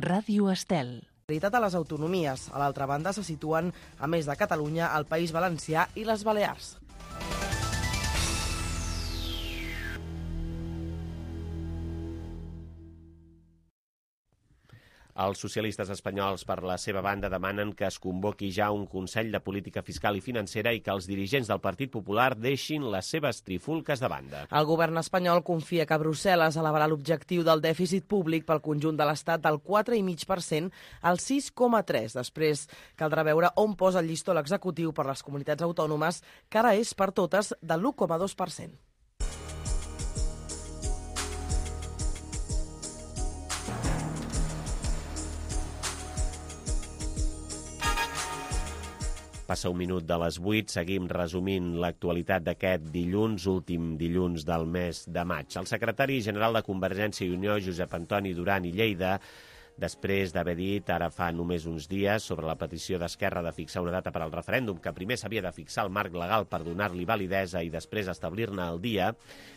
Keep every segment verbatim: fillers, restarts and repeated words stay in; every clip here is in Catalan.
Ràdio Estel. A les autonomies. A l'altra banda se situen, a més de Catalunya, el País Valencià i les Balears. Els socialistes espanyols, per la seva banda, demanen que es convoqui ja un Consell de Política Fiscal i Financera i que els dirigents del Partit Popular deixin les seves trifulques de banda. El govern espanyol confia que Brussel·les elevarà l'objectiu del dèficit públic pel conjunt de l'Estat del quatre coma cinc per cent al sis coma tres. Després caldrà veure on posa el llistó l'executiu per les comunitats autònomes, que ara és per totes de l'u coma dos per cent. Passa un minut de les vuit, seguim resumint l'actualitat d'aquest dilluns, últim dilluns del mes de maig. El secretari general de Convergència i Unió, Josep Antoni Duran i Lleida, després d'haver dit ara fa només uns dies sobre la petició d'Esquerra de fixar una data per al referèndum, que primer s'havia de fixar el marc legal per donar-li validesa i després establir-ne el dia,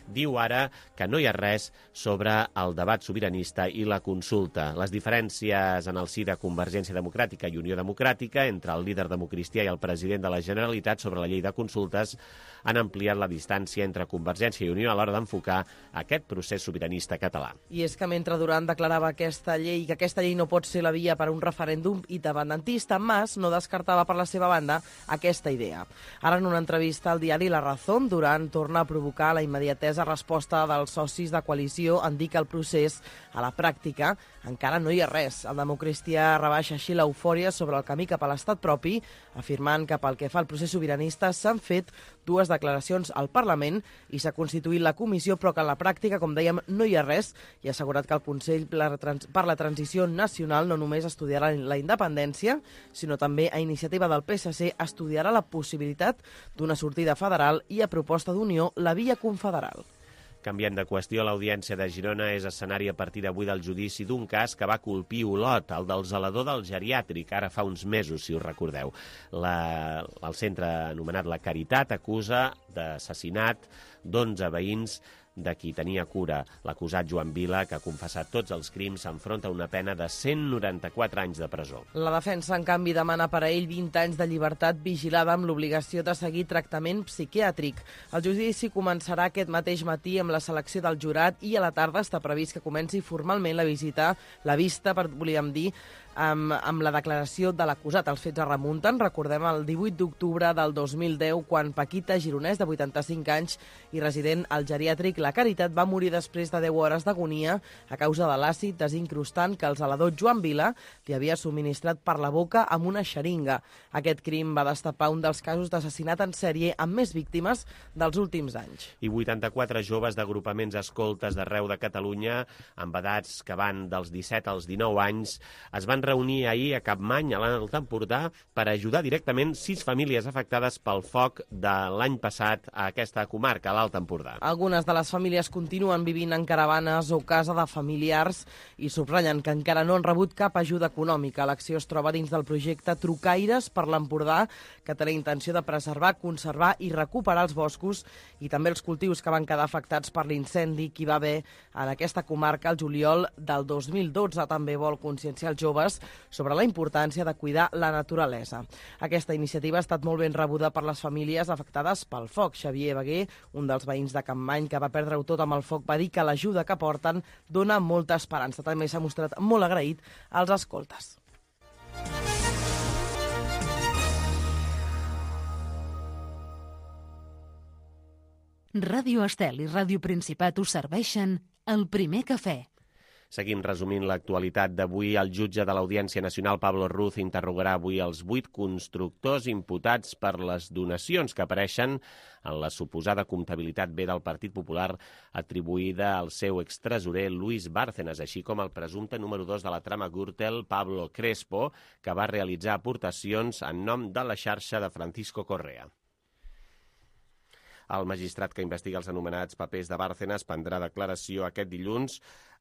diu ara que no hi ha res sobre el debat sobiranista i la consulta. Les diferències en el si de Convergència Democràtica i Unió Democràtica entre el líder democristià i el president de la Generalitat sobre la llei de consultes han ampliat la distància entre Convergència i Unió a l'hora d'enfocar aquest procés sobiranista català. I és que mentre Duran declarava aquesta llei que aquesta llei no pot ser la via per a un referèndum independentista, Mas no descartava per la seva banda aquesta idea. Ara, en una entrevista al diari La Razón, Duran torna a provocar la immediatesa resposta dels socis de coalició en dir que el procés, a la pràctica, encara no hi ha res. El democristià rebaixa així l'eufòria sobre el camí cap a l'estat propi, afirmant que pel que fa al procés sobiranista s'han fet dues declaracions al Parlament i s'ha constituït la comissió, però que en la pràctica, com dèiem, no hi ha res, i ha assegurat que el Consell per la Transició Nacional no només estudiarà la independència, sinó també a iniciativa del P S C estudiarà la possibilitat d'una sortida federal i a proposta d'Unió la via confederal. Canviant de qüestió, l'Audiència de Girona és escenari a partir d'avui del judici d'un cas que va colpir Olot, el del zelador del geriàtric, ara fa uns mesos, si us recordeu. La, el centre anomenat La Caritat acusa d'assassinat d'onze veïns de qui tenia cura. L'acusat Joan Vila, que ha confessat tots els crims, s'enfronta a una pena de cent noranta-quatre anys de presó. La defensa, en canvi, demana per a ell vint anys de llibertat vigilada amb l'obligació de seguir tractament psiquiàtric. El judici començarà aquest mateix matí amb la selecció del jurat i a la tarda està previst que comenci formalment la visita, la vista, per, volíem dir, amb, amb la declaració de l'acusat. Els fets es remunten, recordem, el divuit d'octubre del dos mil deu, quan Paquita Gironès, de vuitanta-cinc anys i resident al geriàtric La Caritat, va morir després de deu hores d'agonia a causa de l'àcid desincrustant que el zelador Joan Vila li havia subministrat per la boca amb una xeringa. Aquest crim va destapar un dels casos d'assassinat en sèrie amb més víctimes dels últims anys. I vuitanta-quatre joves d'agrupaments escoltes d'arreu de Catalunya, amb edats que van dels disset als dinou anys, es van reunir ahir a Capmany, a l'Alt Empordà, per ajudar directament sis famílies afectades pel foc de l'any passat a aquesta comarca, a l'Alt Empordà. Algunes de les famílies continuen vivint en caravanes o casa de familiars i subratllen que encara no han rebut cap ajuda econòmica. L'acció es troba dins del projecte Trucaires per l'Empordà, que té la intenció de preservar, conservar i recuperar els boscos i també els cultius que van quedar afectats per l'incendi que hi va haver en aquesta comarca el juliol del dos mil dotze. També vol conscienciar els joves sobre la importància de cuidar la naturalesa. Aquesta iniciativa ha estat molt ben rebuda per les famílies afectades pel foc. Xavier Beguer, un dels veïns de Capmany que va perdre-ho tot amb el foc, va dir que l'ajuda que porten dona molta esperança. També s'ha mostrat molt agraït als escoltes. Ràdio Estel i Ràdio Principat us serveixen el primer cafè. Seguim resumint l'actualitat d'avui. El jutge de l'Audiència Nacional, Pablo Ruz, interrogarà avui els vuit constructors imputats per les donacions que apareixen en la suposada comptabilitat B del Partit Popular atribuïda al seu extresorer Luis Bárcenas, així com el presumpte número dos de la trama Gürtel, Pablo Crespo, que va realitzar aportacions en nom de la xarxa de Francisco Correa. El magistrat que investiga els anomenats papers de Bárcenas prendrà declaració aquest dilluns.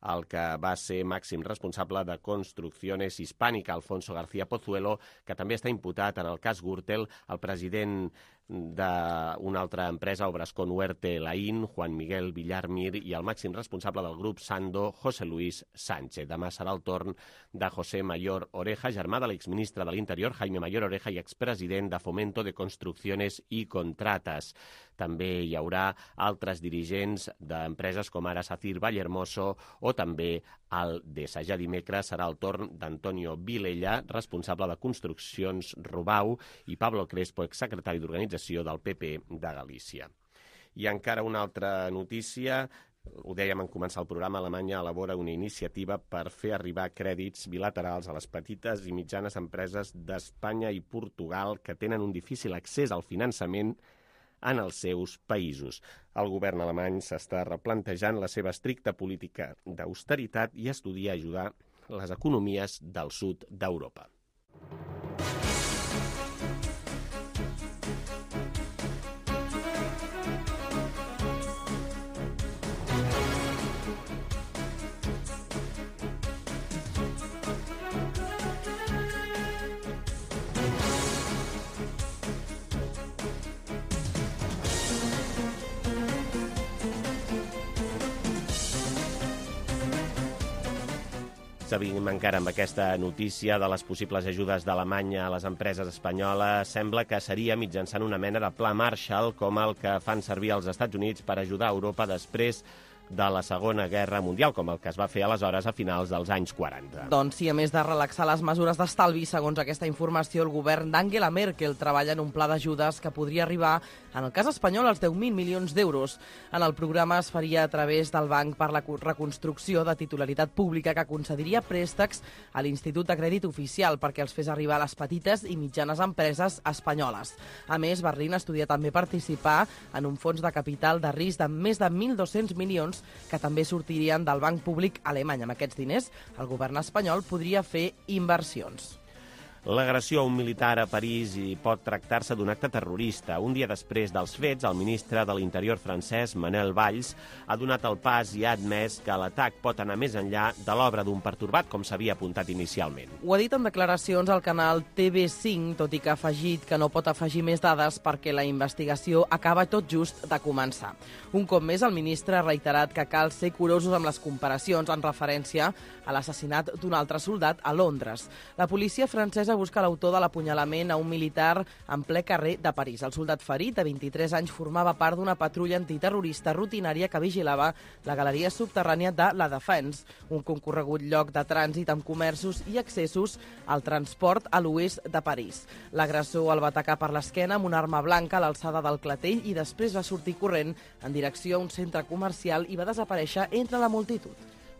El que va ser màxim responsable de Construcciones Hispánica, Alfonso García Pozuelo, que també està imputat en el cas Gürtel, el president d'una altra empresa, Obrascón Huerte Laín, Juan Miguel Villarmir i el màxim responsable del grup Sando, José Luis Sánchez. Demà serà el torn de José Mayor Oreja, germà de l'exministre de l'Interior, Jaime Mayor Oreja, i expresident de Fomento de Construcciones y Contratas. També hi haurà altres dirigents d'empreses com ara Sacir Vallehermoso o també Aldesa. Ja dimecres serà el torn d'Antonio Vilella, responsable de Construccions Rubau, i Pablo Crespo, exsecretari d'Organització del P P de Galícia. I encara una altra notícia. Ho dèiem en començar el programa, Alemanya elabora una iniciativa per fer arribar crèdits bilaterals a les petites i mitjanes empreses d'Espanya i Portugal que tenen un difícil accés al finançament en els seus països. El govern alemany s'està replantejant la seva estricta política d'austeritat i estudia ajudar les economies del sud d'Europa. Seguim encara amb aquesta notícia de les possibles ajudes d'Alemanya a les empreses espanyoles. Sembla que seria mitjançant una mena de pla Marshall, com el que fan servir els Estats Units per ajudar Europa després de la Segona Guerra Mundial, com el que es va fer aleshores a finals dels anys quaranta. Doncs sí, a més de relaxar les mesures d'estalvi, segons aquesta informació, el govern d'Angela Merkel treballa en un pla d'ajudes que podria arribar, en el cas espanyol, als deu mil milions d'euros. En el programa es faria a través del Banc per la Reconstrucció de Titularitat Pública, que concediria préstecs a l'Institut de Crèdit Oficial perquè els fes arribar a les petites i mitjanes empreses espanyoles. A més, Berlín estudia també participar en un fons de capital de risc de més de mil dos-cents milions que també sortirien del banc públic alemany. Amb aquests diners, el govern espanyol podria fer inversions. L'agressió a un militar a París i pot tractar-se d'un acte terrorista. Un dia després dels fets, el ministre de l'Interior francès, Manuel Valls, ha donat el pas i ha admès que l'atac pot anar més enllà de l'obra d'un pertorbat, com s'havia apuntat inicialment. Ho ha dit en declaracions al canal T V cinc, tot i que ha afegit que no pot afegir més dades perquè la investigació acaba tot just de començar. Un cop més, el ministre ha reiterat que cal ser curosos amb les comparacions en referència a l'assassinat d'un altre soldat a Londres. La policia francesa busca l'autor de l'apunyalament a un militar en ple carrer de París. El soldat ferit, de vint-i-tres anys, formava part d'una patrulla antiterrorista rutinària que vigilava la galeria subterrània de La Défense, un concorregut lloc de trànsit amb comerços i accessos al transport a l'oest de París. L'agressor el va atacar per l'esquena amb una arma blanca a l'alçada del clatell i després va sortir corrent en direcció a un centre comercial i va desaparèixer entre la multitud.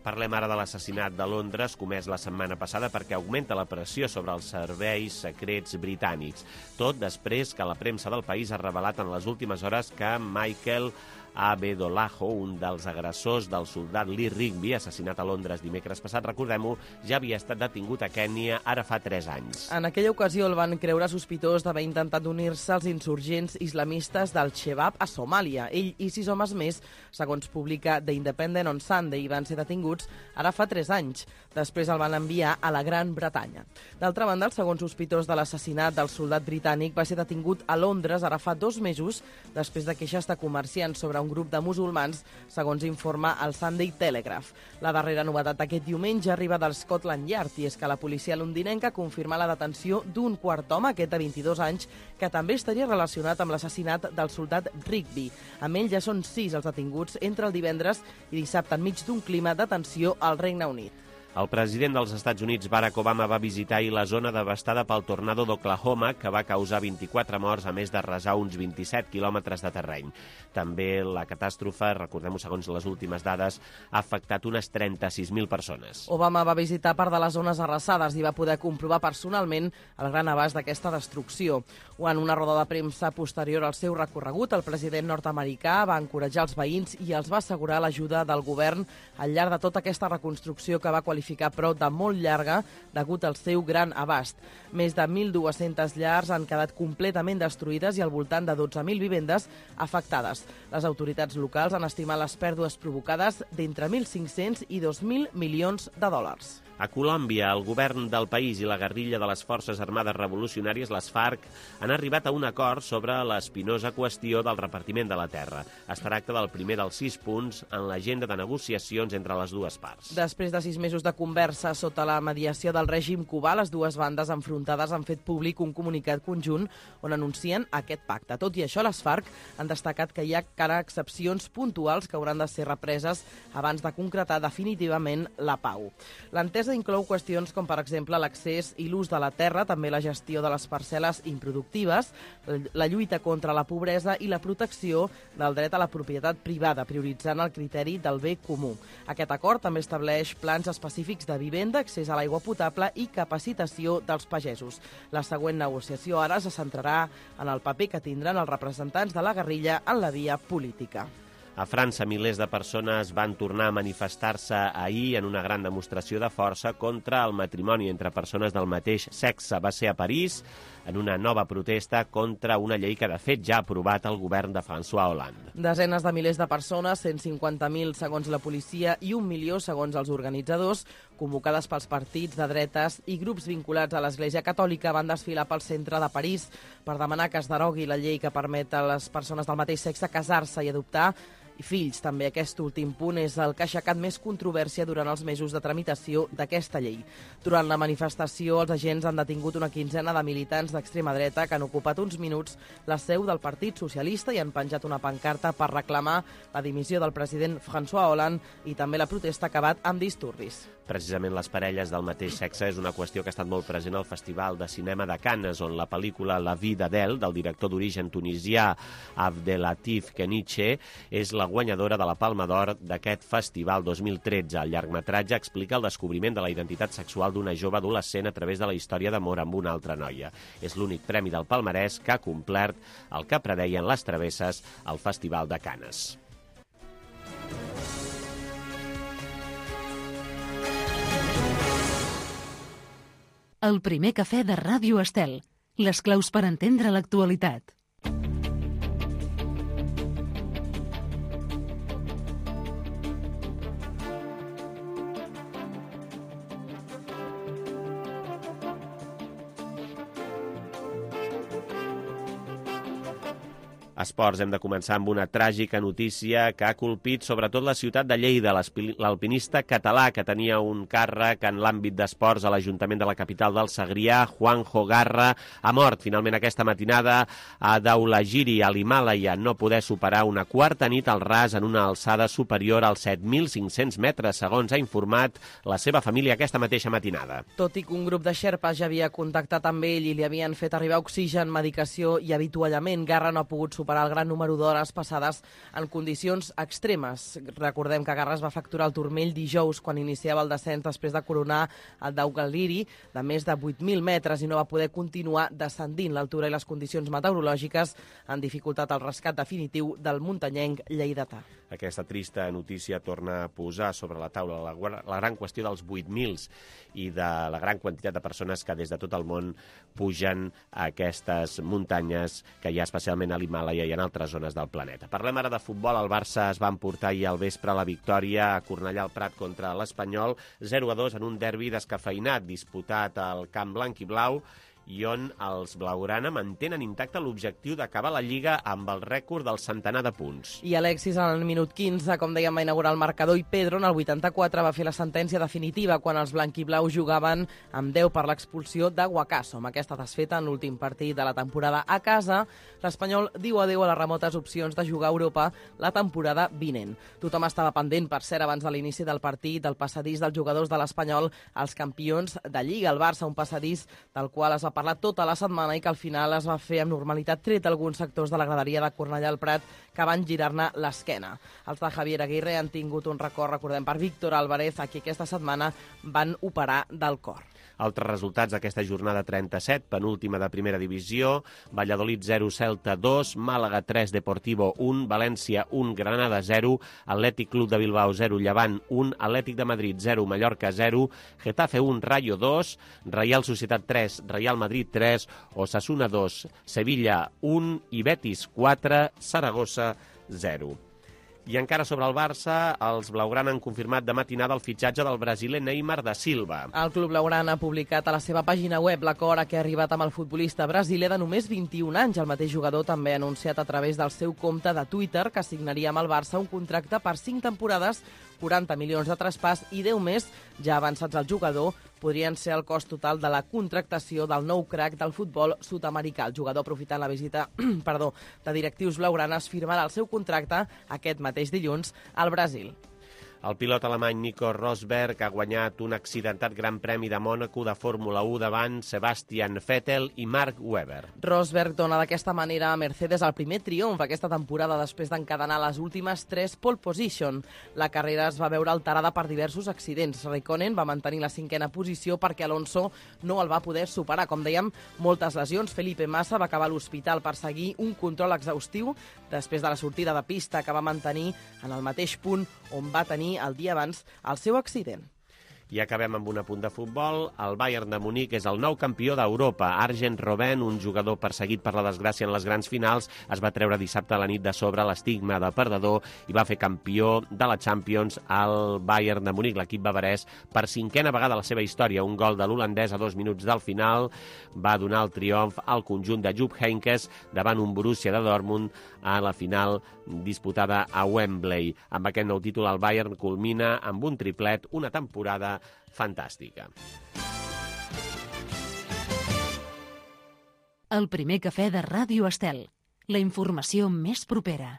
Parlem ara de l'assassinat de Londres, comès la setmana passada perquè augmenta la pressió sobre els serveis secrets britànics. Tot després que la premsa del país ha revelat en les últimes hores que Michael Abedolajo, un dels agressors del soldat Lee Rigby, assassinat a Londres dimecres passat, recordem-ho, ja havia estat detingut a Kènia ara fa tres anys. En aquella ocasió el van creure sospitós d'haver intentat unir-se als insurgents islamistes del Shebab a Somàlia. Ell i sis homes més, segons publica The Independent on Sunday, van ser detinguts ara fa tres anys. Després el van enviar a la Gran Bretanya. D'altra banda, el segon sospitós de l'assassinat del soldat britànic va ser detingut a Londres ara fa dos mesos, després de queixes de comerciants sobre un grup de musulmans, segons informa el Sunday Telegraph. La darrera novetat aquest diumenge arriba del Scotland Yard, i és que la policia londinenca confirma la detenció d'un quart home, aquest de vint-i-dos anys, que també estaria relacionat amb l'assassinat del soldat Rigby. Amb ell ja són sis els detinguts entre el divendres i dissabte enmig d'un clima de tensió al Regne Unit. El president dels Estats Units, Barack Obama, va visitar ahir la zona devastada pel tornado d'Oklahoma, que va causar vint-i-quatre morts, a més de resar uns vint-i-set quilòmetres de terreny. També la catàstrofe, recordem-ho segons les últimes dades, ha afectat unes trenta-sis mil persones. Obama va visitar part de les zones arrasades i va poder comprovar personalment el gran abast d'aquesta destrucció. En una roda de premsa posterior al seu recorregut, el president nord-americà va encoratjar els veïns i els va assegurar l'ajuda del govern al llarg de tota aquesta reconstrucció que va qualificar però de molt llarga degut al seu gran abast. Més de mil dues-centes llars han quedat completament destruïdes i al voltant de dotze mil vivendes afectades. Les autoritats locals han estimat les pèrdues provocades d'entre mil cinc-cents i dos mil milions de dòlars. A Colòmbia, el govern del país i la guerrilla de les Forces Armades Revolucionàries, les FARC, han arribat a un acord sobre l'espinosa qüestió del repartiment de la terra. Es tracta del primer dels sis punts en l'agenda de negociacions entre les dues parts. Després de sis mesos de conversa sota la mediació del règim cubà, les dues bandes enfrontades han fet públic un comunicat conjunt on anuncien aquest pacte. Tot i això, les FARC han destacat que hi ha encara excepcions puntuals que hauran de ser represes abans de concretar definitivament la pau. L'entesa inclou qüestions com, per exemple, l'accés i l'ús de la terra, també la gestió de les parcel·les improductives, la lluita contra la pobresa i la protecció del dret a la propietat privada, prioritzant el criteri del bé comú. Aquest acord també estableix plans específics de vivenda, accés a l'aigua potable i capacitació dels pagesos. La següent negociació ara se centrarà en el paper que tindran els representants de la guerrilla en la via política. A França, milers de persones van tornar a manifestar-se ahir en una gran demostració de força contra el matrimoni entre persones del mateix sexe. Va ser a París, en una nova protesta contra una llei que, de fet, ja ha aprovat el govern de François Hollande. Desenes de milers de persones, cent cinquanta mil segons la policia i un milió segons els organitzadors, convocades pels partits de dretes i grups vinculats a l'Església Catòlica, van desfilar pel centre de París per demanar que es derogui la llei que permet a les persones del mateix sexe casar-se i adoptar i fills. També aquest últim punt és el que ha aixecat més controvèrsia durant els mesos de tramitació d'aquesta llei. Durant la manifestació, els agents han detingut una quinzena de militants d'extrema dreta que han ocupat uns minuts la seu del Partit Socialista i han penjat una pancarta per reclamar la dimissió del president François Hollande i també la protesta ha acabat amb disturbis. Precisament les parelles del mateix sexe és una qüestió que ha estat molt present al Festival de Cinema de Cannes, on la pel·lícula La vie d'Adèle, del director d'origen tunisià Abdelatif Keniche, és la guanyadora de la Palma d'Or d'aquest festival dos mil tretze. El llargmetratge explica el descobriment de la identitat sexual d'una jove adolescent a través de la història d'amor amb una altra noia. És l'únic premi del palmarès que ha complert el que preveien les travesses al Festival de Cannes. El primer cafè de Ràdio Estel. Les claus per entendre l'actualitat. Esports, hem de començar amb una tràgica notícia que ha colpit sobretot la ciutat de Lleida. L'alpinista català que tenia un càrrec en l'àmbit d'esports a l'Ajuntament de la capital del Segrià, Juanjo Garra, ha mort finalment aquesta matinada a Dhaulagiri, a l'Himàlaia, no poder superar una quarta nit al ras en una alçada superior als set mil cinc-cents metres, segons ha informat la seva família aquesta mateixa matinada. Tot i que un grup de xerpes ja havia contactat amb ell i li havien fet arribar oxigen, medicació i avituallament, Garra no ha pogut superar superar el gran número d'hores passades en condicions extremes. Recordem que Garra es va fracturar el turmell dijous quan iniciava el descens després de coronar el Dhaulagiri de més de vuit mil metres i no va poder continuar descendint. L'altura i les condicions meteorològiques han dificultat el rescat definitiu del muntanyenc lleidatà. Aquesta trista notícia torna a posar sobre la taula la, la gran qüestió dels vuit mil i de la gran quantitat de persones que des de tot el món pugen a aquestes muntanyes que hi ha especialment a l'Himàlaia i en altres zones del planeta. Parlem ara de futbol. El Barça es va emportar ahir al vespre la victòria a Cornellà al Prat contra l'Espanyol, zero a dos en un derbi descafeïnat disputat al Camp Blanc i Blau i on els blaugrana mantenen intacte l'objectiu d'acabar la Lliga amb el rècord del centenar de punts. I Alexis, en el minut quinze, com dèiem, va inaugurar el marcador i Pedro, en el vuitanta-quatre, va fer la sentència definitiva quan els blanquiblaus jugaven amb deu per l'expulsió de Guacaso. Amb aquesta desfeta en l'últim partit de la temporada a casa, l'Espanyol diu adeu a les remotes opcions de jugar a Europa la temporada vinent. Tothom estava pendent, per cert, abans de l'inici del partit, del passadís dels jugadors de l'Espanyol als campions de Lliga. El Barça, un passadís del qual es va parlar tota la setmana i que al final es va fer amb normalitat, tret alguns sectors de la graderia de Cornellà al Prat que van girar-ne l'esquena. Els de Javier Aguirre han tingut un record, recordem, per Víctor Álvarez, a qui aquesta setmana van operar del cor. Altres resultats d'aquesta jornada trenta-set, penúltima de primera divisió: Valladolid zero, Celta dos, Màlaga tres, Deportivo un, València un, Granada zero, Atlètic Club de Bilbao zero, Llevant un, Atlètic de Madrid zero, Mallorca zero, Getafe un, Rayo dos, Reial Societat tres, Real Madrid tres, Osasuna dos, Sevilla un i Betis quatre, Saragossa zero. I encara sobre el Barça, els blaugrana han confirmat de matinada el fitxatge del brasiler Neymar da Silva. El club blaugrana ha publicat a la seva pàgina web l'acord a què ha arribat amb el futbolista brasiler de només vint-i-un anys. El mateix jugador també ha anunciat a través del seu compte de Twitter que signaria amb el Barça un contracte per cinc temporades, quaranta milions de traspàs i deu més ja avançats al jugador podrien ser el cost total de la contractació del nou crack del futbol sud-americà. El jugador, aprofitant la visita perdó, de directius blaugranes, firmarà el seu contracte aquest mateix dilluns al Brasil. El pilot alemany Nico Rosberg ha guanyat un accidentat Gran Premi de Mònaco de Fórmula u davant Sebastian Vettel i Mark Webber. Rosberg dona d'aquesta manera a Mercedes el primer triomf aquesta temporada després d'encadenar les últimes tres pole position. La carrera es va veure alterada per diversos accidents. Raikkonen va mantenir la cinquena posició perquè Alonso no el va poder superar. Com dèiem, moltes lesions. Felipe Massa va acabar a l'hospital per seguir un control exhaustiu després de la sortida de pista que va mantenir en el mateix punt on va tenir el dia abans el seu accident. I acabem amb un apunt de futbol. El Bayern de Munic és el nou campió d'Europa. Arjen Robben, un jugador perseguit per la desgràcia en les grans finals, es va treure dissabte a la nit de sobre l'estigma de perdedor i va fer campió de la Champions al Bayern de Munic. L'equip bavarès, per cinquena vegada a la seva història, un gol de l'holandès a dos minuts del final, va donar el triomf al conjunt de Jupp Heynckes davant un Borussia de Dortmund a la final disputada a Wembley. Amb aquest nou títol, el Bayern culmina amb un triplet, una temporada fantàstica. El primer cafè de Ràdio Estel. La informació més propera.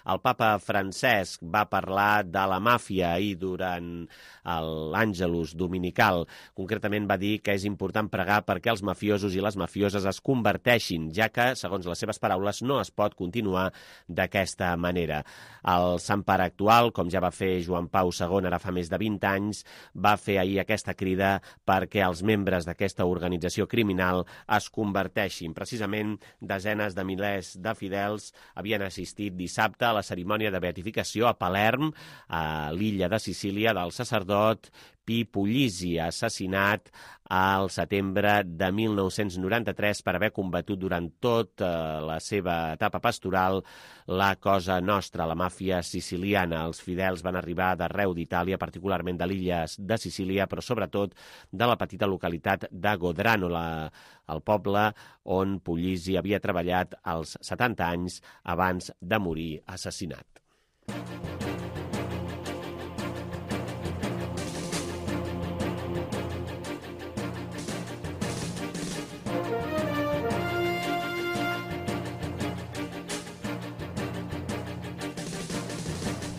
El papa Francesc va parlar de la màfia ahir durant l'Àngelus dominical. Concretament va dir que és important pregar perquè els mafiosos i les mafioses es converteixin, ja que, segons les seves paraules, no es pot continuar d'aquesta manera. El Sant Pare actual, com ja va fer Joan Pau segon ara fa més de vint anys, va fer ahir aquesta crida perquè els membres d'aquesta organització criminal es converteixin. Precisament, desenes de milers de fidels havien assistit dissabte a la cerimònia de beatificació a Palerm, a l'illa de Sicília, del sacerdot Pi Puglisi, assassinat al setembre de mil nou-cents noranta-tres per haver combatut durant tota la seva etapa pastoral la Cosa Nostra, la màfia siciliana. Els fidels van arribar d'arreu d'Itàlia, particularment de l'illa de Sicília, però sobretot de la petita localitat de Godrano, la, el poble on Puglisi havia treballat als setanta anys abans de morir assassinat.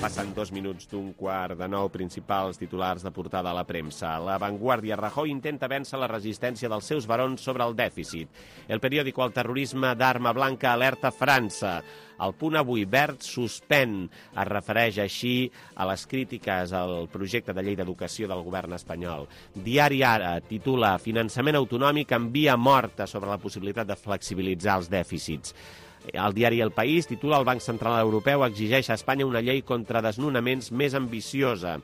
Passen dos minuts d'un quart de nou, principals titulars de portada a la premsa. La Vanguardia: Rajoy intenta vèncer la resistència dels seus barons sobre el dèficit. El periòdico: el terrorisme d'arma blanca alerta França. El Punt avui: Wert suspèn. Es refereix així a les crítiques al projecte de llei d'educació del govern espanyol. Diari Ara titula: Finançament autonòmic envia morta sobre la possibilitat de flexibilitzar els dèficits. El diari El País titula: el Banc Central Europeu exigeix a Espanya una llei contra desnonaments més ambiciosa.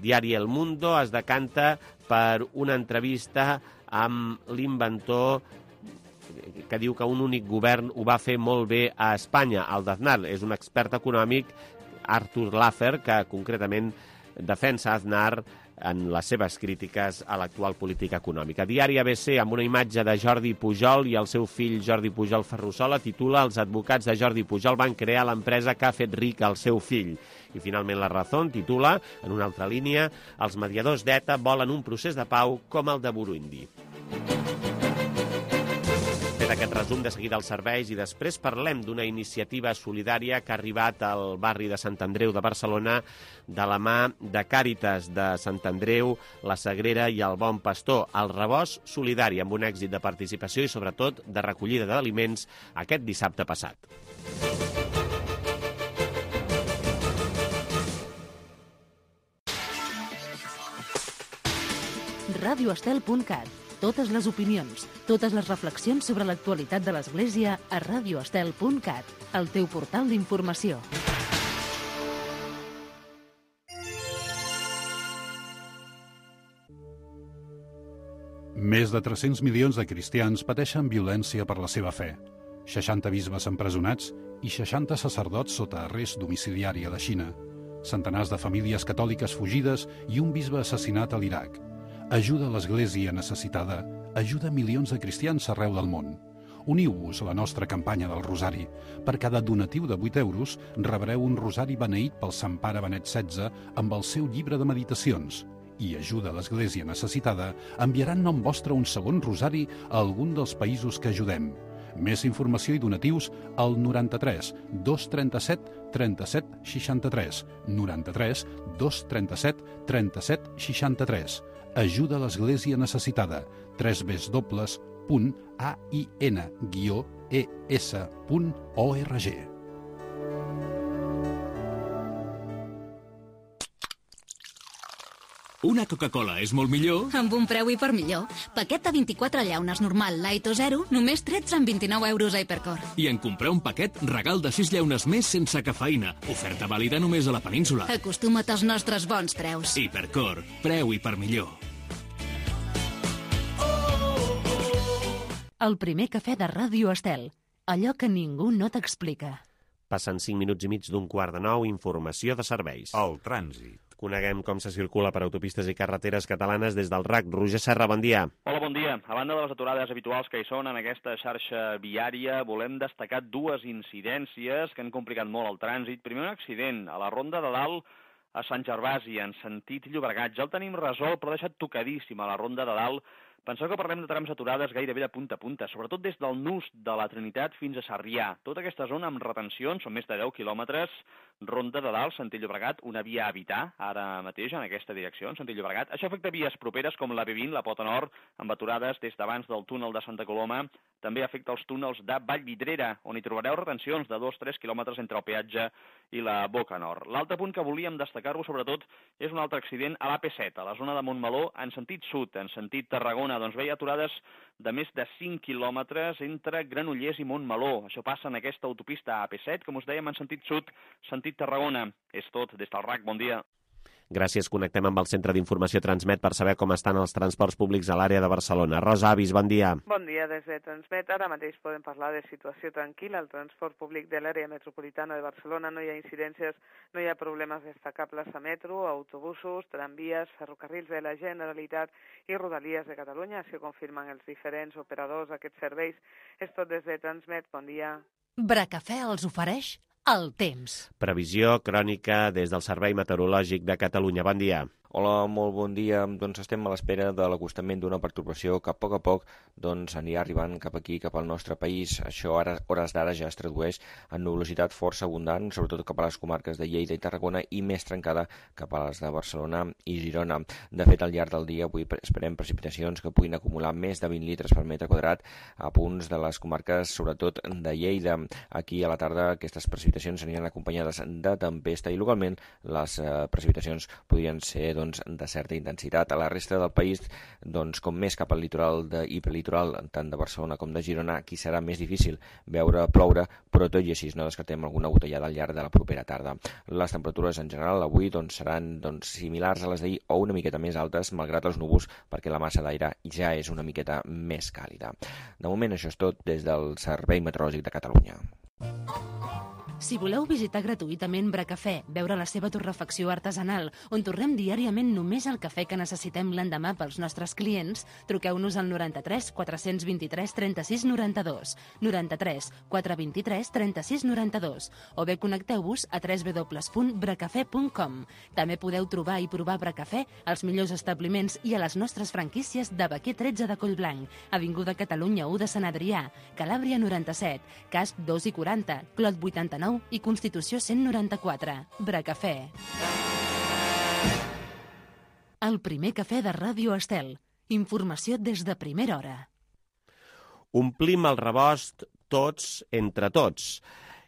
Diari El Mundo es decanta per una entrevista amb l'inventor que diu que un únic govern ho va fer molt bé a Espanya. El d'Aznar és un expert econòmic, Artur Laffer, que concretament defensa Aznar en les seves crítiques a l'actual política econòmica. Diari A B C, amb una imatge de Jordi Pujol i el seu fill Jordi Pujol Ferrusola, titula: els advocats de Jordi Pujol van crear l'empresa que ha fet ric al seu fill. I finalment La Razón titula, en una altra línia: els mediadors d'ETA volen un procés de pau com el de Burundi. Aquest resum, de seguida als serveis, i després parlem d'una iniciativa solidària que ha arribat al barri de Sant Andreu de Barcelona de la mà de Càritas de Sant Andreu, la Sagrera i el Bon Pastor. El rebost solidari, amb un èxit de participació i sobretot de recollida d'aliments aquest dissabte passat. radio estel punt cat. Totes les opinions, totes les reflexions sobre l'actualitat de l'Església a radio estel punt cat, el teu portal d'informació. Més de tres-cents milions de cristians pateixen violència per la seva fe. seixanta bisbes empresonats i seixanta sacerdots sota arrest domiciliari a la Xina, centenars de famílies catòliques fugides i un bisbe assassinat a l'Iraq. Ajuda a l'Església necessitada, ajuda milions de cristians arreu del món. Uniu-vos a la nostra campanya del Rosari. Per cada donatiu de vuit euros rebreu un rosari beneït pel Sant Pare Benet setze amb el seu llibre de meditacions. I ajuda a l'Església necessitada enviarà en nom vostre un segon rosari a algun dels països que ajudem. Més informació i donatius al noranta-tres dos trenta-set trenta-set seixanta-tres, noranta-tres dos trenta-set trenta-set seixanta-tres. Ajuda a l'Església necessitada. tres w punt a i n guió e s punt org. Una Coca-Cola és molt millor? Amb un preu hipermillor. Paquet de vint-i-quatre llaunes normal, light o zero, només tretze amb vint-i-nou euros a Hipercor. I en comprar un paquet, regal de sis llaunes més sense cafeïna. Oferta vàlida només a la península. Acostuma't als nostres bons preus. Hipercor, preu hipermillor. El primer cafè de Ràdio Estel. Allò que ningú no t'explica. Passen cinc minuts i mig d'un quart de nou, informació de serveis. El trànsit. Coneguem com se circula per autopistes i carreteres catalanes des del R A C. Roger Serra, bon dia. Hola, bon dia. A banda de les aturades habituals que hi són en aquesta xarxa viària, volem destacar dues incidències que han complicat molt el trànsit. Primer, un accident a la Ronda de Dalt a Sant Gervasi, en sentit Llobregat. Ja el tenim resolt, però ha deixat tocadíssim a la Ronda de Dalt. Penseu que parlem de trams aturades gairebé de punta a punta, sobretot des del nus de la Trinitat fins a Sarrià. Tota aquesta zona amb retencions, són més de deu quilòmetres, Ronda de Dalt, sentit Llobregat, una via a evitar ara mateix en aquesta direcció, en sentit Llobregat. Això afecta vies properes com la B vint, la Pota Nord, amb aturades des d'abans del túnel de Santa Coloma. També afecta els túnels de Vallvidrera, on hi trobareu retencions de dos a tres quilòmetres entre el peatge i la Boca Nord. L'altre punt que volíem destacar-vos, sobretot, és un altre accident a l'A P set, a la zona de Montmeló, en sentit sud, en sentit Tarragona. Doncs veia aturades de més de cinc quilòmetres entre Granollers i Montmeló. Això passa en aquesta autopista A P set, com us dèiem, en sentit sud, sentit Tarragona. És tot des del R A C. Bon dia. Gràcies. Connectem amb el Centre d'Informació Transmet per saber com estan els transports públics a l'àrea de Barcelona. Rosa Avis, bon dia. Bon dia des de Transmet. Ara mateix podem parlar de situació tranquil·la. El transport públic de l'àrea metropolitana de Barcelona no hi ha incidències, no hi ha problemes destacables a metro, autobusos, tramvies, ferrocarrils de la Generalitat i Rodalies de Catalunya. Això confirmen els diferents operadors d'aquests serveis. És tot des de Transmet. Bon dia. Bracafè els ofereix el temps. Previsió crònica des del Servei Meteorològic de Catalunya. Bon dia. Hola, molt bon dia. Doncs estem a l'espera de l'acostament d'una pertorbació que a poc a poc doncs, anirà arribant cap aquí, cap al nostre país. Això ara, hores d'ara ja es tradueix en nuvolositat força abundant, sobretot cap a les comarques de Lleida i Tarragona i més trencada cap a les de Barcelona i Girona. De fet, al llarg del dia avui esperem precipitacions que puguin acumular més de vint litres per metre quadrat a punts de les comarques, sobretot de Lleida. Aquí a la tarda aquestes precipitacions aniran acompanyades de tempesta i localment les eh, precipitacions podrien ser doncs, de certa intensitat. A la resta del país, doncs, com més cap al litoral de, i litoral, tant de Barcelona com de Girona, aquí serà més difícil veure ploure, però tot i així no descartem alguna gotellada al llarg de la propera tarda. Les temperatures en general avui doncs, seran doncs, similars a les d'ahir o una miqueta més altes, malgrat els núvols, perquè la massa d'aire ja és una miqueta més càlida. De moment això és tot des del Servei Meteorològic de Catalunya. Si voleu visitar gratuïtament Bracafè, veure la seva torrefacció artesanal, on tornem diàriament només el cafè que necessitem l'endemà pels nostres clients, truqueu-nos al noranta-tres quatre vint-i-tres trenta-sis noranta-dos, noranta-tres quatre vint-i-tres trenta-sis noranta-dos, o bé connecteu-vos a w w w punt bracafè punt com. També podeu trobar i provar Bracafè als millors establiments i a les nostres franquícies de Baquer tretze de Collblanc, Avinguda Catalunya u de Sant Adrià, Calàbria noranta-set, Casp dos i quaranta, Clot vuitanta-nou i Constitució cent noranta-quatre. Bracafè. El primer cafè de Ràdio Estel. Informació des de primera hora. Omplim el rebost tots entre tots.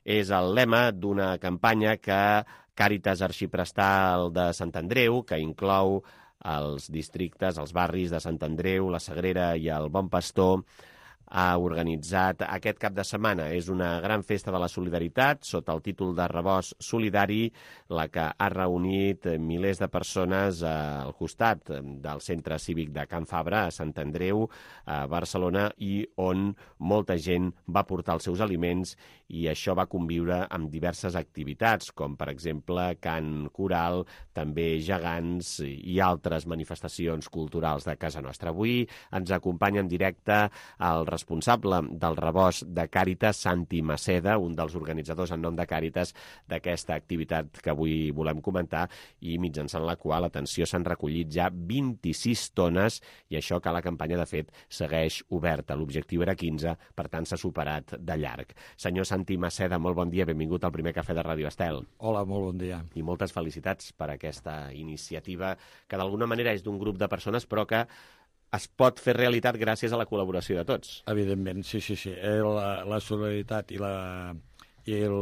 És el lema d'una campanya que Càritas Arxiprestal de Sant Andreu, que inclou els districtes, els barris de Sant Andreu, la Sagrera i el Bon Pastor, ha organitzat aquest cap de setmana. És una gran festa de la solidaritat sota el títol de Rebost Solidari, la que ha reunit milers de persones al costat del Centre Cívic de Can Fabra, a Sant Andreu, a Barcelona, i on molta gent va portar els seus aliments, i això va conviure amb diverses activitats, com per exemple cant coral, també gegants i altres manifestacions culturals de casa nostra. Avui ens acompanya en directe el responsable del Rebost de Càritas, Santi Maceda, un dels organitzadors en nom de Càritas d'aquesta activitat que avui volem comentar, i mitjançant la qual, atenció, s'han recollit ja vint-i-sis tones, i això que la campanya, de fet, segueix oberta. L'objectiu era quinze, per tant s'ha superat de llarg. Senyor Santi Maceda, molt bon dia, benvingut al primer cafè de Ràdio Estel. Hola, molt bon dia. I moltes felicitats per aquesta iniciativa, que d'alguna manera és d'un grup de persones, però que es pot fer realitat gràcies a la col·laboració de tots. Evidentment, sí, sí, sí. La, la solidaritat i, la, i el,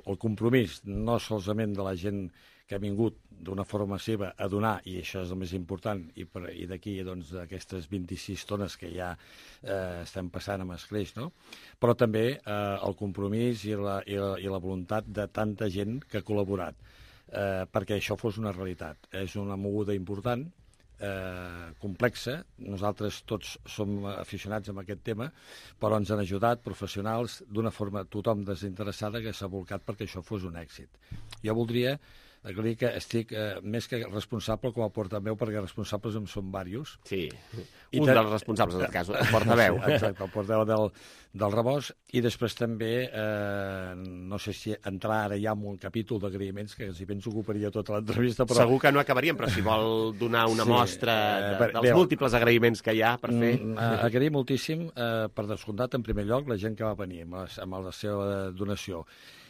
el compromís, no solament de la gent que ha vingut d'una forma seva a donar, i això és el més important, i, per, i d'aquí doncs, aquestes vint-i-sis tones que ja eh, estem passant amb escreix, no? Però també eh, el compromís i la, i, la, i la voluntat de tanta gent que ha col·laborat eh, perquè això fos una realitat. És una moguda important, eh, complexa. Nosaltres tots som aficionats amb aquest tema, però ens han ajudat professionals d'una forma tothom desinteressada que s'ha volcat perquè això fos un èxit. Jo voldria aclarir que estic eh, més que responsable com a portaveu, perquè responsables en són diversos. Sí, un te... dels responsables, en aquest cas, el portaveu. Sí, exacte, el portaveu del, del Rebost, i després també, eh, no sé si entrar ara ja en un capítol d'agraïments, que si penso ocuparia tota l'entrevista, però... Segur que no acabaríem, però si vol donar una sí, mostra de, eh, dels bé, múltiples agraïments que hi ha per fer... Mm, eh, agrair moltíssim, eh, per descomptat, en primer lloc, la gent que va venir amb la, amb la seva donació.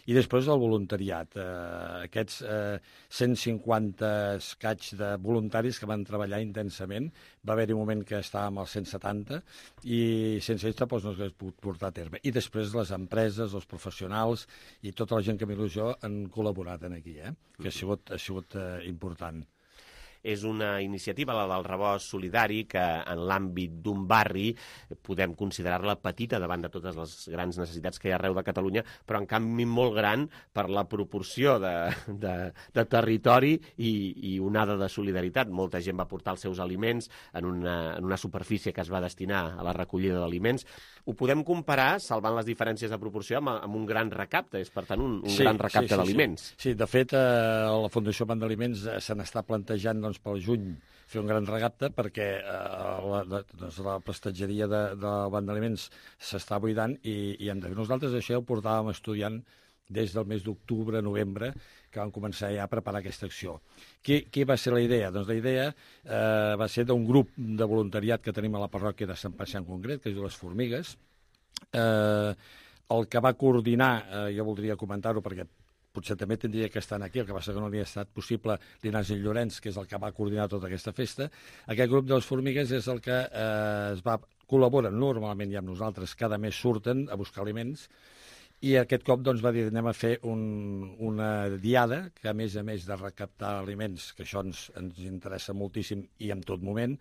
I després el voluntariat, eh, aquests eh, cent cinquanta escaig de voluntaris que van treballar intensament. Va haver-hi un moment que estàvem als cent setanta i sense ells doncs, no s'hagués pogut portar a terme. I després les empreses, els professionals i tota la gent que m'il·lusió jo han col·laborat en aquí, eh? Que ha sigut, ha sigut eh, important. És una iniciativa, la del Rebost Solidari, que en l'àmbit d'un barri podem considerar-la petita davant de totes les grans necessitats que hi ha arreu de Catalunya, però en canvi molt gran per la proporció de, de, de territori i, i onada de solidaritat. Molta gent va portar els seus aliments en una, en una superfície que es va destinar a la recollida d'aliments. Ho podem comparar, salvant les diferències de proporció, amb, amb un gran recapte, és per tant un, un sí, gran recapte sí, sí, d'aliments. Sí. sí, de fet, eh, la Fundació Banc d'Aliments eh, se n'està plantejant doncs, pel juny fer un gran recapte perquè eh, la, doncs, la prestatgeria de, de Banc d'Aliments s'està buidant i, i hem de fer. Nosaltres això ho portàvem estudiant des del mes d'octubre, novembre, que vam començar ja a preparar aquesta acció. Qui, qui va ser la idea? Doncs la idea eh, va ser d'un grup de voluntariat que tenim a la parròquia de Sant Pacià en concret, que es diu Les Formigues. Eh, el que va coordinar, eh, jo voldria comentar-ho perquè potser també tindria que estar aquí, el que passa que no li ha estat possible, l'Ignasi Llorenç, que és el que va coordinar tota aquesta festa. Aquest grup de Les Formigues és el que eh, es va col·laboren normalment i amb nosaltres, cada mes surten a buscar aliments, i aquest cop doncs, va dir anem a fer un, una diada que a més a més de recaptar aliments, que això ens, ens interessa moltíssim i en tot moment,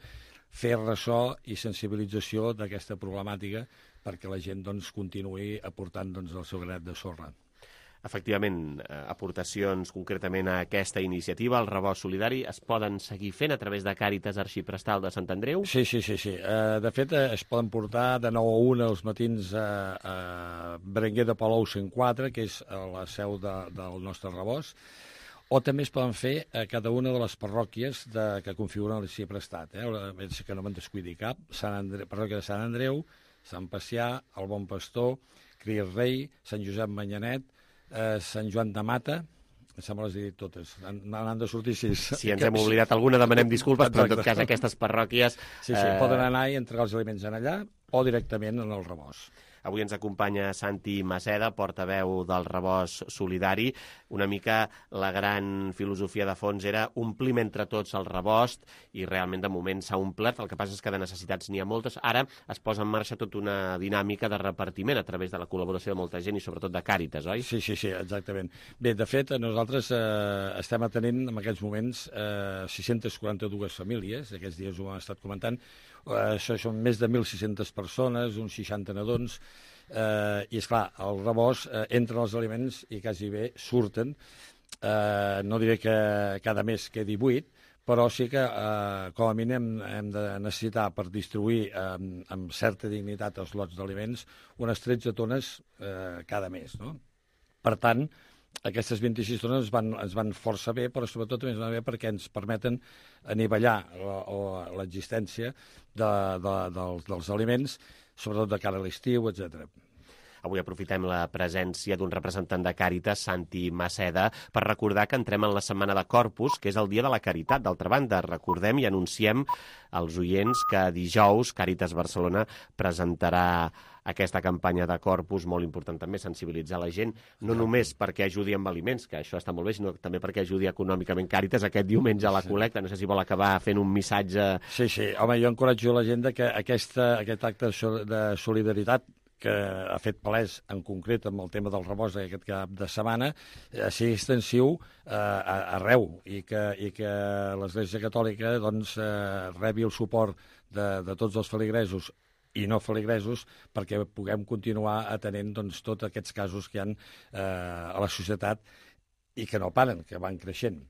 fer ressò i sensibilització d'aquesta problemàtica perquè la gent doncs, continuï aportant doncs, el seu granet de sorra. Efectivament, aportacions concretament a aquesta iniciativa, el Rebost Solidari, es poden seguir fent a través de Càritas Arxiprestal de Sant Andreu? Sí, sí, sí. sí. De fet, es poden portar de nou a una els matins a, a Berenguer de Palou cent quatre, que és la seu de, del nostre Rebost, o també es poden fer a cada una de les parròquies de, que configuren l'Arxiprestat. Eh? Que no me'n descuidi cap. Sant Andreu, parròquia de Sant Andreu, Sant Pacià, el Bon Pastor, Crier Rei, Sant Josep Manyanet, Eh, Sant Joan de Mata, em sembla que les he dit totes, n'han de sortir sis. Si ens hem oblidat alguna, demanem disculpes, però en tot cas aquestes parròquies... Sí, sí, eh... poden anar i entregar els aliments en allà o directament en el Rebost. Avui ens acompanya Santi Maceda, portaveu del Rebost Solidari. Una mica la gran filosofia de fons era omplim entre tots el rebost i realment de moment s'ha omplert. El que passa és que de necessitats n'hi ha moltes. Ara es posa en marxa tota una dinàmica de repartiment a través de la col·laboració de molta gent i sobretot de Càritas, oi? Sí, sí, sí, exactament. Bé, de fet, nosaltres eh, estem atenent en aquests moments eh, sis-centes quaranta-dues famílies, aquests dies ho hem estat comentant, això són més de mil sis-centes persones, uns seixanta nadons, eh, i, esclar, el rebost eh, entra els aliments i quasi bé surten. Eh, no diré que cada mes quedi buit, però sí que, eh, com a mínim, hem de necessitar per distribuir eh, amb certa dignitat els lots d'aliments unes tretze tones eh, cada mes, no? Per tant, aquestes vint-i-sis tones ens van, ens van força bé, però sobretot també ens van bé perquè ens permeten anivellar l'existència de, de, dels, dels aliments, sobretot de cara a l'estiu, etcètera. Avui aprofitem la presència d'un representant de Càritas, Santi Maceda, per recordar que entrem en la Setmana de Corpus, que és el Dia de la Caritat. D'altra banda, recordem i anunciem als oients que dijous Càritas Barcelona presentarà aquesta campanya de Corpus, molt important també sensibilitzar la gent, no només perquè ajudi amb aliments, que això està molt bé, sinó també perquè ajudi econòmicament Càritas aquest diumenge a la col·lecta. No sé si vol acabar fent un missatge... Sí, sí. Home, jo encoratjo la gent que aquesta, aquest acte de solidaritat que ha fet palès en concret amb el tema del rebost aquest cap de setmana, eh, sigui extensiu eh, arreu i que, i que l'Església Catòlica doncs, eh, rebi el suport de, de tots els feligresos i no feligresos perquè puguem continuar atenent doncs, tots aquests casos que hi ha eh, a la societat i que no paren, que van creixent.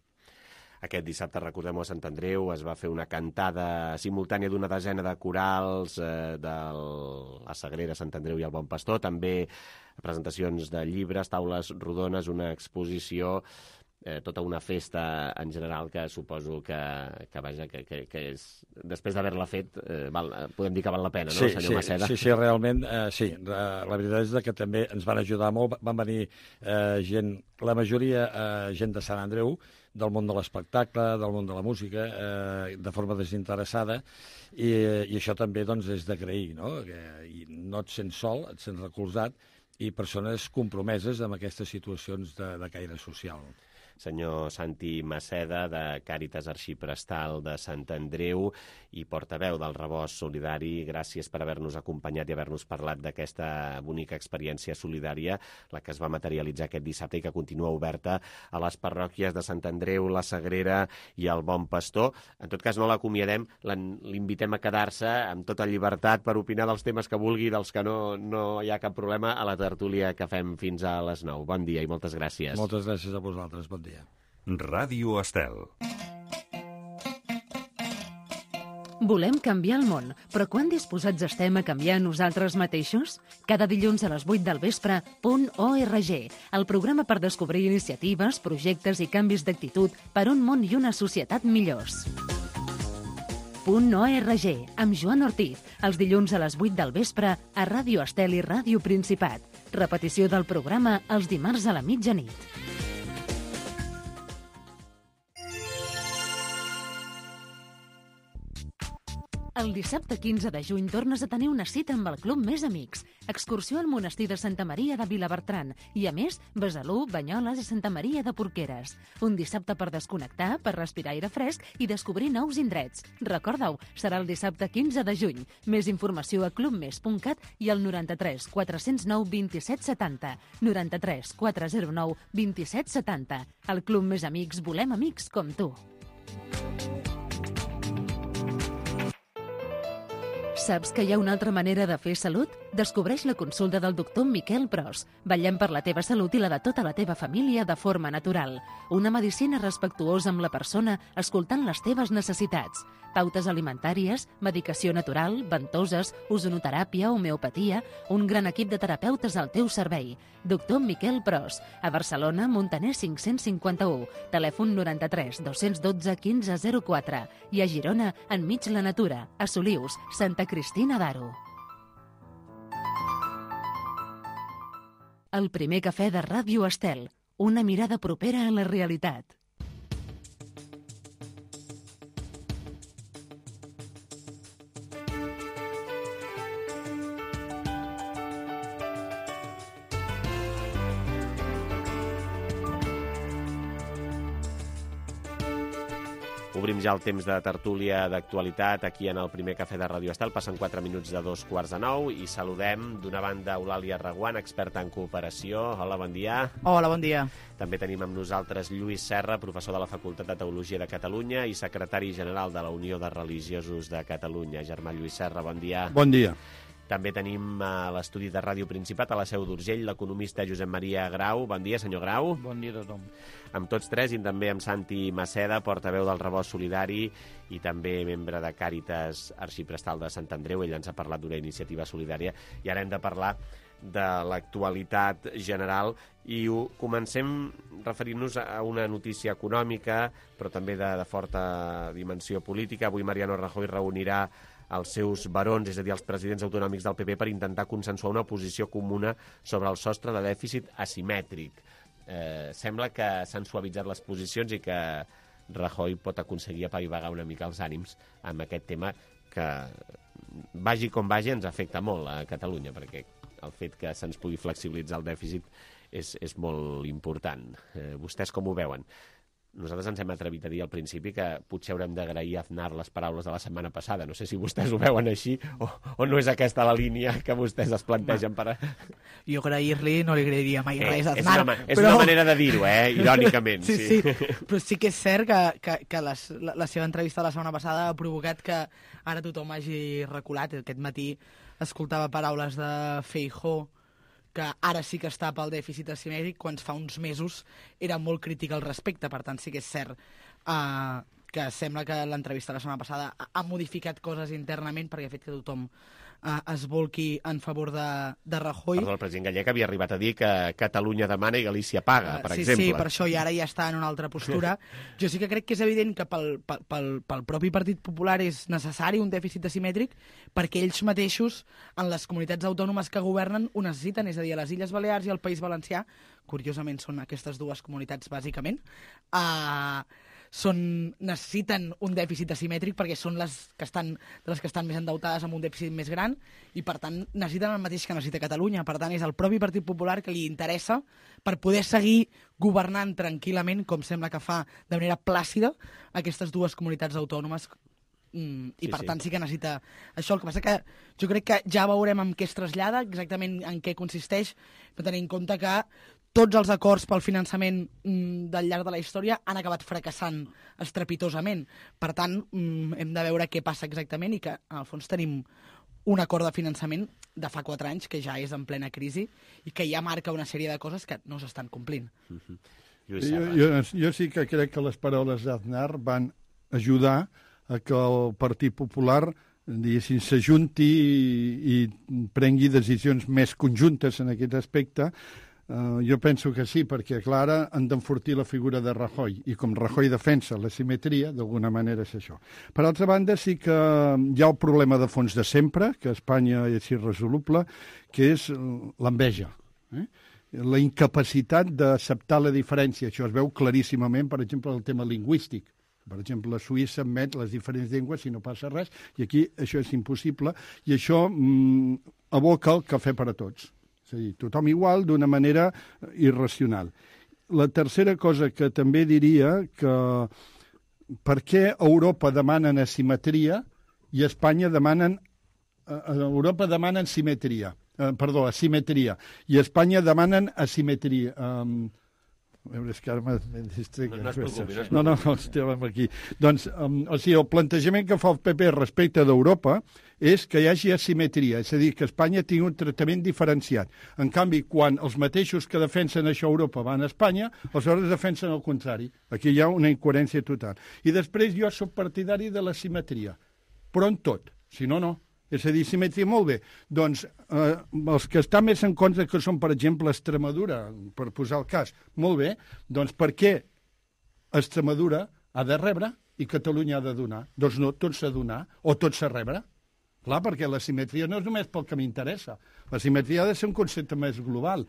Aquest dissabte, recordem-ho, a Sant Andreu es va fer una cantada simultània d'una desena de corals eh, de la Sagrera, Sant Andreu i el Bon Pastor, també presentacions de llibres, taules rodones, una exposició, eh, tota una festa en general que suposo que, que, vaja, que, que, que és, després d'haver-la fet, eh, val, podem dir que val la pena, no, sí, senyor sí, Maceda? Sí, sí, realment, eh, sí. La veritat és que també ens van ajudar molt, van venir eh, gent, la majoria eh, gent de Sant Andreu, del món de l'espectacle, del món de la música, eh, de forma desinteressada, i, i això també doncs, és d'agrair, no? Que, i no et sents sol, et sents recolzat, i persones compromeses amb aquestes situacions de, de caire social. Senyor Santi Maceda, de Càritas Arxiprestal de Sant Andreu i portaveu del Rebost Solidari, gràcies per haver-nos acompanyat i haver-nos parlat d'aquesta bonica experiència solidària, la que es va materialitzar aquest dissabte i que continua oberta a les parròquies de Sant Andreu, la Sagrera i el Bon Pastor. En tot cas, no l'acomiadem, l'invitem a quedar-se amb tota llibertat per opinar dels temes que vulgui, dels que no, no hi ha cap problema, a la tertúlia que fem fins a les nou. Bon dia i moltes gràcies. Moltes gràcies a vosaltres. Bon dia. Ràdio Estel. Volem canviar el món, però quan disposats estem a canviar nosaltres mateixos? Cada dilluns a les vuit del vespre, Punt org, el programa per descobrir iniciatives, projectes i canvis d'actitud per un món i una societat millors. Punt org, amb Joan Ortiz, els dilluns a les vuit del vespre a Ràdio Estel i Ràdio Principat. Repetició del programa els dimarts a la mitjanit. El dissabte quinze de juny tornes a tenir una cita amb el Club Més Amics. Excursió al monestir de Santa Maria de Vilabertran i, a més, Besalú, Banyoles i Santa Maria de Porqueres. Un dissabte per desconnectar, per respirar aire fresc i descobrir nous indrets. Recorda-ho, serà el dissabte quinze de juny. Més informació a club mes punt cat i al noranta-tres quatre zero nou vint-i-set setanta. noranta-tres quatre zero nou vint-i-set setanta. Al Club Més Amics volem amics com tu. Saps que hi ha una altra manera de fer salut? Descobreix la consulta del doctor Miquel Pros. Vetllem per la teva salut i la de tota la teva família de forma natural. Una medicina respectuosa amb la persona, escoltant les teves necessitats. Pautes alimentàries, medicació natural, ventoses, ozonoteràpia, homeopatia, un gran equip de terapeutes al teu servei. Doctor Miquel Pros, a Barcelona, Montaner cinc-cents cinquanta-u, telèfon noranta-tres dos-cents dotze quinze zero quatre i a Girona, enmig la natura, a Solius, Santa Cristina d'Aro. El primer cafè de Ràdio Estel, una mirada propera a la realitat. Obrim ja el temps de tertúlia d'actualitat aquí en el primer cafè de Ràdio Estel. Passen quatre minuts de dos quarts de nou i saludem d'una banda Eulàlia Reguant, experta en cooperació. Hola, bon dia. Hola, bon dia. També tenim amb nosaltres Lluís Serra, professor de la Facultat de Teologia de Catalunya i secretari general de la Unió de Religiosos de Catalunya. Germà Lluís Serra, bon dia. Bon dia. També tenim a l'estudi de Ràdio Principat, a la Seu d'Urgell, l'economista Josep Maria Grau. Bon dia, senyor Grau. Bon dia a tothom. Amb tots tres, i també amb Santi Maceda, portaveu del Rebost Solidari i també membre de Càritas Arxiprestal de Sant Andreu. Ell ens ha parlat d'una iniciativa solidària i ara hem de parlar de l'actualitat general i ho comencem referint-nos a una notícia econòmica, però també de, de forta dimensió política. Avui Mariano Rajoy reunirà els seus barons, és a dir, els presidents autonòmics del P P, per intentar consensuar una posició comuna sobre el sostre de dèficit asimètric. Eh, sembla que s'han suavitzat les posicions i que Rajoy pot aconseguir apaivagar una mica els ànims amb aquest tema que, vagi com vagi, ens afecta molt a Catalunya, perquè el fet que se'ns pugui flexibilitzar el dèficit és, és molt important. Eh, vostès com ho veuen? Nosaltres ens hem atrevit a dir al principi que potser haurem d'agrair a Aznar les paraules de la setmana passada. No sé si vostès ho veuen així o, o no és aquesta la línia que vostès es plantegen per... A... Jo agrair-li no li agrairia mai res a eh, Aznar. És una, és però... una manera de dir-ho, eh? Irònicament. sí, sí, sí, però sí que és cert que, que, que les, la, la seva entrevista la setmana passada ha provocat que ara tothom hagi reculat. Aquest matí escoltava paraules de Feijóo, que ara sí que està pel dèficit asimètric, quan fa uns mesos era molt crític al respecte. Per tant, sí que és cert uh, que sembla que l'entrevista la setmana passada ha, ha modificat coses internament perquè ha fet que tothom uh, es volqui en favor de, de Rajoy. Perdó, el president gallec havia arribat a dir que Catalunya demana i Galícia paga, per uh, sí, exemple. Sí, per això, i ara ja està en una altra postura. Jo sí que crec que és evident que pel, pel, pel, pel propi Partit Popular és necessari un dèficit asimètric perquè ells mateixos, en les comunitats autònomes que governen, ho necessiten, és a dir, a les Illes Balears i al País Valencià, curiosament són aquestes dues comunitats bàsicament, uh, són, necessiten un dèficit asimètric perquè són les que estan, les que estan més endeutades amb un dèficit més gran i, per tant, necessiten el mateix que necessita Catalunya. Per tant, és el propi Partit Popular que li interessa per poder seguir governant tranquil·lament, com sembla que fa de manera plàcida, aquestes dues comunitats autònomes. Mm, i sí, per tant sí que necessita això. El que passa que jo crec que ja veurem en què es trasllada, exactament en què consisteix, per tenir en compte que tots els acords pel finançament mm, del llarg de la història han acabat fracassant estrepitosament. Per tant, mm, hem de veure què passa exactament i que, en el fons, tenim un acord de finançament de fa quatre anys que ja és en plena crisi i que ja marca una sèrie de coses que no s'estan complint. Mm-hmm. jo, jo, jo sí que crec que les paraules d'Aznar van ajudar a que el Partit Popular s'ajunti i, i prengui decisions més conjuntes en aquest aspecte. Uh, jo penso que sí, perquè, clar, han d'enfortir la figura de Rajoy, i com Rajoy defensa la simetria, d'alguna manera és això. Per altra banda, sí que hi ha el problema de fons de sempre, que a Espanya és irresoluble, que és l'enveja. Eh? La incapacitat d'acceptar la diferència. Això es veu claríssimament, per exemple, el tema lingüístic. Per exemple, la Suïssa admet les diferents llengües i no passa res, i aquí això és impossible, i això mm, aboca el cafè per a tots. És a dir, tothom igual, d'una manera irracional. La tercera cosa que també diria que per què a Europa demanen asimetria i a Espanya demanen... A Europa demanen simetria, eh, perdó, asimetria, i a Espanya demanen asimetria. Um, A veure, és que ara m'he distret. No, no es preocupi, no es No, no, no, estàvem aquí. Doncs, um, o sigui, el plantejament que fa el P P respecte d'Europa és que hi hagi asimetria, és a dir, que Espanya tingui un tractament diferenciat. En canvi, quan els mateixos que defensen això a Europa van a Espanya, aleshores defensen el contrari. Aquí hi ha una incoherència total. I després jo soc partidari de la simetria, però en tot, si no, no. És a dir, simetria, molt bé. Doncs eh, els que estan més en contra, que són, per exemple, Extremadura, per posar el cas, molt bé, doncs per què Extremadura ha de rebre i Catalunya ha de donar? Doncs no, tot s'ha de donar o tot s'ha de rebre. Clar, perquè la simetria no és només pel que m'interessa. La simetria ha de ser un concepte més global.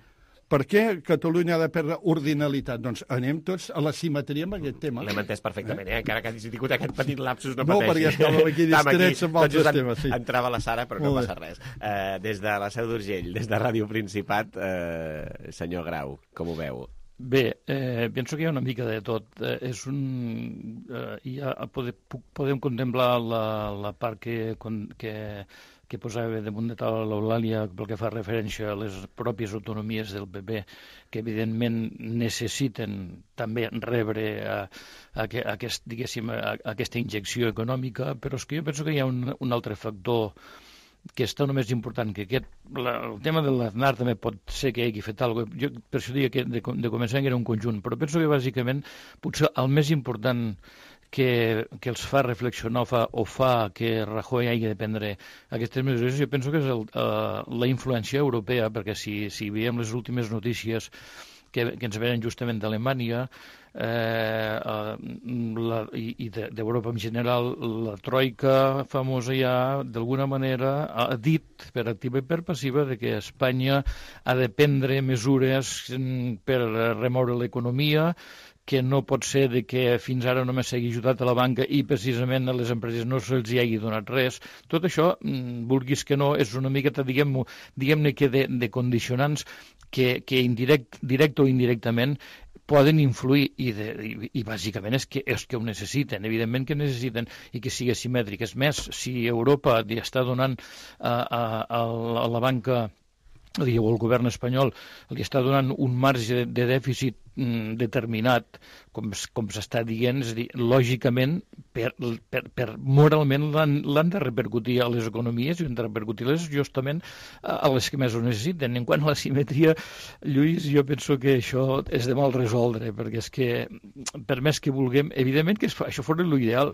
Per què Catalunya ha de perdre ordinalitat? Doncs anem tots a la simetria amb aquest tema. L'hem entès perfectament, eh? Encara que hagis tingut aquest petit lapsus, no, no pateixi. No, perquè estàvem aquí distrets amb altres en, temes. Sí. Entrava la Sara, però no passa res. Uh, des de la Seu d'Urgell, des de Ràdio Principat, uh, senyor Grau, com ho veu? Bé, eh, penso que hi ha una mica de tot. Eh, és un, eh, ja pode, podem contemplar la, la part que, que, que posava damunt de taula l'Eulàlia pel que fa referència a les pròpies autonomies del P P, que evidentment necessiten també rebre a, a, a, aquest, diguéssim, a, a aquesta injecció econòmica, però és que jo penso que hi ha un, un altre factor que és tan més important que aquest. La, el tema de l'Aznar també pot ser que hagi fet alguna cosa. Jo per això diria que de, de començar era un conjunt, però penso que bàsicament potser el més important que, que els fa reflexionar o fa, o fa que Rajoy hagi de prendre aquestes mesures, jo penso que és el, uh, la influència europea, perquè si, si veiem les últimes notícies que, que ens venen justament d'Alemanya eh, la, i, i d'Europa en general, la troika famosa ja d'alguna manera ha dit per activa i per passiva de que Espanya ha de prendre mesures per remoure l'economia, que no pot ser de que fins ara només s'hagi ajudat a la banca i precisament a les empreses no se'ls hi hagi donat res. Tot això, vulguis que no, és una miqueta, diguem-ne, diguem-ne que de, de condicionants que, que indirect, directe o indirectament poden influir i, de, i, i bàsicament és que, és que ho necessiten, evidentment que necessiten i que sigui simètric. És més, si Europa està donant a, a, a la banca o el govern espanyol li està donant un marge de dèficit mm, determinat, com, com s'està dient, és a dir, lògicament, per, per, per moralment l'han de repercutir a les economies i han de repercutir-les justament a, a les que més ho necessiten. En quant a la simetria, Lluís, jo penso que això és de mal resoldre, perquè és que, per més que vulguem, evidentment que això fos l'ideal,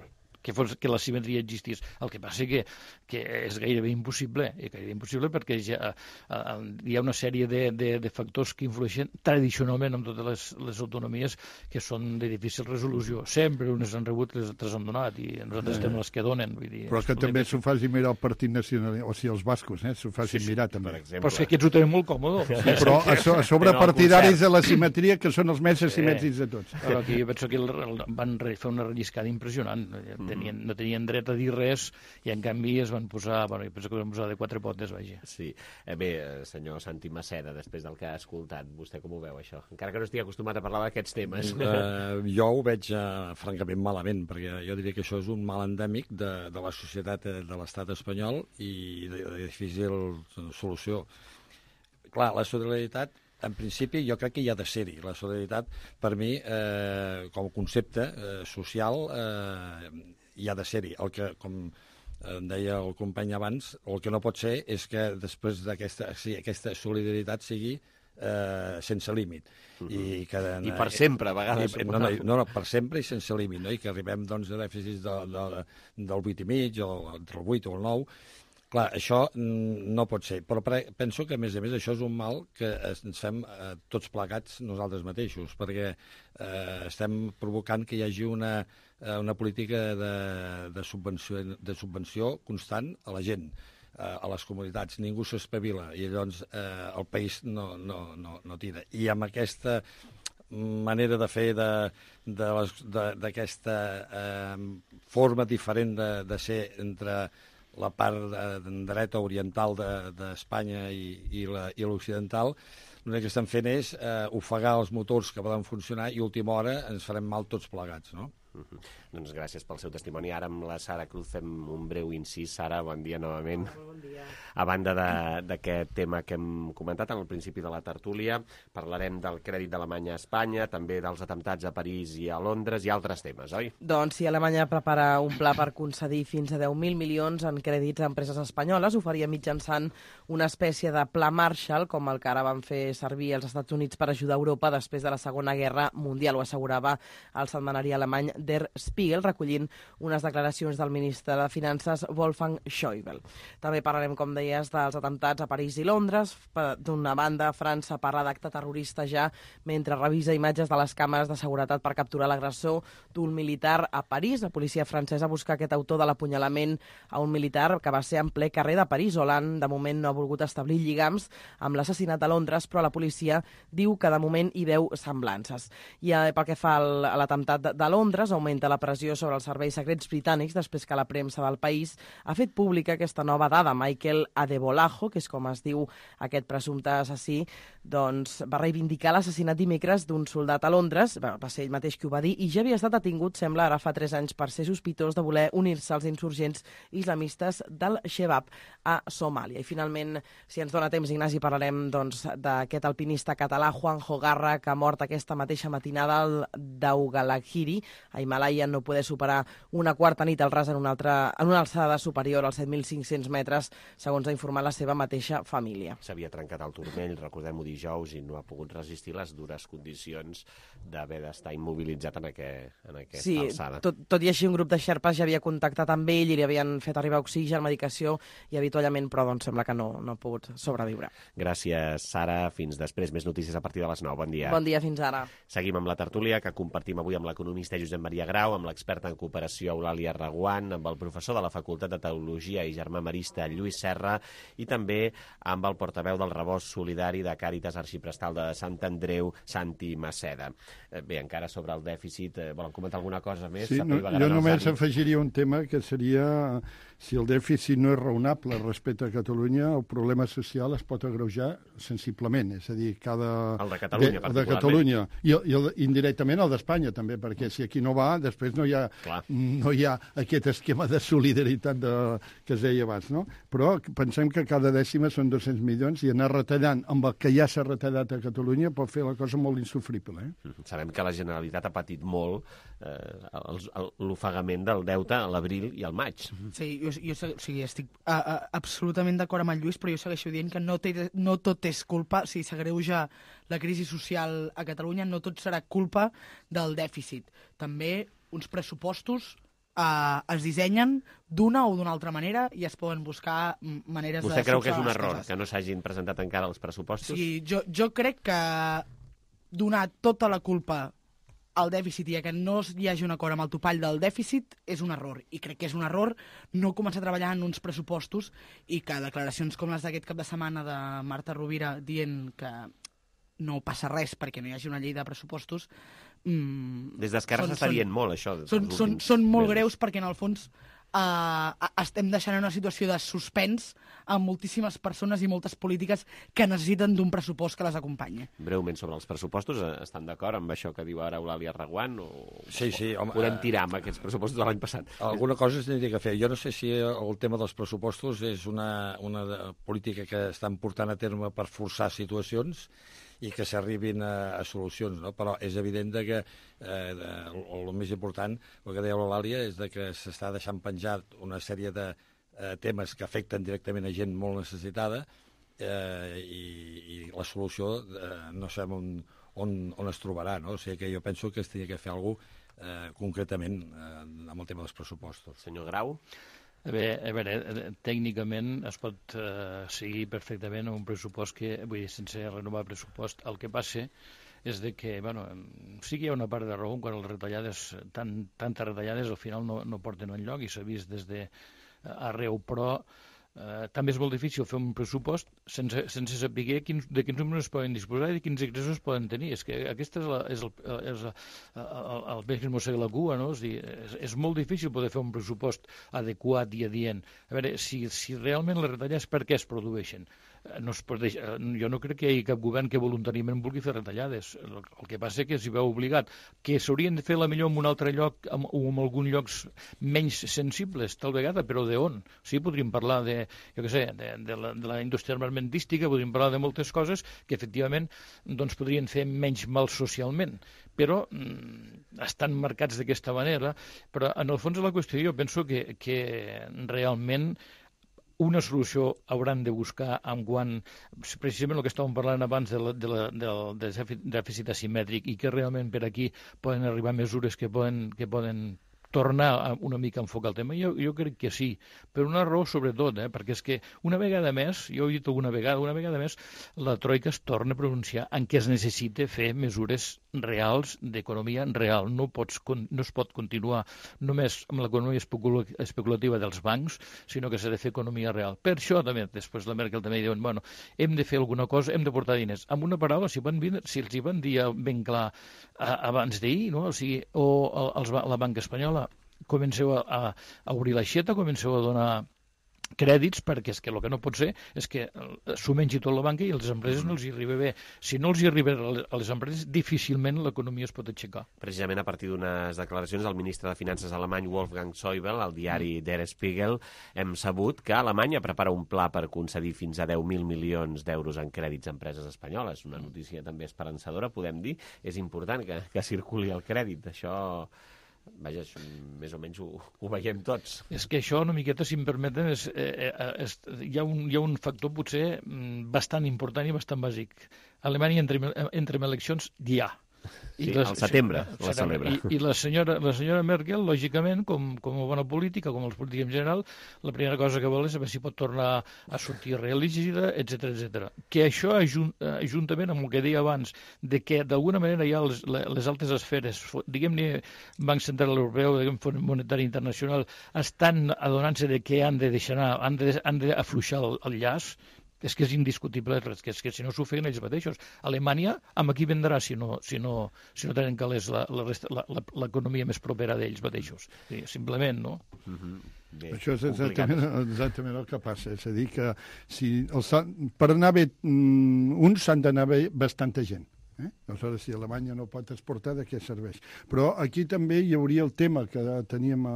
que, fos, que la simetria existís. El que passa que, que és gairebé impossible, és gairebé impossible perquè ja, uh, hi ha una sèrie de, de, de factors que influeixen tradicionalment en totes les, les autonomies que són de difícil resolució. Sempre unes han rebut, les altres han donat, i nosaltres estem les que donen. Vull dir, però que també s'ho faci mirar el Partit Nacional, o sigui, els bascos, eh? s'ho facin sí, sí, mirar també. Però és que aquests ho tenen molt còmode. Sí, però a, so, a sobre partidaris de la simetria, que són els més asimètrics de tots. Però aquí jo penso que el, el, van fer una relliscada impressionant. Tenien, no tenien dret a dir res i en canvi es van posar, bueno, jo penso que van posar de quatre potes, vaja. Sí. Eh, bé, senyor Santi Maceda, després del que ha escoltat, vostè com ho veu, això? Encara que no estigui acostumat a parlar d'aquests temes. Uh, jo ho veig uh, francament malament, perquè jo diria que això és un mal endèmic de, de la societat de l'estat espanyol i de, de difícil solució. Clar, la solidaritat, en principi, jo crec que hi ha de ser-hi. La solidaritat, per mi, eh, com a concepte eh, social, eh, hi ha de ser-hi. El que, com deia el company abans, el que no pot ser és que després d'aquesta sí, aquesta solidaritat sigui eh, sense límit. Uh-huh. I, que, I per sempre, a vegades. I, no, no, no, no, per sempre i sense límit, no? I que arribem doncs, a dèficits de, de, del vuit i mig, o entre el vuit o el nou. Clar, això no pot ser, però penso que, a més a més, això és un mal que ens fem eh, tots plegats nosaltres mateixos, perquè eh, estem provocant que hi hagi una, una política de, de, subvenció, de subvenció constant a la gent, eh, a les comunitats. Ningú s'espavila i llavors eh, el país no, no, no, no tira. I amb aquesta manera de fer d'aquesta eh, forma diferent de, de ser entre la part de, de dreta oriental d'Espanya de, i, i l'occidental, l'únic que estan fent és eh, ofegar els motors que poden funcionar i a última hora ens farem mal tots plegats, no? Uh-huh. Doncs gràcies pel seu testimoni. Ara amb la Sara Cruz fem un breu incís. Sara, bon dia novament. Oh, bon dia. A banda d'aquest tema que hem comentat al principi de la tertúlia, parlarem del crèdit d'Alemanya a Espanya, també dels atemptats a París i a Londres i altres temes, oi? Doncs si Alemanya prepara un pla per concedir fins a deu mil milions en crèdits a empreses espanyoles, ho faria mitjançant una espècie de pla Marshall, com el que ara van fer servir els Estats Units per ajudar Europa després de la Segona Guerra Mundial, ho assegurava el setmanari alemany Der Spiegel, recollint unes declaracions del ministre de Finances Wolfgang Schäuble. També parlarem, com deies, dels atemptats a París i Londres. D'una banda, França parla d'acte terrorista ja mentre revisa imatges de les càmeres de seguretat per capturar l'agressor d'un militar a París. La policia francesa busca aquest autor de l'apunyalament a un militar que va ser en ple carrer de París. Hollande, de moment, no ha volgut establir lligams amb l'assassinat a Londres, però la policia diu que de moment hi veu semblances. I pel que fa a l'atemptat de Londres, Londres augmenta la pressió sobre els serveis secrets britànics després que la premsa del país ha fet pública aquesta nova dada. Michael Adebolajo, que és com es diu aquest presumpte assassí, doncs va reivindicar l'assassinat dimecres d'un soldat a Londres, va ser ell mateix qui ho va dir, i ja havia estat detingut, sembla, ara fa tres anys per ser sospitós de voler unir-se als insurgents islamistes del Shebab a Somàlia. I finalment, si ens dona temps, Ignasi, parlarem doncs, d'aquest alpinista català Juanjo Garra, que ha mort aquesta mateixa matinada al Daugalhiri, a Himàlaia, no poder superar una quarta nit al ras en una, altra, en una alçada superior als set mil cinc-cents metres, segons ha informat la seva mateixa família. S'havia trencat el turmell, recordem-ho dijous, i no ha pogut resistir les dures condicions d'haver d'estar immobilitzat en, aquest, en aquesta sí, alçada. Tot, tot i així, un grup de xerpes ja havia contactat amb ell i li havien fet arribar oxigen, medicació i avituallament, però doncs, sembla que no, no ha pogut sobreviure. Gràcies, Sara. Fins després. Més notícies a partir de les nou. Bon dia. Bon dia, fins ara. Seguim amb la tertúlia que compartim avui amb l'economista Josep Maria Grau, amb l'experta en cooperació Eulàlia Reguant, amb el professor de la Facultat de Teologia i germà marista Lluís Serra i també amb el portaveu del Rebost Solidari de Càritas Arxiprestal de Sant Andreu, Santi Maceda. Bé, encara sobre el dèficit, volen comentar alguna cosa més? Sí, no, jo només afegiria un tema que seria si el dèficit no és raonable respecte a Catalunya, el problema social es pot agreujar sensiblement, és a dir, cada... El de Catalunya, de, de Catalunya. I, i el, indirectament el d'Espanya, també, perquè si aquí no va, després no hi ha, no hi ha aquest esquema de solidaritat de, que es deia abans, no? Però pensem que cada dècima són dos-cents milions i anar retallant amb el que ja s'ha retallat a Catalunya pot fer la cosa molt insufrible. Eh? Sabem que la Generalitat ha patit molt eh, l'ofegament del deute a l'abril i al maig. Sí, jo, jo o sigui, estic a, a, absolutament d'acord amb el Lluís, però jo segueixo dient que no, té, no tot és culpa, si s'agreuja la crisi social a Catalunya, no tot serà culpa del dèficit. També uns pressupostos Uh, es dissenyen d'una o d'una altra manera i es poden buscar maneres Vostè de... Vostè creu que és un error que no s'hagin presentat encara els pressupostos? Sí, jo, jo crec que donar tota la culpa al dèficit i que no hi hagi un acord amb el topall del dèficit és un error. I crec que és un error no començar a treballar en uns pressupostos i que declaracions com les d'aquest cap de setmana de Marta Rovira dient que no passa res perquè no hi hagi una llei de pressupostos. Mm, Des d'Esquerra s'està dient molt, això. Són, són, són molt mesos. Greus perquè, en el fons, eh, estem deixant en una situació de suspens a moltíssimes persones i moltes polítiques que necessiten d'un pressupost que les acompanyi. Breument sobre els pressupostos, estan d'acord amb això que diu ara Eulàlia Reguant? O sí, sí. Home, podem tirar amb aquests pressupostos de l'any passat? Alguna cosa es tindria que fer. Jo no sé si el tema dels pressupostos és una, una política que estan portant a terme per forçar situacions i que s'arribin a, a solucions, no? Però és evident que eh, el, el més important, el que deia l'Eulàlia, és de que s'està deixant penjat una sèrie de eh, temes que afecten directament a gent molt necessitada eh, i, i la solució eh, no sabem on, on, on es trobarà, no? O sigui que jo penso que es tenia que fer alguna cosa eh, concretament eh, amb el tema dels pressupostos. Senyor Grau? A veure, a veure, tècnicament es pot eh, seguir perfectament un pressupost que, vull dir, sense renovar el pressupost. El que passa és de que, bueno, sí que hi ha una part de raó quan les retallades, tan, tantes retallades al final no, no porten enlloc i s'ha vist des d'arreu, però eh, també és molt difícil fer un pressupost sense, sense saber quins, de quins números poden disposar i de quins ingressos poden tenir. És que aquest és, la, és, el, és el, el, el peix que es mossega la cua, no? És, dir, és, és molt difícil poder fer un pressupost adequat i adient. A veure, si, si realment les retallades per què es produeixen? No es pot deixar, jo no crec que hi hagi cap govern que voluntàriament vulgui fer retallades. El, el que passa és que s'hi veu obligat. Que s'haurien de fer la millor en un altre lloc amb, o en alguns llocs menys sensibles, tal vegada, però d'on? Sí, podríem parlar de, jo què sé, de, de, la, de la indústria armamentística, podríem parlar de moltes coses que efectivament doncs, podrien fer menys mal socialment, però mm, estan marcats d'aquesta manera. Però en el fons de la qüestió jo penso que, que realment una solució hauran de buscar en quant, precisament el que estàvem parlant abans de la, de la, del dèficit asimètric i que realment per aquí poden arribar mesures que poden, que poden tornar a una mica a enfocar el tema. Jo, jo crec que sí, per una raó sobretot, eh? Perquè és que una vegada més, jo ho he dit alguna vegada, una vegada més, la Troika es torna a pronunciar en què es necessita fer mesures reals d'economia real. No, pots, no es pot continuar només amb l'economia especulativa dels bancs, sinó que s'ha de fer economia real. Per això, també, després la Merkel també diuen, bueno, hem de fer alguna cosa, hem de portar diners. Amb una paraula, si, van, si els hi van dir ben clar abans d'ahir, no? O sigui, o els, la banca espanyola, comenceu a, a obrir l'aixeta, comenceu a donar crèdits, perquè és que el que no pot ser és que s'ho mengi tot la banca i a les empreses no els hi arriba bé. Si no els hi arriba a les empreses, difícilment l'economia es pot aixecar. Precisament a partir d'unes declaracions del ministre de Finances alemany Wolfgang Schäuble, al diari Der Spiegel, hem sabut que Alemanya prepara un pla per concedir fins a deu mil milions d'euros en crèdits a empreses espanyoles. Una notícia també esperançadora, podem dir. És important que, que circuli el crèdit. Això... Vaja, això, més o menys ho, ho veiem tots. És que això, una miqueta, si em permeten, és, eh, és, hi, ha un, hi ha un factor potser bastant important i bastant bàsic. Alemanya entra, entra en eleccions ja. Sí, les, al setembre la celebra. I, i la, senyora, la senyora Merkel, lògicament, com, com a bona política, com els polítics en general, la primera cosa que vol és saber si pot tornar a sortir reelegida, etcètera, etcètera. Que això, juntament amb el que deia abans, de que d'alguna manera ja les, les altes esferes, diguem-ne Banc Central Europeu, diguem Fons Monetari Internacional, estan adonant-se de que han de deixar anar, han de, han d'afluixar el, el llaç. És que és indiscutible, que és que si no s'ho feien ells mateixos. Alemanya, amb qui vendrà si no, si no, si no tenen calés l'economia més propera d'ells mateixos? Sí, simplement, no? Mm-hmm. Bé, això és exactament, exactament el que passa. És a dir, que si els, per anar bé uns s'han d'anar bé bastanta gent. Eh? Aleshores, si Alemanya no pot exportar, de què serveix? Però aquí també hi hauria el tema que teníem a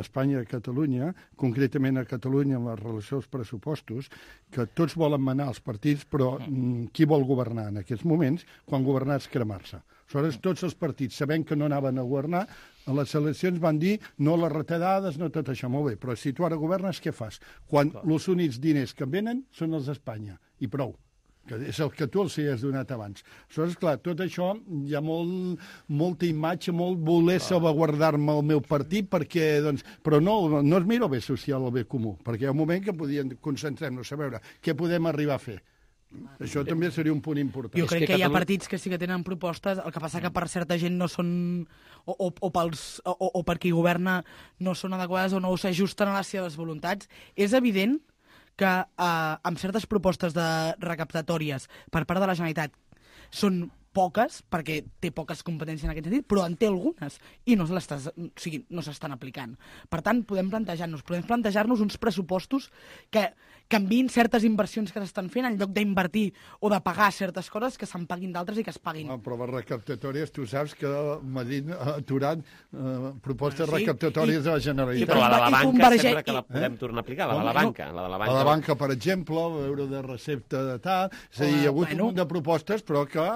Espanya i a Catalunya, concretament a Catalunya amb la relació als pressupostos, que tots volen manar els partits, però mm, qui vol governar en aquests moments, quan governar és cremar-se. Aleshores, tots els partits, sabent que no anaven a governar, a les eleccions van dir no les retallades, no tot això, molt bé, però si tu ara governes, què fas? Quan els únics diners que venen són els d'Espanya, i prou. Que és el que tu els hi has donat abans. Aleshores, clar, tot això hi ha molt, molta imatge, molt voler salvaguardar-me el meu partit, perquè, doncs, però no, no es mira el bé social, el bé comú, perquè hi ha un moment que podien concentrar-nos a veure què podem arribar a fer. Això també seria un punt important. Jo crec que, que hi ha partits que sí que tenen propostes, el que passa que per certa gent no són, o, o, o, pels, o, o per qui governa no són adequades o no s'ajusten a les seves voluntats. És evident que eh, amb certes propostes de recaptatòries per part de la Generalitat són poques, perquè té poques competències en aquest sentit, però en té algunes i no s'estan o sigui, no s'estan aplicant. Per tant, podem plantejar-nos podem plantejar-nos uns pressupostos que canviïn certes inversions que s'estan fent en lloc d'invertir o de pagar certes coses que se'n paguin d'altres i que es paguin. No, però les recaptatòries, tu saps que Madrid ha aturat eh, propostes sí, recaptatòries i, de la Generalitat. I, però la de la banca converge... sempre que la podem eh? tornar a aplicar, la de la banca. La de la banca, la de la banca per exemple, l'euro de recepta de tal... És a dir, hi ha hagut bueno. un munt de propostes, però que...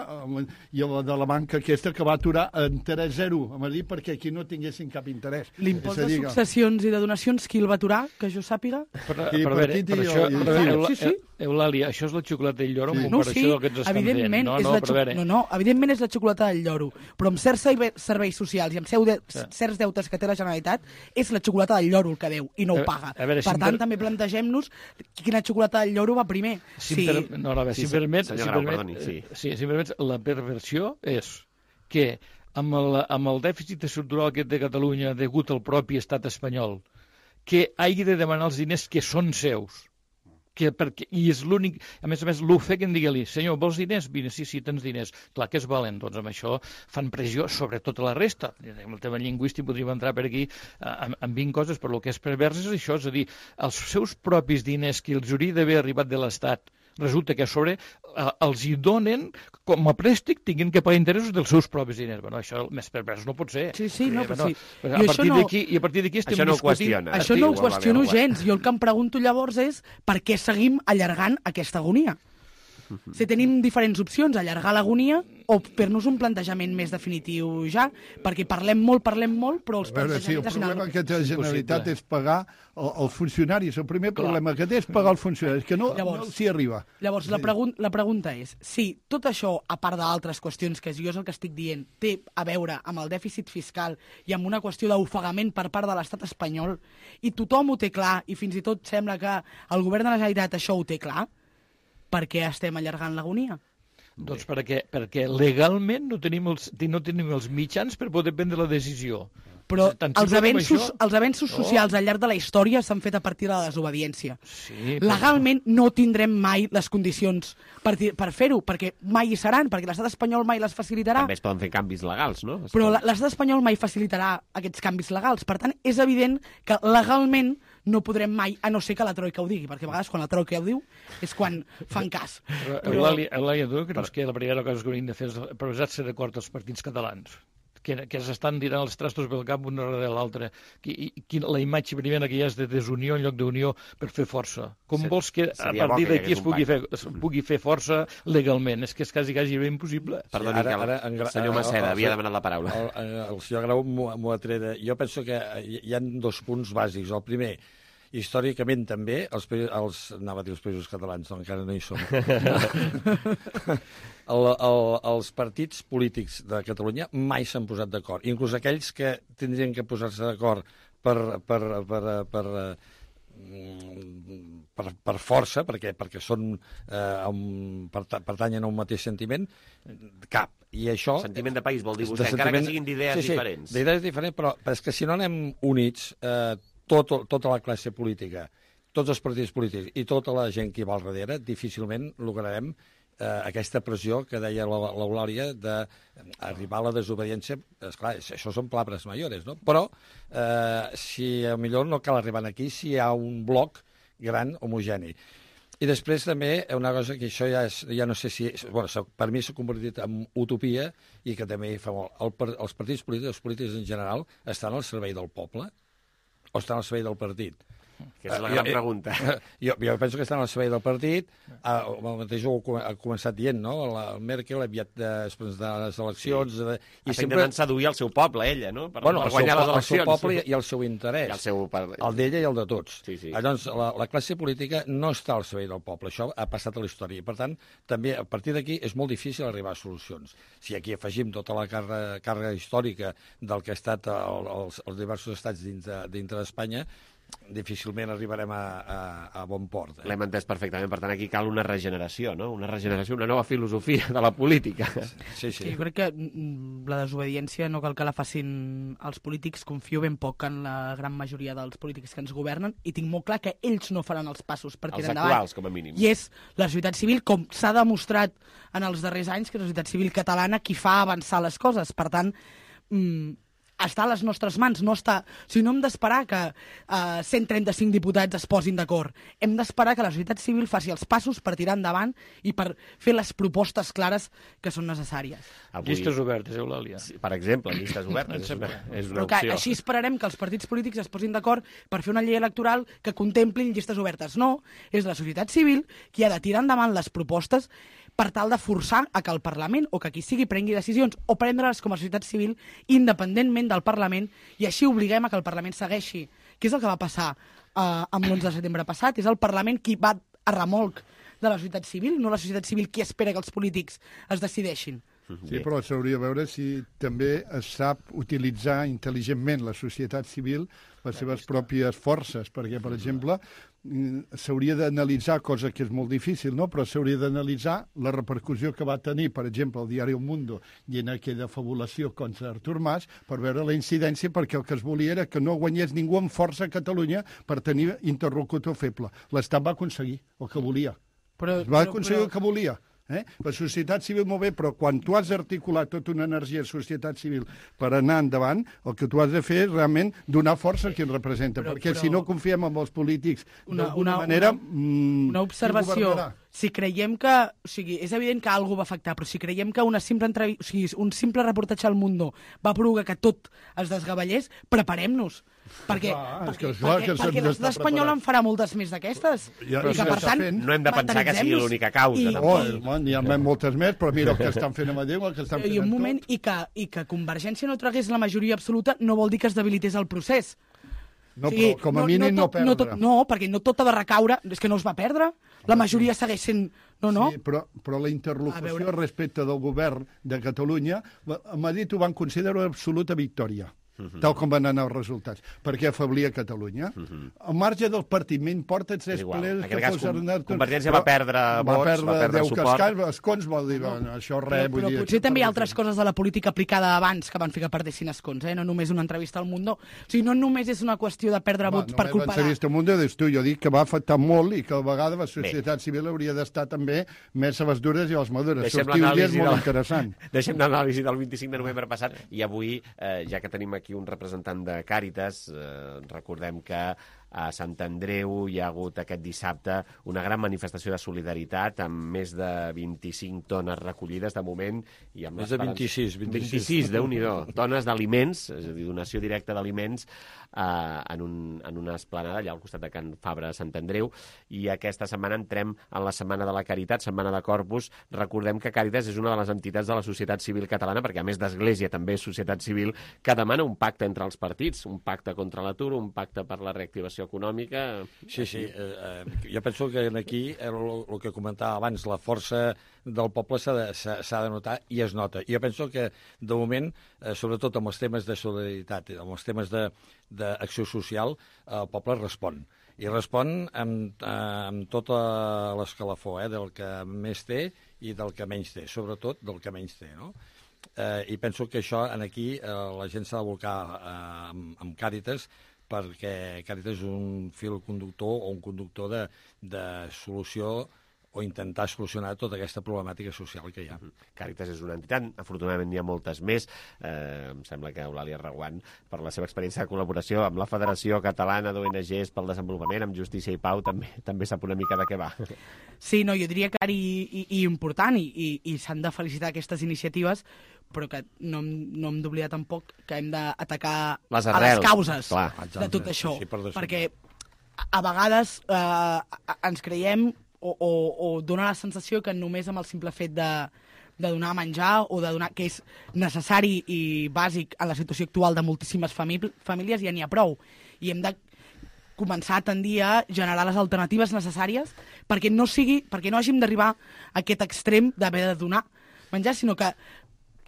i la de la banca aquesta que va aturar interès zero a Madrid perquè aquí no tinguessin cap interès. L'impost de successions i de donacions, qui el va aturar, que jo sàpiga? Per, per, per, veure, per això, jo, per veure, sí, sí. Eulàlia, això és la xocolata del lloro sí. en comparació no, sí, del que ens estan fent. No, no, és la no, no, evidentment és la xocolata del lloro, però amb certs serveis socials i amb seu de, sí. certs deutes que té la Generalitat, és la xocolata del lloro el que deu i no ho paga. A veure, per si tant, per... també plantegem-nos quina xocolata del lloro va primer. Si sí. per... No, no, a veure, si, si permet, si permet, perdoni, sí. sí, si permet, la perversió és que amb el, amb el dèficit estructural aquest de Catalunya degut al propi estat espanyol, que hagi de demanar els diners que són seus, que perquè, i és l'únic, a més a més, l'ofeguen, digue-li, senyor, vols diners? Vine, sí, sí, tens diners. Clar que es valen, doncs amb això fan pressió sobre tota la resta. Amb el tema lingüístic podríem entrar per aquí amb, amb vint coses, però el que és pervers és això, és a dir, els seus propis diners que els hauria d'haver arribat de l'Estat, resulta que a sobre eh, els hi donen com a préstec, tinguin que pagar interessos dels seus propis diners. Bueno, això més pervers no pot ser. Sí, sí, no, però sí. A partir d'aquí no... I a partir d'aquí estem això no discutint... Qüestiona. Això no ho qüestiono gens. Jo el que em pregunto llavors és per què seguim allargant aquesta agonia. Si tenim diferents opcions, allargar l'agonia o fer-nos un plantejament més definitiu ja, perquè parlem molt, parlem molt, però els plantejaments... Sí, el problema que té la Generalitat és pagar els funcionaris. El primer problema que té és pagar els funcionaris, que no, llavors, no s'hi arriba. Llavors, la, pregun la pregunta és, si tot això, a part d'altres qüestions, que jo és el que estic dient, té a veure amb el dèficit fiscal i amb una qüestió d'ofegament per part de l'estat espanyol, i tothom ho té clar, i fins i tot sembla que el govern de la Generalitat això ho té clar, per què estem allargant l'agonia? Doncs perquè, perquè legalment no tenim, els, no tenim els mitjans per poder prendre la decisió. Però els avenços, això... els avenços socials oh. al llarg de la història s'han fet a partir de la desobediència. Sí, legalment però... no tindrem mai les condicions per, per fer-ho, perquè mai hi seran, perquè l'estat espanyol mai les facilitarà. També es poden fer canvis legals, no? Es però pot... l'estat espanyol mai facilitarà aquests canvis legals. Per tant, és evident que legalment no podrem mai, a no ser que la Troika ho digui, perquè a vegades quan la Troika ho diu és quan fan cas. Però, però... Eulàlia, tu creus que la primera cosa que hauríem de fer és posar-se d'acord els partits catalans? Que, que s'estan tirant els trastos pel cap una darrere l'altra. La imatge primera que hi ha és de desunió en lloc d'unió per fer força. Com sí, vols que a partir d'aquí es, pugui fer, es pugui fer força legalment? És que és quasi, quasi impossible. Perdoni, sí, ara, ara, el senyor Maceda havia demanat la paraula. El, el, el senyor Grau m'ho ha tret. Jo penso que hi ha dos punts bàsics. El primer, històricament també, els, els, anava a dir els països catalans, no, encara no hi som. el, el, els partits polítics de Catalunya mai s'han posat d'acord. Inclús aquells que tindrien que posar-se d'acord per, per, per, per, per, per força, perquè, perquè són, eh, un, pertanyen a un mateix sentiment, cap. I això... Sentiment de país, vol dir vostè, encara que siguin d'idees sí, sí, diferents. D'idees diferents, però, però és que si no anem units... Eh, Tot, tota la classe política, tots els partits polítics i tota la gent que hi va al darrere, difícilment lograrem eh, aquesta pressió que deia l'Eulàlia d'arribar a la desobediència. Esclar, això són palabres mayores, no? Però eh, si millor no cal arribar aquí si hi ha un bloc gran homogeni. I després també una cosa que això ja, és, ja no sé si... Bueno, per mi s'ha convertit en utopia i que també fa molt. El, els partits polítics, els polítics en general, estan al servei del poble o estan al servei del partit? Que és la gran uh, pregunta. Jo, jo penso que estan al servei del partit. Uh, el mateix ho ha començat dient, no? La Merkel aviat després de les eleccions... Sí. De, i sempre intentant seduir el seu poble, ella, no? Per, bueno, per guanyar seu, les eleccions. El seu poble i el seu interès. I el seu... El d'ella i el de tots. Sí, sí. Llavors, la, la classe política no està al servei del poble. Això ha passat a la història. I, per tant, també, a partir d'aquí, és molt difícil arribar a solucions. Si aquí afegim tota la càrrega, càrrega històrica del que ha estat el, els, els diversos estats dintre, dintre d'Espanya, difícilment arribarem a, a, a bon port. Eh? L'hem entès perfectament. Per tant, aquí cal una regeneració, no? Una regeneració, una nova filosofia de la política. Sí, sí. Jo crec que la desobediència no cal que la facin els polítics. Confio ben poc en la gran majoria dels polítics que ens governen i tinc molt clar que ells no faran els passos per tirar endavant. Els actuals, com a mínim. I és la societat civil, com s'ha demostrat en els darrers anys, que és la societat civil catalana qui fa avançar les coses. Per tant, mmm, està a les nostres mans, no està... O sigui, no hem d'esperar que uh, cent trenta-cinc diputats es posin d'acord. Hem d'esperar que la societat civil faci els passos per tirar endavant i per fer les propostes clares que són necessàries. Avui... Llistes obertes, Eulàlia. Sí, per exemple, llistes obertes. és una, és una Però que opció. així esperarem que els partits polítics es posin d'acord per fer una llei electoral que contemplin llistes obertes. No, és la societat civil qui ha de tirar endavant les propostes per tal de forçar a que el Parlament o que qui sigui prengui decisions o prendre-les com a societat civil independentment del Parlament i així obliguem a que el Parlament segueixi. Què és el que va passar uh, amb l'onze de setembre passat? És el Parlament qui va a remolc de la societat civil, no la societat civil qui espera que els polítics es decideixin. Sí, però s'hauria de veure si també es sap utilitzar intel·ligentment la societat civil les seves pròpies forces, perquè, per exemple, s'hauria d'analitzar, cosa que és molt difícil, no? Però s'hauria d'analitzar la repercussió que va tenir, per exemple, el diari El Mundo i en aquella fabulació contra Artur Mas, per veure la incidència, perquè el que es volia era que no guanyés ningú amb força a Catalunya per tenir interlocutor feble. L'Estat va aconseguir el que volia. Però, es va però, aconseguir però... el que volia. Eh? La societat civil molt bé, però quan tu has d'articular tota una energia de societat civil per anar endavant, el que tu has de fer és realment donar força a qui ens representa, però, perquè però... si no confiem en els polítics d'alguna manera... Una, una observació, si creiem que... O sigui, és evident que alguna va afectar, però si creiem que una simple entrev... o sigui, un simple reportatge al Mundo va provocar que tot es desgavellés, preparem-nos. Perquè, clar, perquè, que, clar, perquè, perquè l'estat espanyol en farà moltes més d'aquestes. Ja, I que, per tant, no hem de pensar que sigui l'única causa. I, oh, i... N'hi ha moltes més, però mira el que estan fent a Madrid, el que estan fent I un moment, i que, i que Convergència no tragués la majoria absoluta no vol dir que es debilités el procés. No, o sigui, però com a mínim no, no, no perdre. No, tot, no, perquè no tot ha de recaure, és que no es va perdre. La majoria segueix sent... No, no. Sí, però, però la interlocució respecte del govern de Catalunya, a Madrid ho van considerar una absoluta victòria. uh-huh. tal com van anar els resultats, perquè afablia Catalunya. Uh-huh. Al marge del partiment porta tres plenes que fos Arnat... Convergència va perdre vots, va perdre, va perdre suport. Cascans, escons vol dir, bueno, això res... Però, però vull dir, potser també hi ha altres coses de la política aplicada abans que van fer que perdessin escons, eh? No només una entrevista al Mundo. O sigui, no només és una qüestió de perdre vots per culpa de... No l'entrevista al Mundo, dius tu, jo dic que va afectar molt i que a vegades la societat Bé. civil hauria d'estar també més a les dures i a les madures. Sortir un dia és molt interessant. Deixem l'anàlisi del vint-i-cinc de novembre passat i avui, eh, ja que tenim aquí un representant de Càritas, eh, recordem que a Sant Andreu hi ha hagut aquest dissabte una gran manifestació de solidaritat amb més de vint-i-cinc tones recollides de moment. I amb més de vint-i-sis. vint-i-sis, Déu-n'hi-do. Tones d'aliments, és a dir, donació directa d'aliments eh, en, un, en una esplanada allà al costat de Can Fabra de Sant Andreu. I aquesta setmana entrem en la Setmana de la Caritat, Setmana de Corpus. Recordem que Càritas és una de les entitats de la societat civil catalana, perquè a més d'Església també és societat civil, que demana un pacte entre els partits, un pacte contra l'atur, un pacte per la reactivació econòmica. Sí, sí. Eh, eh, jo penso que aquí, el, el que comentava abans, la força del poble s'ha de, de notar i es nota. Jo penso que, de moment, eh, sobretot amb els temes de solidaritat, amb els temes d'acció social, el poble respon. I respon amb, amb tota l'escalafó, eh, del que més té i del que menys té, sobretot del que menys té, no? Eh, I penso que això, aquí, eh, la gent s'ha de volcar eh, amb, amb Càritas, perquè Càritas és un fil conductor o un conductor de, de solució o intentar solucionar tota aquesta problemàtica social que hi ha. Càritas és una entitat, afortunadament n'hi ha moltes més. Eh, em sembla que Eulàlia Reguant, per la seva experiència de col·laboració amb la Federació Catalana d'O N Ges pel Desenvolupament, amb Justícia i Pau, també també sap una mica de què va. Sí, no, jo diria que ara i, i, i important, i, i, i s'han de felicitar aquestes iniciatives, però que no, no hem d'oblidar tampoc que hem d'atacar les, a les causes Clar. de tot això, sí, per perquè a vegades eh, ens creiem o, o, o dona la sensació que només amb el simple fet de, de donar menjar o de donar, que és necessari i bàsic en la situació actual de moltíssimes famílies, ja n'hi ha prou. I hem de començar a tendir a generar les alternatives necessàries perquè no sigui, perquè no hàgim d'arribar a aquest extrem d'haver de donar menjar, sinó que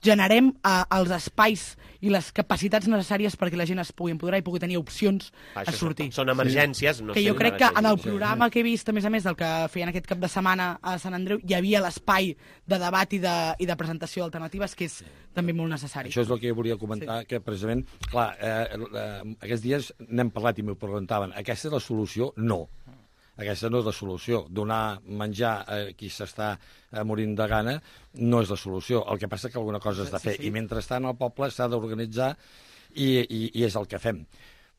generem uh, els espais i les capacitats necessàries perquè la gent es pugui empoderar i pugui tenir opcions Això a sortir. Són, són emergències. No que jo crec que en el programa que he vist, a més a més del que feien aquest cap de setmana a Sant Andreu, hi havia l'espai de debat i de, i de presentació d'alternatives, que és també molt necessari. Això és el que jo volia comentar, sí. que precisament, clar, eh, eh, aquests dies n'hem parlat i m'ho preguntaven, aquesta és la solució? No. Aquesta no és la solució. Donar menjar a qui s'està morint de gana no és la solució. El que passa és que alguna cosa has de fer. Sí, sí. I mentrestant el poble s'ha d'organitzar i, i, i és el que fem.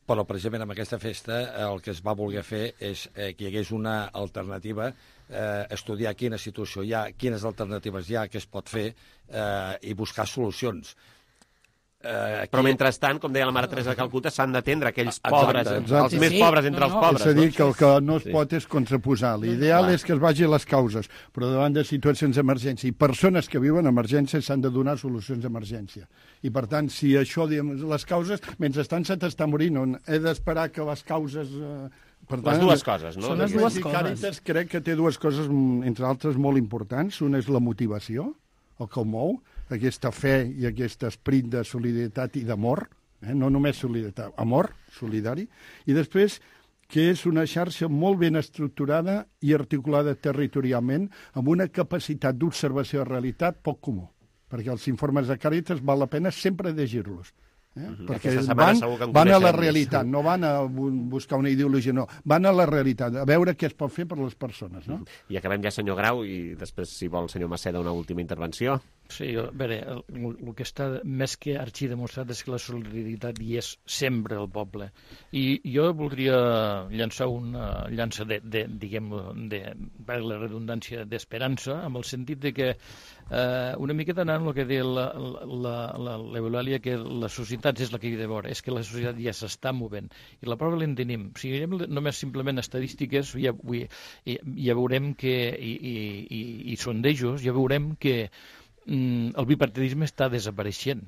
Però precisament amb aquesta festa el que es va voler fer és eh, que hi hagués una alternativa, eh, estudiar quina situació hi ha, quines alternatives hi ha, què es pot fer eh, i buscar solucions. Uh, Però mentrestant, com deia la Mare Teresa de Calcuta, s'han d'atendre aquells pobres, exacte, exacte. els sí, més sí. pobres entre no, no. els pobres. És a dir, que el que no es pot és contraposar. L'ideal és que es vagi a les causes, però davant de situacions d'emergència i persones que viuen emergències s'han de donar solucions d'emergència. I, per tant, si això, diguem, les causes, mentrestant se t'està morint, on he d'esperar que les causes... Eh, per tant, les dues coses, no? Són les dues coses. Càritas crec que té dues coses, entre altres, molt importants. Una és la motivació, el que el mou, aquesta fe i aquest esperit de solidaritat i d'amor, eh? No només solidaritat, amor solidari, i després que és una xarxa molt ben estructurada i articulada territorialment amb una capacitat d'observació de realitat poc comú, perquè els informes de Càritas val la pena sempre llegir-los. Eh? Uh-huh. Perquè van, van a la realitat, no van a buscar una ideologia, no, van a la realitat, a veure què es pot fer per les persones. No? Uh-huh. I acabem ja, senyor Grau, i després, si vol, senyor Maceda, una última intervenció. Sí, a veure, el, el que està més que arxidemostrat és que la solidaritat hi és sempre al poble. I jo voldria llançar una llança de, de diguem, de, per la redundància, d'esperança, amb el sentit de que eh, una miqueta anant el que deia l'Eulàlia, que la societat és la que hi ha de veure, és que la societat ja s'està movent. I la prova l'en tenim. Si mirem només simplement estadístiques, ja, ja veurem que, i, i, i, i sondejos, ja veurem que el bipartidisme està desapareixent.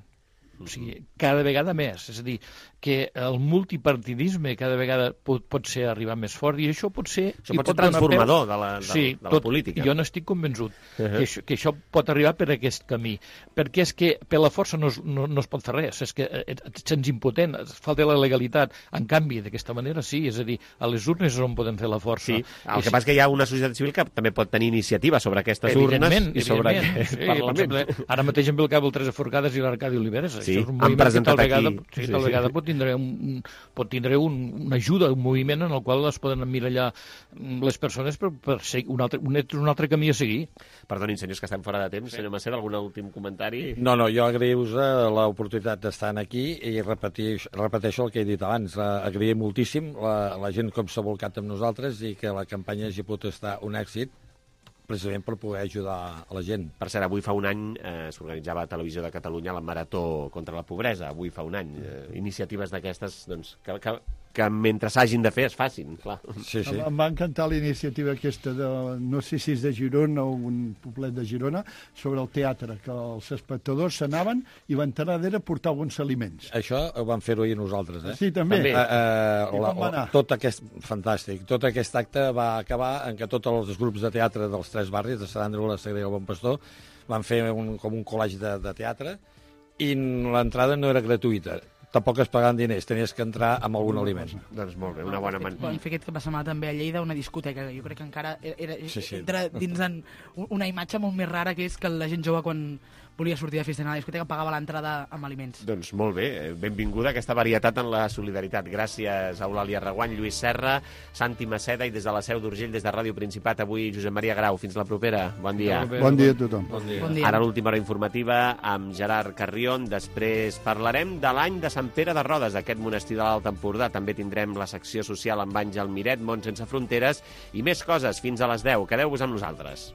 O sigui, cada vegada més. És a dir, que el multipartidisme cada vegada pot, pot ser arribar més fort, i això pot ser... Això pot ser transformador de la, de, sí, de la tot, política. Jo n'estic convençut Uh -huh. que, això, que això pot arribar per aquest camí, perquè és que per la força no es, no, no es pot fer res, és que et sents impotent, falta la legalitat. En canvi, d'aquesta manera sí, és a dir, a les urnes és on podem fer la força. Sí, el que passa és que hi ha una societat civil que també pot tenir iniciativa sobre aquestes urnes i sobre aquest sí, Parlament. Exemple, ara mateix em ve el cap el Teresa Forcades i l'Arcadi Oliveres. Sí, això és un han moviment que tal presentat vegada, aquí. sí, Sí, tal sí. vegada pot tindre, un, pot tindre un, una ajuda, un moviment en el qual es poden emmirallar les persones per, per ser un altre, un, un altre camí a seguir. Perdonin, senyors, que estem fora de temps. Sí. Senyor Macer, algun últim comentari? No, no, jo agraïu-vos l'oportunitat d'estar aquí i repeteix, repeteixo el que he dit abans. Agraïm moltíssim la, la gent com s'ha volcat amb nosaltres i que la campanya hagi pogut estar un èxit precisament per poder ajudar a la gent. Per cert, avui fa un any eh, s'organitzava a Televisió de Catalunya la Marató contra la Pobresa. Avui fa un any. Eh, iniciatives d'aquestes, doncs, que, que, que mentre s'hagin de fer es facin, clar. Sí, sí. Em va encantar la iniciativa aquesta de, no sé si és de Girona o un poblet de Girona, sobre el teatre, que els espectadors s'anaven i l'entrada era portar alguns aliments. Això ho vam fer-ho ahir nosaltres, eh? Sí, també. també. Uh, uh, I la, com va anar? tot aquest, fantàstic. Tot aquest acte va acabar en què tots els grups de teatre dels tres barris, de Sant Andreu, la Sagrera i el Bon Pastor, van fer un, com un col·legi de, de teatre i l'entrada no era gratuïta. Tampoc es pagaven diners, tenies que entrar amb algun aliment. Doncs molt bé, una bona manera. Vam fer aquest cap de setmana també a Lleida una discoteca, que jo crec que encara era, sí, sí. entra dins en una imatge molt més rara, que és que la gent jove, quan volia sortir de festa a la discoteca, pagava l'entrada amb aliments. Doncs molt bé, benvinguda aquesta varietat en la solidaritat. Gràcies a Eulàlia Reguant, Lluís Serra, Santi Maceda i des de la Seu d'Urgell, des de Ràdio Principat, avui Josep Maria Grau. Fins la propera. Bon dia. Bon dia a tothom. Bon dia. Bon dia. Ara l'última hora informativa amb Gerard Carrion. Després parlarem de l'any de Sant Pere de Rodes, aquest monestir de l'Alt Empordà. També tindrem la secció social amb Àngel Miret, Món sense fronteres, i més coses fins a les deu. Quedeu-vos amb nosaltres.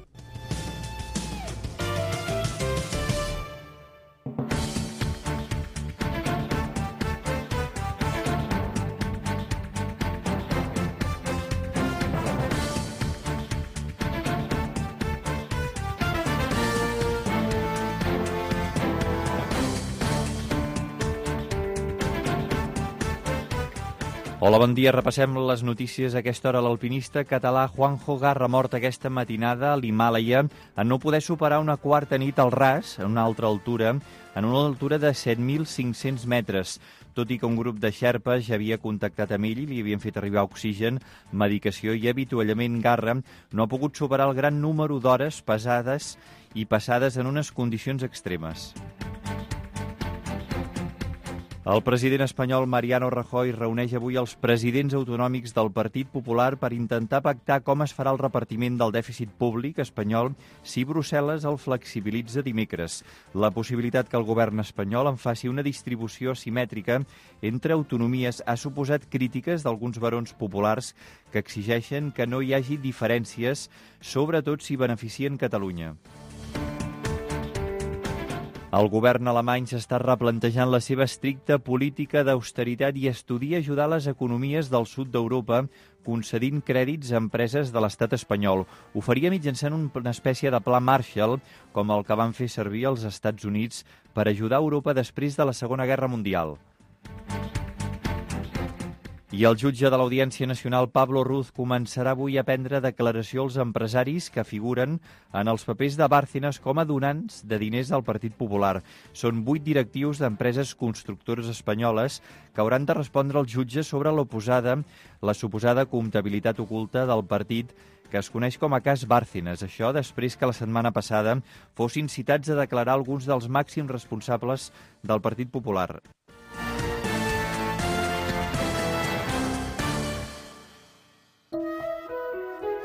Hola, bon dia. Repassem les notícies a aquesta hora. L'alpinista català Juanjo Garra, mort aquesta matinada a l'Himàlaia en no poder superar una quarta nit al ras, en una altra altura, en una altura de set mil cinc-cents metres. Tot i que un grup de xerpes ja havia contactat amb ell i li havien fet arribar oxigen, medicació i avituallament, Garra no ha pogut superar el gran número d'hores pesades i passades en unes condicions extremes. El president espanyol Mariano Rajoy reuneix avui els presidents autonòmics del Partit Popular per intentar pactar com es farà el repartiment del dèficit públic espanyol si Brussel·les el flexibilitza dimecres. La possibilitat que el govern espanyol en faci una distribució asimètrica entre autonomies ha suposat crítiques d'alguns barons populars que exigeixen que no hi hagi diferències, sobretot si beneficien Catalunya. El govern alemany s'està replantejant la seva estricta política d'austeritat i estudia ajudar les economies del sud d'Europa concedint crèdits a empreses de l'estat espanyol. Ho faria mitjançant una espècie de pla Marshall, com el que van fer servir els Estats Units per ajudar Europa després de la Segona Guerra Mundial. I el jutge de l'Audiència Nacional, Pablo Ruz, començarà avui a prendre declaració als empresaris que figuren en els papers de Bárcenas com a donants de diners al Partit Popular. Són vuit directius d'empreses constructores espanyoles que hauran de respondre al jutge sobre l'oposada, la suposada comptabilitat oculta del partit que es coneix com a cas Bárcenas. Això després que la setmana passada fossin citats a declarar alguns dels màxims responsables del Partit Popular.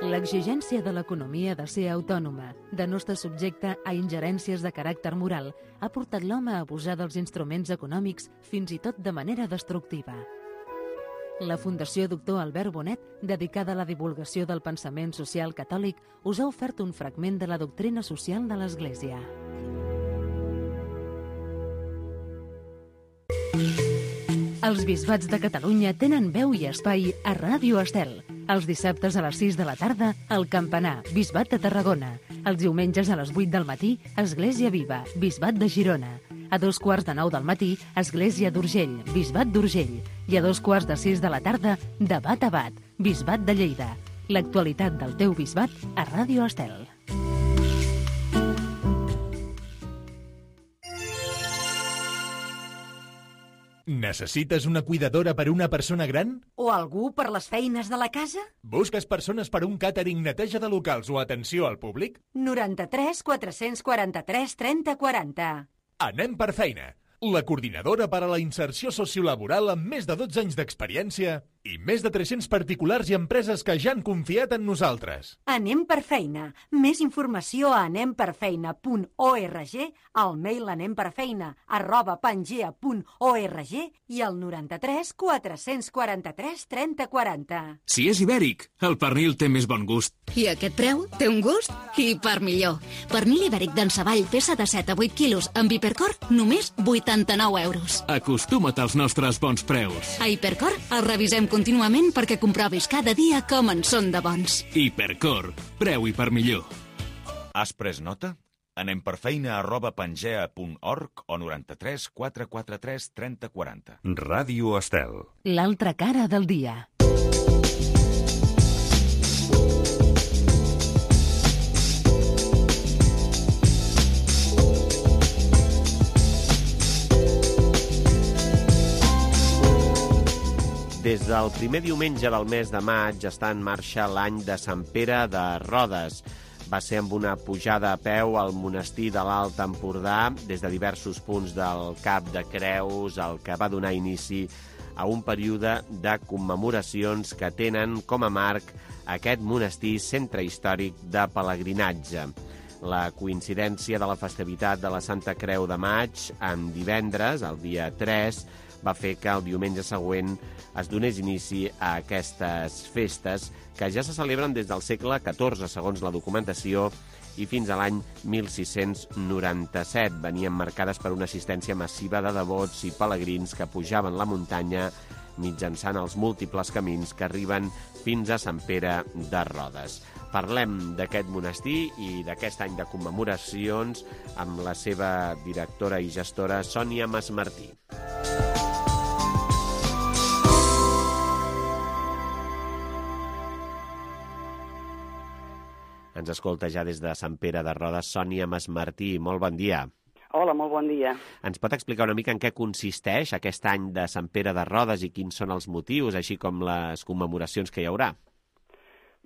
L'exigència de l'economia de ser autònoma, de no estar subjecte a ingerències de caràcter moral, ha portat l'home a abusar dels instruments econòmics fins i tot de manera destructiva. La Fundació Doctor Albert Bonet, dedicada a la divulgació del pensament social catòlic, us ha ofert un fragment de la doctrina social de l'Església. Els bisbats de Catalunya tenen veu i espai a Ràdio Estel. Els dissabtes a les sis de la tarda, El Campanar, Bisbat de Tarragona. Els diumenges a les vuit del matí, Església Viva, Bisbat de Girona. A dos quarts de nou del matí, Església d'Urgell, Bisbat d'Urgell. I a dos quarts de sis de la tarda, Debat a Bat, Bisbat de Lleida. L'actualitat del teu bisbat a Ràdio Estel. Necessites una cuidadora per una persona gran? O algú per les feines de la casa? Busques persones per un càtering, neteja de locals o atenció al públic? noranta-tres quatre-cents quaranta-tres trenta quaranta. Anem per feina. La coordinadora per a la inserció sociolaboral amb més de dotze anys d'experiència i més de tres-cents particulars i empreses que ja han confiat en nosaltres. Anem per feina. Més informació a anem per feina punt org, al mail anemperfeina arroba pangea punt org i al noranta-tres quatre-cents quaranta-tres trenta quaranta. Si és ibèric, el pernil té més bon gust. I aquest preu té un gust i per millor. Pernil ibèric d'Ensavall, peça de set a vuit quilos, amb Hipercor, només vuitanta-nou euros. Acostuma't als nostres bons preus. A Hipercor el revisem contínuament perquè comprovis cada dia com en són de bons. Hipercor, preu i per millor. Has pres nota? Anem per feina arroba pangea punt org o noranta-tres quatre quaranta-tres trenta quaranta. Ràdio Estel. L'altra cara del dia. Des del primer diumenge del mes de maig està en marxa l'any de Sant Pere de Rodes. Va ser amb una pujada a peu al monestir de l'Alt Empordà des de diversos punts del Cap de Creus, el que va donar inici a un període de commemoracions que tenen com a marc aquest monestir centre històric de pelegrinatge. La coincidència de la festivitat de la Santa Creu de Maig en divendres, el dia tres, va fer que el diumenge següent es donés inici a aquestes festes que ja se celebren des del segle catorze, segons la documentació, i fins a l'any mil sis-cents noranta-set. Venien marcades per una assistència massiva de devots i pelegrins que pujaven la muntanya mitjançant els múltiples camins que arriben fins a Sant Pere de Rodes. Parlem d'aquest monestir i d'aquest any de commemoracions amb la seva directora i gestora, Sònia Masmartí. Ens escolta ja des de Sant Pere de Rodes, Sònia Masmartí. Molt bon dia. Hola, molt bon dia. Ens pot explicar una mica en què consisteix aquest any de Sant Pere de Rodes i quins són els motius, així com les commemoracions que hi haurà?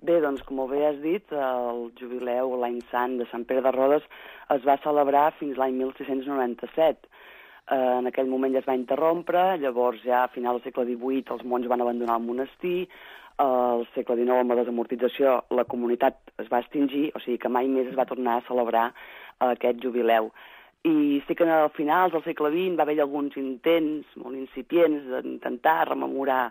Bé, doncs, com bé has dit, el jubileu, l'any sant de Sant Pere de Rodes es va celebrar fins l'any mil sis-cents noranta-set. En aquell moment ja es va interrompre, llavors ja a final del segle divuit els monjos van abandonar el monestir, al segle dinou, amb la desamortització, la comunitat es va extingir, o sigui que mai més es va tornar a celebrar aquest jubileu. I sí que al finals del segle vint va haver alguns intents molt incipients d'intentar rememorar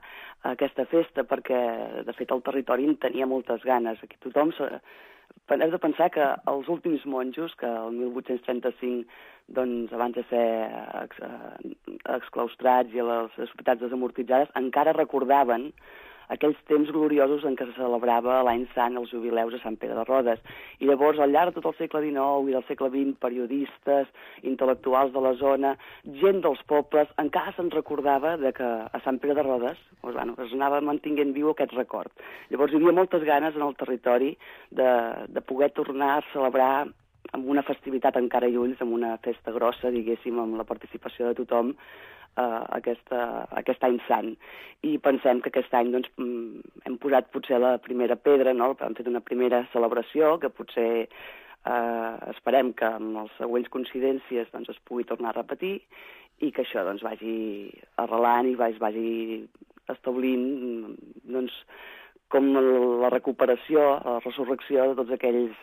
aquesta festa perquè, de fet, el territori en tenia moltes ganes. Aquí tothom... Hem de pensar que els últims monjos, que el mil vuit-cents trenta-cinc, doncs, abans de ser ex, exclaustrats i a les societats desamortitzades, encara recordaven aquells temps gloriosos en què se celebrava l'any sant els jubileus a Sant Pere de Rodes. I llavors, al llarg de tot el segle dinou i del segle vint, periodistes, intel·lectuals de la zona, gent dels pobles, encara se'n recordava de que a Sant Pere de Rodes doncs, bueno, es anava mantinguent viu aquest record. Llavors hi havia moltes ganes en el territori de, de poder tornar a celebrar amb una festivitat encara i ulls, amb una festa grossa, diguéssim, amb la participació de tothom, Uh, aquesta, aquest any sant. I pensem que aquest any doncs, hem posat potser la primera pedra, no? Hem fet una primera celebració que potser uh, esperem que amb les següents coincidències doncs, es pugui tornar a repetir i que això doncs, vagi arrelant i vagi, vagi establint doncs, com la recuperació, la resurrecció de tots aquells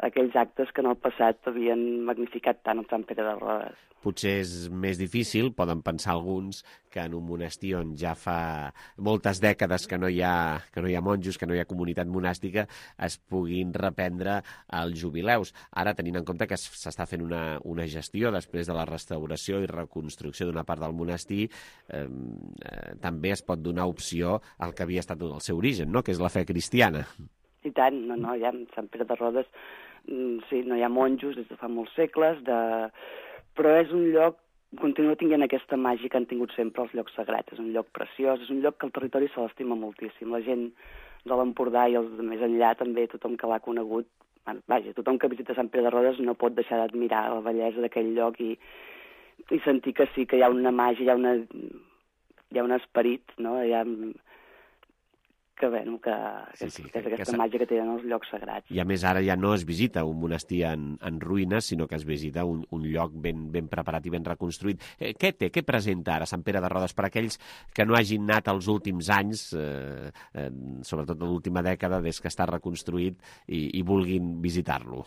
aquells actes que en el passat havien magnificat tant el Sant Pere de Rodes. Potser és més difícil, poden pensar alguns, que en un monestir on ja fa moltes dècades que no hi ha, que no hi ha monjos, que no hi ha comunitat monàstica, es puguin reprendre els jubileus. Ara, tenint en compte que s'està fent una, una gestió després de la restauració i reconstrucció d'una part del monestir, eh, eh, també es pot donar opció al que havia estat el seu origen, no? Que és la fe cristiana. I tant, no, no, ja en Sant Pere de Rodes sí, no hi ha monjos des de fa molts segles, de, però és un lloc, continua tinguent aquesta màgia que han tingut sempre els llocs sagrats. És un lloc preciós, és un lloc que el territori se l'estima moltíssim. La gent de l'Empordà i els de més enllà també, tothom que l'ha conegut, vaja, tothom que visita Sant Pere de Rodes no pot deixar d'admirar la bellesa d'aquell lloc i, i sentir que sí, que hi ha una màgia, hi ha, una, hi ha un esperit, no? Hi ha, que, bueno, que, sí, sí, que és aquesta que màgia que tenen els llocs sagrats. I a més ara ja no es visita un monestir en, en ruïnes, sinó que es visita un, un lloc ben, ben preparat i ben reconstruït. Eh, què té, què presenta ara Sant Pere de Rodes per aquells que no hagin anat els últims anys, eh, eh, sobretot en l'última dècada, des que està reconstruït, i, i vulguin visitar-lo?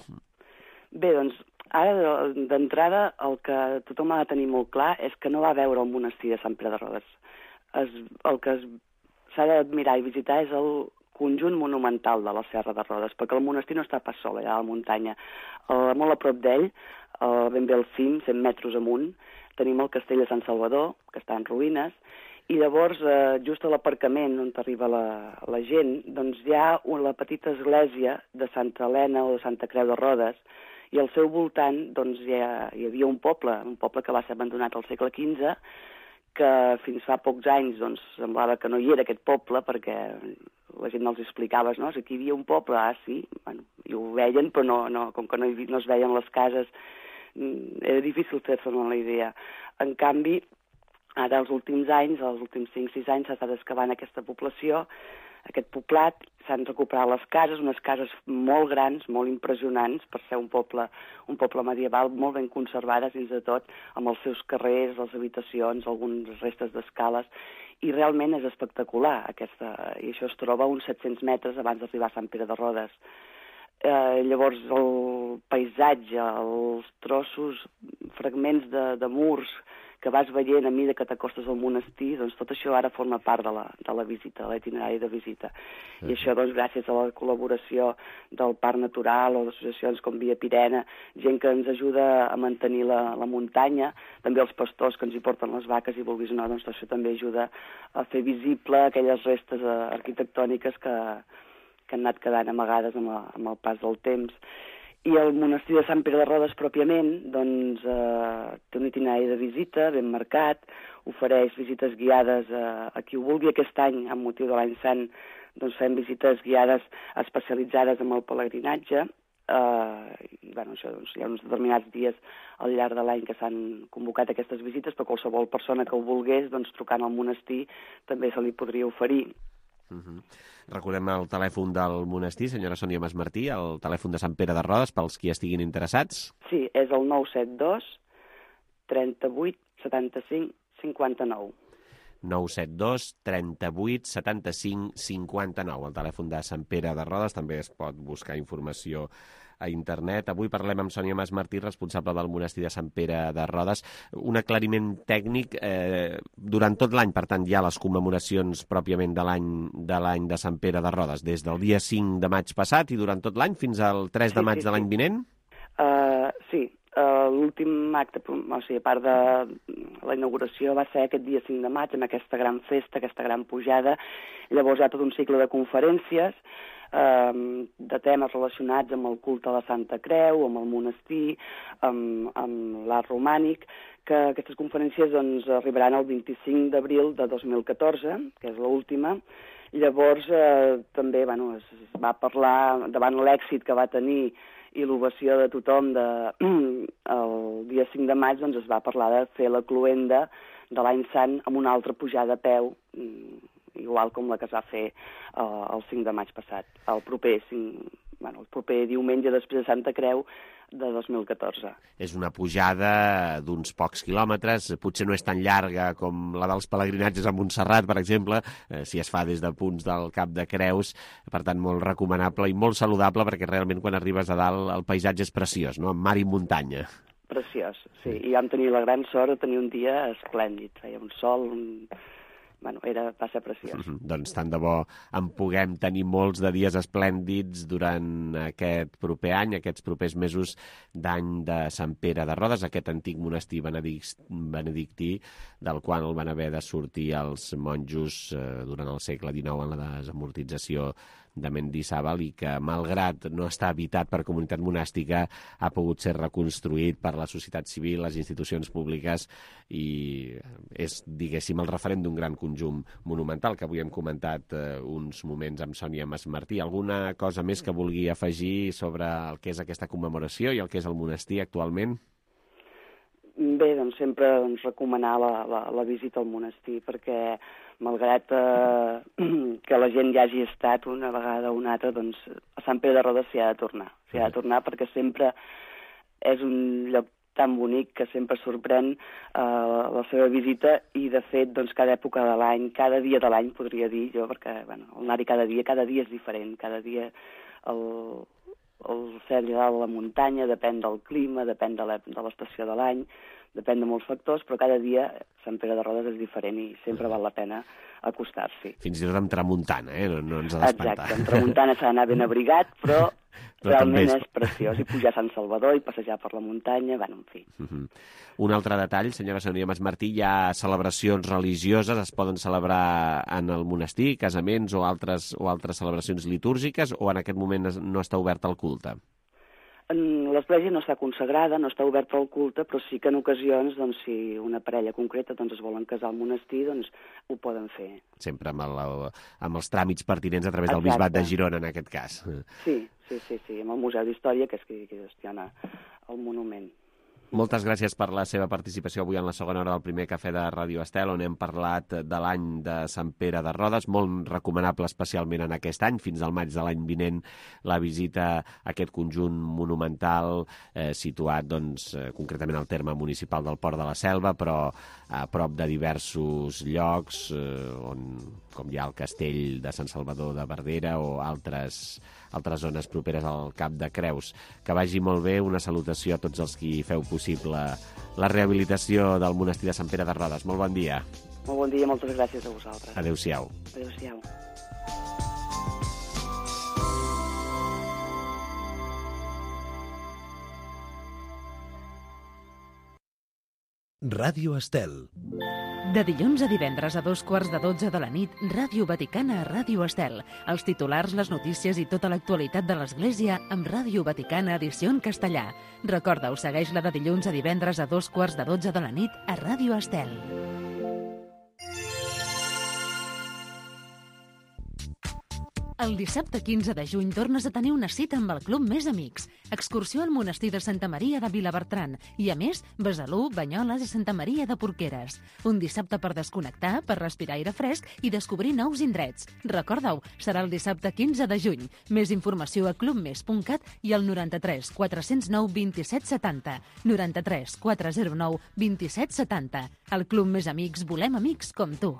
Bé, doncs, ara d'entrada el que tothom ha de tenir molt clar és que no va veure el monestir de Sant Pere de Rodes. Es, el que es s'ha d'admirar i visitar és el conjunt monumental de la Serra de Rodes, perquè el monestir no està pas sol allà a la muntanya. Uh, molt a prop d'ell, uh, ben bé al cim, cent metres amunt, tenim el castell de Sant Salvador, que està en ruïnes, i llavors, uh, just a l'aparcament on arriba la, la gent, doncs hi ha una petita església de Santa Helena o de Santa Creu de Rodes, i al seu voltant doncs, hi, ha, hi havia un poble, un poble que va ser abandonat al segle quinze, que fins fa pocs anys doncs, semblava que no hi era aquest poble, perquè la gent no els explicava, no? Si aquí hi havia un poble, ah, sí, bueno, i ho veien, però no, no, com que no, hi, no es veien les cases, era difícil fer-se'n la idea. En canvi, ara els últims anys, els últims cinc sis anys, s'ha estat excavant aquesta població, aquest poblat, s'han recuperat les cases, unes cases molt grans, molt impressionants, per ser un poble, un poble medieval, molt ben conservades dins de tot, amb els seus carrers, les habitacions, algunes restes d'escales, i realment és espectacular, aquesta, i això es troba a uns set-cents metres abans d'arribar a Sant Pere de Rodes. Eh, llavors el paisatge, els trossos, fragments de, de murs que vas veient a mesura que t'acostes al monestir, doncs tot això ara forma part de la, de la visita, de l'itinerari de visita. Sí. I això, doncs, gràcies a la col·laboració del Parc Natural o d'associacions com Via Pirena, gent que ens ajuda a mantenir la, la muntanya, també els pastors que ens hi porten les vaques i vulguis o no, doncs això també ajuda a fer visible aquelles restes arquitectòniques que, que han anat quedant amagades amb, la, amb el pas del temps. I el monestir de Sant Pere de Rodes, pròpiament, doncs, eh, té un itinerari de visita ben marcat, ofereix visites guiades a, a qui ho vulgui. Aquest any, amb motiu de l'any sant, doncs fem visites guiades especialitzades en el pelegrinatge. Eh, i, bueno, això, doncs, hi ha uns determinats dies al llarg de l'any que s'han convocat aquestes visites, però qualsevol persona que ho volgués, doncs, trucant al monestir, també se li podria oferir. Uh -huh. Recordem el telèfon del monestir, senyora Sònia Masmartí, el telèfon de Sant Pere de Rodes, pels qui estiguin interessats. Sí, és el nou set dos, trenta-vuit, setanta-cinc, cinquanta-nou. nou set dos, trenta-vuit, setanta-cinc, cinquanta-nou, el telèfon de Sant Pere de Rodes. També es pot buscar informació a internet. Avui parlem amb Sònia Masmartí, responsable del monestir de Sant Pere de Rodes. Un aclariment tècnic, eh, durant tot l'any, per tant, hi ha les commemoracions pròpiament de l'any de l'any de Sant Pere de Rodes, des del dia cinc de maig passat i durant tot l'any fins al tres de maig sí, sí, de l'any vinent? Uh, sí, uh, l'últim acte, o sigui, a part de la inauguració, va ser aquest dia cinc de maig, amb aquesta gran festa, aquesta gran pujada. Llavors hi ha tot un cicle de conferències, de temes relacionats amb el culte a la Santa Creu, amb el monestir, amb, amb l'art romànic, que aquestes conferències doncs, arribaran el vint-i-cinc d'abril de dos mil catorze, que és l'última. Llavors eh, també bueno, es va parlar, davant l'èxit que va tenir i l'ovació de tothom de, el dia cinc de maig, doncs es va parlar de fer la cloenda de l'any sant amb una altra pujada a peu, igual com la que es va fer uh, el cinc de maig passat, el proper, cinc, bueno, el proper diumenge després de Santa Creu de dos mil catorze. És una pujada d'uns pocs quilòmetres, potser no és tan llarga com la dels pelegrinatges a Montserrat, per exemple, eh, si es fa des de punts del Cap de Creus, per tant molt recomanable i molt saludable, perquè realment quan arribes a dalt el paisatge és preciós, no? Amb mar i muntanya. Preciós, sí, i vam tenir la gran sort de tenir un dia esplèndid, feia un sol, un... Bueno, era, va ser preciós. Mm-hmm. Doncs tant de bo en puguem tenir molts de dies esplèndids durant aquest proper any, aquests propers mesos d'any de Sant Pere de Rodes, aquest antic monestir benedictí, del qual el van haver de sortir els monjos eh, durant el segle dinou en la desamortització de Mendizábal i que, malgrat no estar habitat per comunitat monàstica, ha pogut ser reconstruït per la societat civil, les institucions públiques, i és, diguéssim, el referent d'un gran conjunt monumental que avui hem comentat eh, uns moments amb Sònia Masmartí. Alguna cosa més que vulgui afegir sobre el que és aquesta commemoració i el que és el monestir actualment? Bé, doncs sempre doncs, recomanar la, la, la visita al monestir, perquè malgrat eh, que la gent ja hagi estat una vegada o una altra, doncs a Sant Pere de Rodes s'hi ha de tornar. S'hi ha de tornar perquè sempre és un lloc tan bonic que sempre sorprèn eh, la seva visita i, de fet, doncs, cada època de l'any, cada dia de l'any, podria dir jo, perquè bueno, anar-hi cada dia, cada dia és diferent, cada dia el, el cel i dalt de la muntanya, depèn del clima, depèn de l'estació de l'any, depèn de molts factors, però cada dia Sant Pere de Rodes és diferent i sempre val la pena acostar-s'hi. Fins i tot amb tramuntana, eh? No, no ens ha d'espantar. Exacte, amb tramuntana s'ha d'anar ben abrigat, però, però realment és... és preciós. I pujar a Sant Salvador i passejar per la muntanya, bueno, en fi. Uh -huh. Un altre detall, senyora Sònia Masmartí, hi ha celebracions religioses, es poden celebrar en el monestir, casaments o altres, o altres celebracions litúrgiques, o en aquest moment no està obert el culte? L'església no està consagrada, no està oberta al culte, però sí que en ocasions, doncs, si una parella concreta doncs, es volen casar al monestir, doncs ho poden fer. Sempre amb, el, amb els tràmits pertinents a través Exacte. del Bisbat de Girona, en aquest cas. Sí, sí, sí, sí, amb el Museu d'Història, que és qui, qui gestiona el monument. Moltes gràcies per la seva participació avui en la segona hora del primer cafè de Ràdio Estel, on hem parlat de l'any de Sant Pere de Rodes, molt recomanable especialment en aquest any, fins al maig de l'any vinent, la visita a aquest conjunt monumental eh, situat doncs, eh, concretament al terme municipal del Port de la Selva, però a prop de diversos llocs, eh, on, com hi ha el castell de Sant Salvador de Verdera o altres, altres zones properes al Cap de Creus. Que vagi molt bé, una salutació a tots els qui feu possible la rehabilitació del monestir de Sant Pere de Rodes. Molt bon dia. Molt bon dia, moltes gràcies a vosaltres. Adéu-siau. Adéu-siau. Ràdio Estel. De dilluns a divendres a dos quarts de dotze de la nit, Ràdio Vaticana a Ràdio Estel. Els titulars, les notícies i tota l'actualitat de l'Església amb Ràdio Vaticana edició en castellà. Recorda-ho, segueix-la de dilluns a divendres a dos quarts de dotze de la nit a Ràdio Estel. El dissabte quinze de juny tornes a tenir una cita amb el Club Més Amics. Excursió al monestir de Santa Maria de Vilabertran i, a més, Besalú, Banyoles i Santa Maria de Porqueres. Un dissabte per desconnectar, per respirar aire fresc i descobrir nous indrets. Recorda-ho, serà el dissabte quinze de juny. Més informació a club mes punt cat i al noranta-tres quatre zero nou vint set setanta. noranta-tres quatre zero nou vint set setanta. Al Club Més Amics volem amics com tu.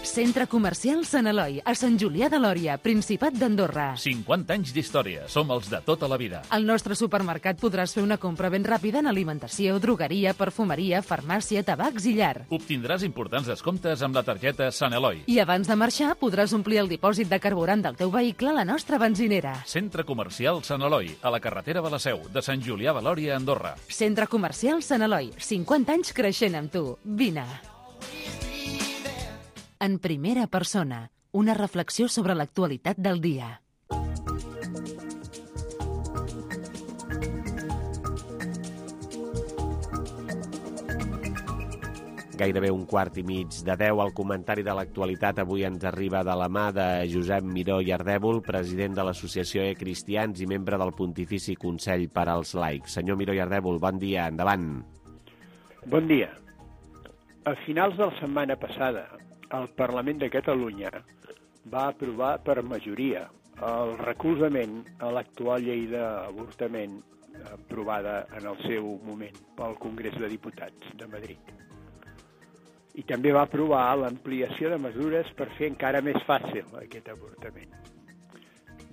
Centre Comercial Sant Eloi, a Sant Julià de Lòria, Principat d'Andorra. cinquanta anys d'història. Som els de tota la vida. Al nostre supermercat podràs fer una compra ben ràpida en alimentació, drogueria, perfumeria, farmàcia, tabacs i llar. Obtindràs importants descomptes amb la targeta Sant Eloi. I abans de marxar podràs omplir el dipòsit de carburant del teu vehicle a la nostra benzinera. Centre Comercial Sant Eloi, a la carretera de la Seu, de Sant Julià de Lòria, Andorra. Centre Comercial Sant Eloi, cinquanta anys creixent amb tu. Vine. En primera persona, una reflexió sobre l'actualitat del dia. Gairebé un quart i mig de deu. El comentari de l'actualitat avui ens arriba de la mà de Josep Miró i Ardèvol, president de l'Associació E Cristians i membre del Pontifici Consell per als Laics. Senyor Miró i Ardèvol, bon dia, endavant. Bon dia. A finals de la setmana passada, el Parlament de Catalunya va aprovar per majoria el recolzament a l'actual llei d'avortament aprovada en el seu moment pel Congrés de Diputats de Madrid. I també va aprovar l'ampliació de mesures per fer encara més fàcil aquest avortament.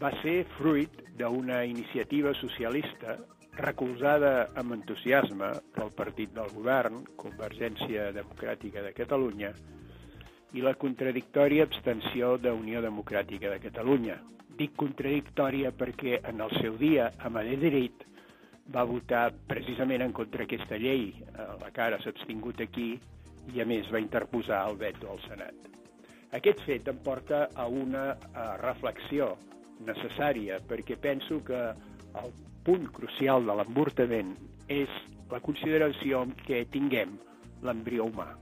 Va ser fruit d'una iniciativa socialista recolzada amb entusiasme pel partit del govern, Convergència Democràtica de Catalunya, i la contradictòria abstenció d'Unió Democràtica de Catalunya. Dic contradictòria perquè en el seu dia a Madrid va votar precisament en contra aquesta llei, la que ara s'ha abstingut aquí, i a més va interposar el veto al Senat. Aquest fet em porta a una a reflexió necessària, perquè penso que el punt crucial de l'avortament és la consideració que tinguem l'embrió humà.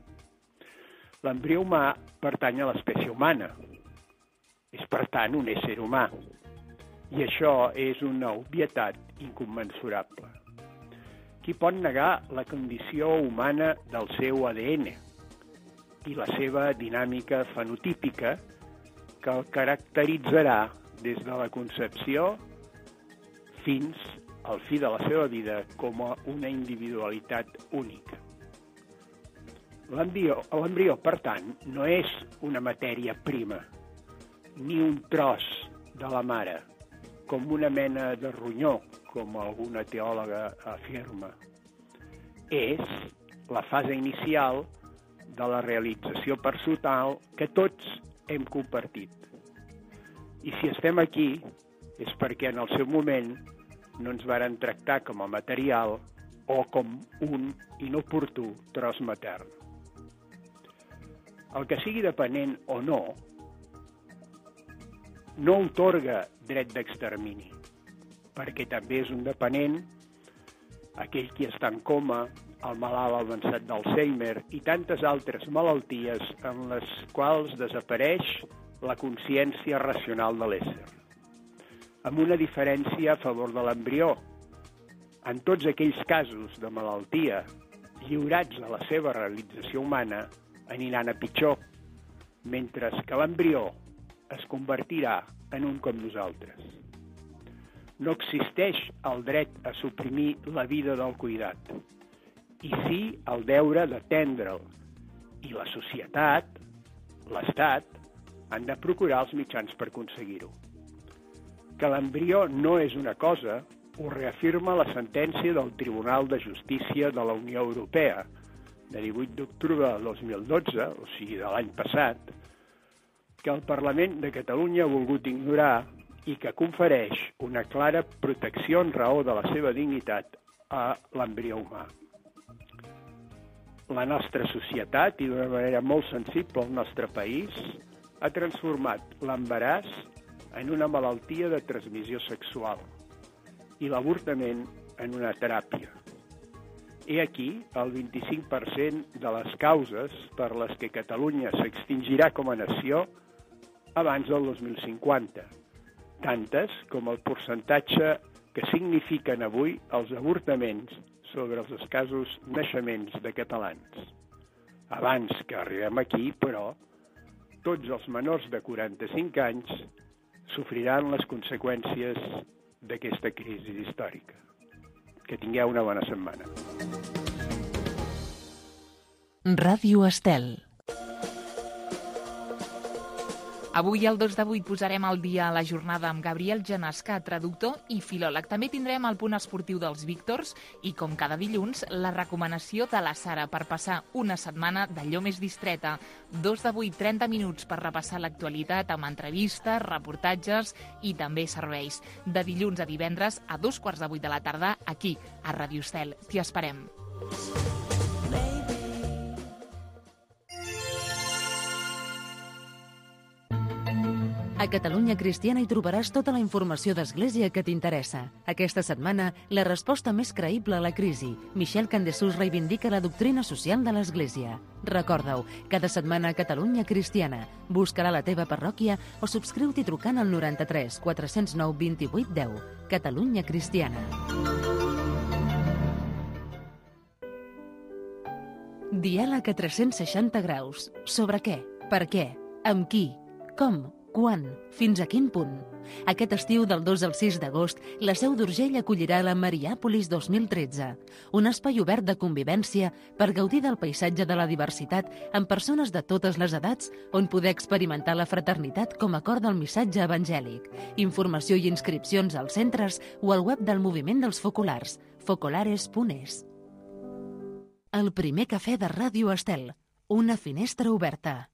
L'embrió humà pertany a l'espècie humana, és per tant un ésser humà, i això és una obvietat incommensurable. Qui pot negar la condició humana del seu A D N i la seva dinàmica fenotípica que el caracteritzarà des de la concepció fins al fi de la seva vida com a una individualitat única. L'embrió, per tant, no és una matèria prima, ni un tros de la mare, com una mena de ronyó, com alguna teòloga afirma. És la fase inicial de la realització personal que tots hem compartit. I si estem aquí és perquè en el seu moment no ens varen tractar com a material o com un inoportú tros matern. El que sigui dependent o no, no otorga dret d'extermini, perquè també és un dependent aquell qui està en coma, el malalt avançat d'Alzheimer i tantes altres malalties en les quals desapareix la consciència racional de l'ésser. Amb una diferència a favor de l'embrió. En tots aquells casos de malaltia lliurats a la seva realització humana aniran a pitjor, mentre que l'embrió es convertirà en un com nosaltres. No existeix el dret a suprimir la vida del cuidat, i sí el deure d'atendre'l, i la societat, l'Estat, han de procurar els mitjans per aconseguir-ho. Que l'embrió no és una cosa ho reafirma la sentència del Tribunal de Justícia de la Unió Europea de divuit d'octubre de dos mil dotze, o sigui de l'any passat, que el Parlament de Catalunya ha volgut ignorar i que confereix una clara protecció en raó de la seva dignitat a l'embrió humà. La nostra societat, i d'una manera molt sensible al nostre país, ha transformat l'embaràs en una malaltia de transmissió sexual i l'avortament en una teràpia. I aquí el vint-i-cinc per cent de les causes per les que Catalunya s'extingirà com a nació abans del dos mil cinquanta, tantes com el percentatge que signifiquen avui els avortaments sobre els escassos naixements de catalans. Abans que arribem aquí, però, tots els menors de quaranta-cinc anys sofriran les conseqüències d'aquesta crisi històrica. Que tingueu una bona setmana. Ràdio Estel. Avui, al dos de vuit, posarem al dia la jornada amb Gabriel Janasca, traductor i filòleg. També tindrem el punt esportiu dels Víctors i, com cada dilluns, la recomanació de la Sara per passar una setmana d'allò més distreta. dos de vuit, trenta minuts per repassar l'actualitat amb entrevistes, reportatges i també serveis. De dilluns a divendres a dos quarts de vuit de la tarda, aquí, a Ràdio Estel. T'hi esperem. A Catalunya Cristiana hi trobaràs tota la informació d'Església que t'interessa. Aquesta setmana, la resposta més creïble a la crisi. Michel Candessús reivindica la doctrina social de l'Església. Recorda-ho, cada setmana a Catalunya Cristiana. Busca-la a la teva parròquia o subscriu-t'hi trucant al noranta-tres quatre cents nou vint-i-vuit deu. Catalunya Cristiana. Diàleg a tres-cents seixanta graus. Sobre què? Per què? Amb qui? Com? Quan? Fins a quin punt? Aquest estiu del dos al sis d'agost, la Seu d'Urgell acollirà la Mariàpolis dos mil tretze, un espai obert de convivència per gaudir del paisatge de la diversitat amb persones de totes les edats on poder experimentar la fraternitat com a cor del missatge evangèlic. Informació i inscripcions als centres o al web del Moviment dels Focolars, focolares punt es. El primer cafè de Ràdio Estel, una finestra oberta.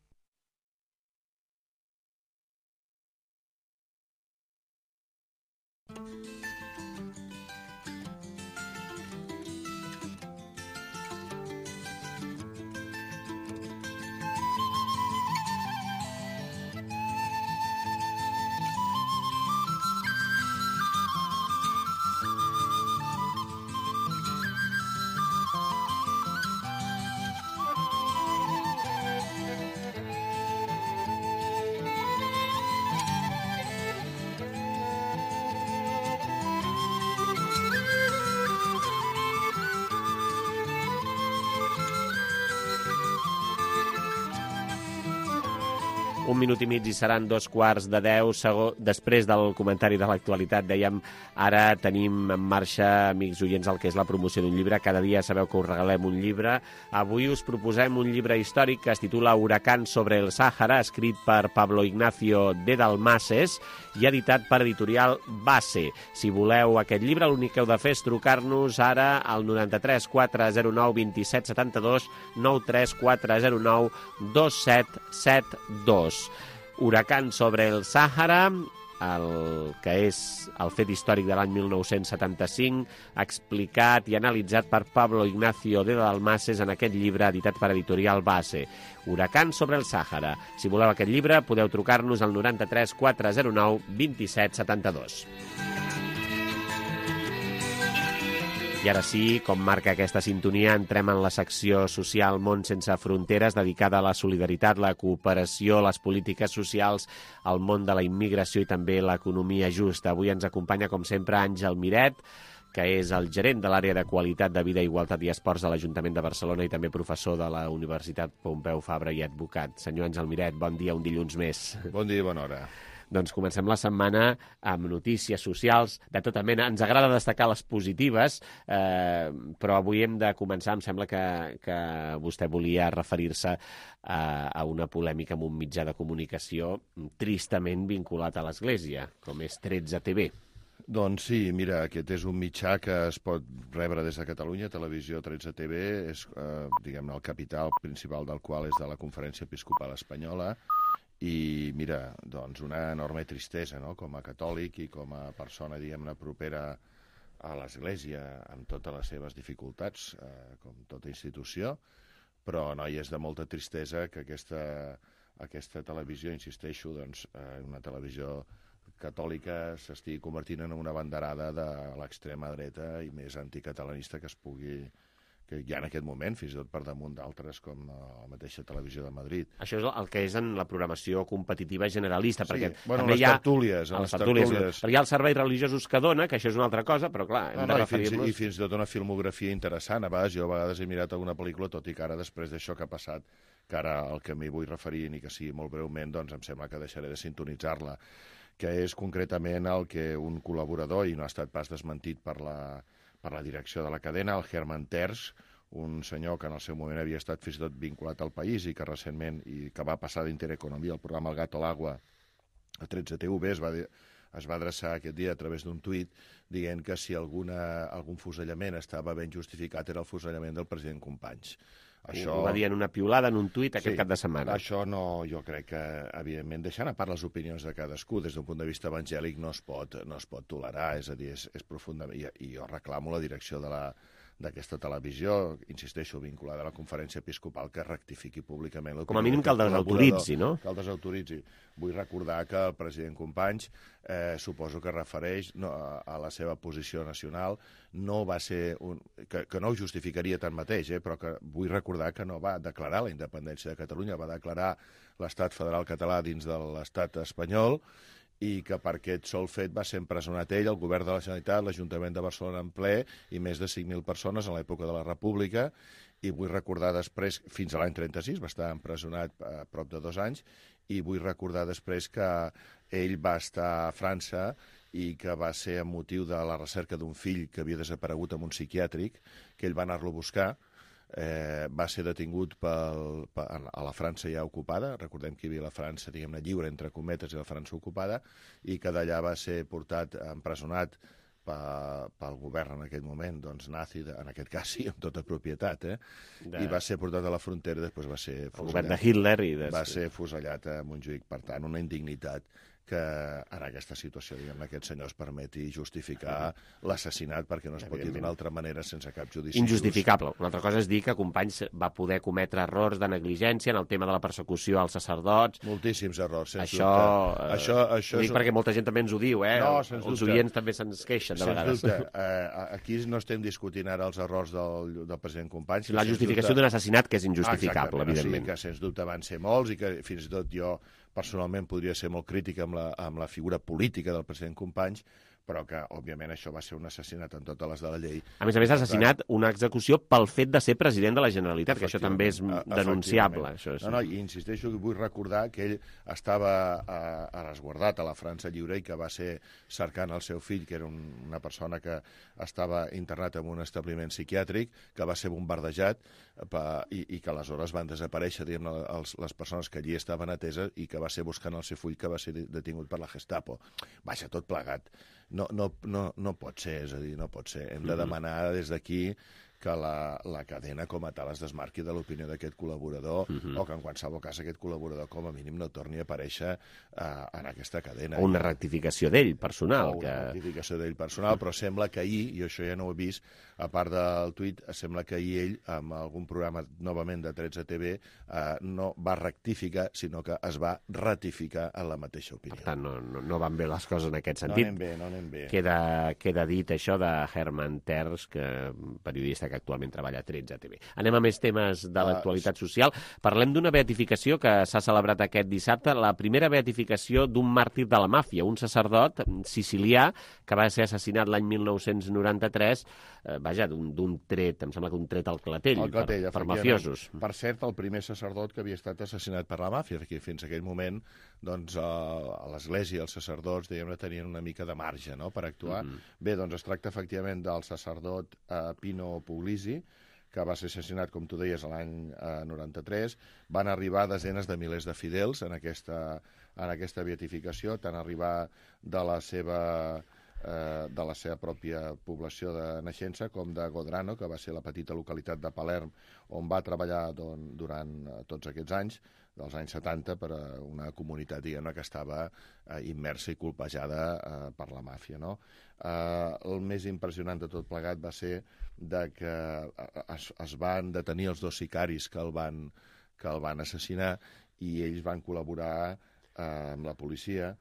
un minut i mig i seran dos quarts de deu. Segon, després del comentari de l'actualitat, dèiem, ara tenim en marxa, amics oients, el que és la promoció d'un llibre. Cada dia sabeu que us regalem un llibre. Avui us proposem un llibre històric que es titula Huracán sobre el Sàhara, escrit per Pablo Ignacio de Dalmases i editat per editorial Base. Si voleu aquest llibre, l'únic que heu de fer és trucar-nos ara al noranta-tres quatre zero nou vint set setanta-dos, noranta-tres quatre zero nou dos set set dos. Huracán sobre el Sàhara, el que és el fet històric de l'any mil nou-cents setanta-cinc, explicat i analitzat per Pablo Ignacio de Dalmases en aquest llibre editat per editorial Base. Huracán sobre el Sàhara. Si voleu aquest llibre, podeu trucar-nos al noranta-tres quatre zero nou vint set setanta-dos. I ara sí, com marca aquesta sintonia, entrem en la secció social Món sense fronteres, dedicada a la solidaritat, la cooperació, les polítiques socials, el món de la immigració i també l'economia justa. Avui ens acompanya, com sempre, Àngel Miret, que és el gerent de l'àrea de qualitat de vida, igualtat i esports de l'Ajuntament de Barcelona i també professor de la Universitat Pompeu Fabra i advocat. Senyor Àngel Miret, bon dia, un dilluns més. Bon dia i bona hora. Doncs comencem la setmana amb notícies socials de tota mena. Ens agrada destacar les positives, eh, però avui hem de començar, em sembla que, que vostè volia referir-se a, a una polèmica amb un mitjà de comunicació tristament vinculat a l'Església, com és tretze T V. Doncs sí, mira, aquest és un mitjà que es pot rebre des de Catalunya, Televisió tretze T V, és, eh, diguem-ne, el capital principal del qual és de la Conferència Episcopal Espanyola. I, mira, doncs una enorme tristesa, no?, com a catòlic i com a persona, diguem-ne, propera a l'Església, amb totes les seves dificultats, eh, com tota institució, però, no, i és de molta tristesa que aquesta, aquesta televisió, insisteixo, doncs, eh, una televisió catòlica s'estigui convertint en una banderada de l'extrema dreta i més anticatalanista que es pugui... que hi ha en aquest moment, fins i tot per damunt d'altres, com la mateixa Televisió de Madrid. Això és el que és en la programació competitiva generalista, sí, perquè bueno, també les hi ha... tertúlies, les tertúlies. tertúlies. Perquè hi ha els serveis religiosos que dona, que això és una altra cosa, però clar, hem no, no, de I referir-nos... fins, I fins i tot una filmografia interessant. A vegades, jo a vegades he mirat alguna pel·lícula, tot i que ara, després d'això que ha passat, que ara el que m'hi vull referir, ni que sigui molt breument, doncs em sembla que deixaré de sintonitzar-la, que és concretament el que un col·laborador, i no ha estat pas desmentit per la, per la direcció de la cadena, el Herman Terç, un senyor que en el seu moment havia estat fins i tot vinculat al País i que recentment, i que va passar d'Intereconomia, el programa El Gato al Agua, a tretze T V, es va, es va adreçar aquest dia a través d'un tuit dient que si alguna, algun fusellament estava ben justificat era el fusellament del president Companys. Això... Ho va dir en una piulada, en un tuit, aquest sí, cap de setmana. Això no, jo crec que, evidentment, deixant a part les opinions de cadascú, des d'un punt de vista evangèlic no es pot, no es pot tolerar, és a dir, és, és profundament... I, I jo reclamo la direcció de la d'aquesta televisió, insisteixo, vinculada a la Conferència Episcopal, que rectifiqui públicament... Com a mínim que el desautoritzi, no? Que el desautoritzi. Vull recordar que el president Companys, eh, suposo que refereix no, a, a la seva posició nacional, no va ser... Un, que, que no ho justificaria tanmateix, eh, però que vull recordar que no va declarar la independència de Catalunya, va declarar l'estat federal català dins de l'estat espanyol, i que per aquest sol fet va ser empresonat ell, el govern de la Generalitat, l'Ajuntament de Barcelona en ple, i més de cinc mil persones en l'època de la República, i vull recordar després, fins a l'any trenta-sis, va estar empresonat a prop de dos anys, i vull recordar després que ell va estar a França i que va ser amb motiu de la recerca d'un fill que havia desaparegut en un psiquiàtric, que ell va anar-lo a buscar. Eh, va ser detingut pel, per, a la França ja ocupada, recordem que hi havia la França, diguem-ne, lliure, entre cometes, i la França ocupada, i que d'allà va ser portat, empresonat pel govern en aquell moment, doncs nazi, en aquest cas sí, amb tota propietat, eh? De... i va ser portat a la frontera i després va ser fusellat. El govern de Hitler i... Des... Va ser fusellat a Montjuïc, per tant, una indignitat que en aquesta situació, diguem-ne, aquest senyor es permeti justificar l'assassinat perquè no es pot dir d'una altra manera sense cap judici. Injustificable. Una altra cosa és dir que Companys va poder cometre errors de negligència en el tema de la persecució als sacerdots. Moltíssims errors, sens això, dubte. Eh, això, això ho dic és... perquè molta gent també ens ho diu, eh? No, sens Els dubte. oients també se'ns queixen de sens vegades. Dubte. Eh, aquí no estem discutint ara els errors del, del president Companys. La justificació d'un assassinat que és injustificable, ah, evidentment. O sigui que sens dubte van ser molts i que fins i tot jo personalment podria ser molt crític amb la, amb la figura política del president Companys, però que, òbviament, això va ser un assassinat en totes les de la llei. A més a més, assassinat, una execució pel fet de ser president de la Generalitat, que això també és denunciable. Això és... No, no, i insisteixo que vull recordar que ell estava eh, resguardat a la França Lliure i que va ser cercant el seu fill, que era un, una persona que estava internat en un establiment psiquiàtric, que va ser bombardejat pa, i, i que aleshores van desaparèixer, diguem, els, les persones que allí estaven ateses i que va ser buscant el seu fill, que va ser detingut per la Gestapo. Vaja, tot plegat. No, no, no, no pot ser, és a dir, no pot ser. Hem de demanar des d'aquí que la, la cadena com a tal es desmarqui de l'opinió d'aquest col·laborador uh-huh. o que en qualsevol cas aquest col·laborador com a mínim no torni a aparèixer uh, en aquesta cadena. O una rectificació d'ell personal. O una que... rectificació d'ell personal, però sembla que ahir, i això ja no ho he vist, a part del tuit, sembla que ahir ell, amb algun programa novament de tretze T V, uh, no va rectificar, sinó que es va ratificar en la mateixa opinió. Per tant, no, no, no van bé les coses en aquest sentit. No anem bé, no anem bé. Queda, queda dit això de Herman Tertsch, que periodista que actualment treballa a tretze T V. Anem a més temes de l'actualitat social. Parlem d'una beatificació que s'ha celebrat aquest dissabte, la primera beatificació d'un màrtir de la màfia, un sacerdot sicilià que va ser assassinat l'any mil nou-cents noranta-tres, eh, vaja, d'un tret, em sembla que un tret al clatell, al clatell per, per mafiosos. Per cert, el primer sacerdot que havia estat assassinat per la màfia, perquè fins a aquell moment doncs, a l'Església els sacerdots diguem-ne tenien una mica de marge, no?, per actuar. Mm-hmm. Bé, doncs es tracta efectivament del sacerdot eh, Pino Puglisi, que va ser assassinat, com tu deies, l'any eh, noranta-tres. Van arribar desenes de milers de fidels en aquesta, en aquesta beatificació, tant arribar de la seva... Eh, de la seva pròpia població de naixença, com de Godrano, que va ser la petita localitat de Palerm, on va treballar don, durant eh, tots aquests anys, dels anys setanta, per a una comunitat, diguem-ne, que estava eh, immersa i colpejada eh, per la màfia, no? Eh, el més impressionant de tot plegat va ser de que es, es van detenir els dos sicaris que el van, que el van assassinar i ells van col·laborar eh, amb la policia.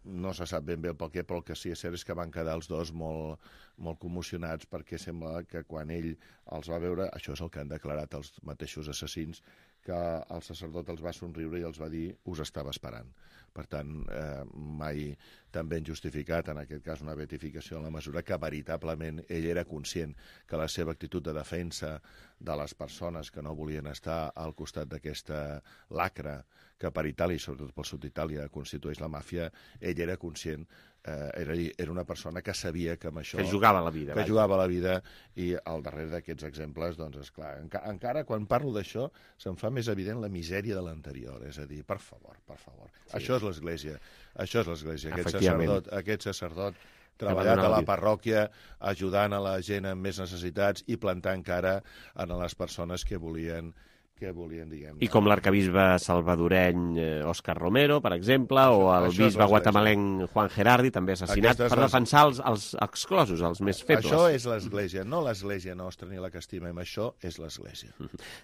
No se sap ben bé el pel què, però el que sí és cert és que van quedar els dos molt, molt commocionats perquè sembla que quan ell els va veure, això és el que han declarat els mateixos assassins, que el sacerdot els va somriure i els va dir us estava esperant. Per tant, eh, mai tan ben justificat, en aquest cas una beatificació en la mesura que veritablement ell era conscient que la seva actitud de defensa de les persones que no volien estar al costat d'aquesta lacra que per Itàlia, i sobretot pel sud d'Itàlia, constitueix la màfia, ell era conscient, eh, era, era una persona que sabia que amb això... Que jugava la vida. Que vaja. jugava la vida, i al darrere d'aquests exemples, doncs, esclar, enca encara quan parlo d'això, se'm fa més evident la misèria de l'anterior, és a dir, per favor, per favor. Sí. Això és l'Església, això és l'Església, aquest sacerdot, aquest sacerdot treballat a la parròquia, ajudant a la gent amb més necessitats i plantant cara a les persones que volien que volien, diguem... I com l'arcabisbe salvadoreny eh, Òscar Romero, per exemple, o el això bisbe guatemalenc Juan Gerardi, també assassinat per defensar els, els exclosos, els més febles. Això és l'Església, no l'Església nostra ni la que estimem, això és l'Església.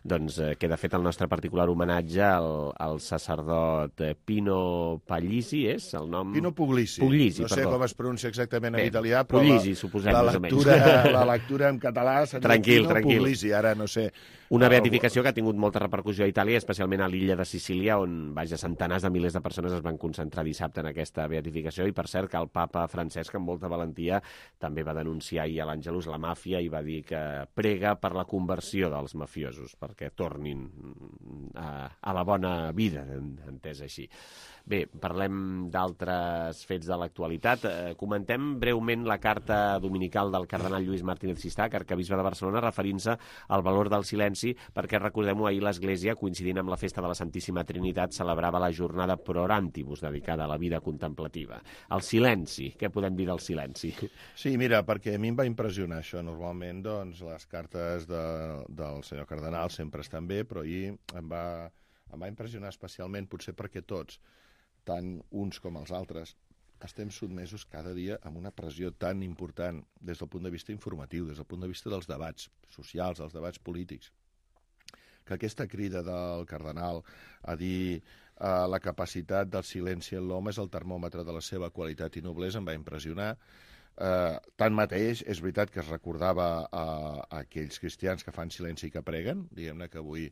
Doncs eh, queda fet el nostre particular homenatge al, al sacerdot eh, Pino Puglisi, és el nom? Pino Puglisi. Puglisi, no sé perdó. com es pronuncia exactament en Bé, italià, però Puglisi, suposem, la, més lectura, o menys. la lectura en català seria tranquil, Pino tranquil. Puglisi, ara no sé... Una beatificació que ha tingut molta repercussió a Itàlia, especialment a l'illa de Sicília, on, vaja, centenars de milers de persones es van concentrar dissabte en aquesta beatificació, i per cert que el papa Francesc, amb molta valentia, també va denunciar ahir a l'Àngelus la màfia i va dir que prega per la conversió dels mafiosos, perquè tornin a, a la bona vida, entès així. Bé, parlem d'altres fets de l'actualitat. Eh, comentem breument la carta dominical del cardenal Lluís Martínez Sistach, arcabisbe de Barcelona, referint-se al valor del silenci, perquè, recordem-ho, ahir l'Església, coincidint amb la festa de la Santíssima Trinitat, celebrava la jornada Pro Orantibus, dedicada a la vida contemplativa. El silenci, què podem dir del silenci? Sí, mira, perquè a mi em va impressionar això. Normalment, doncs, les cartes de, del senyor cardenal sempre estan bé, però ahir em va, em va impressionar especialment, potser perquè tots, tant uns com els altres, estem sotmesos cada dia a una pressió tan important des del punt de vista informatiu, des del punt de vista dels debats socials, dels debats polítics, que aquesta crida del cardenal a dir eh, la capacitat del silenci en l'home és el termòmetre de la seva qualitat i noblesa, em va impressionar. Eh, tanmateix, és veritat que es recordava a, a aquells cristians que fan silenci i que preguen, diguem-ne que avui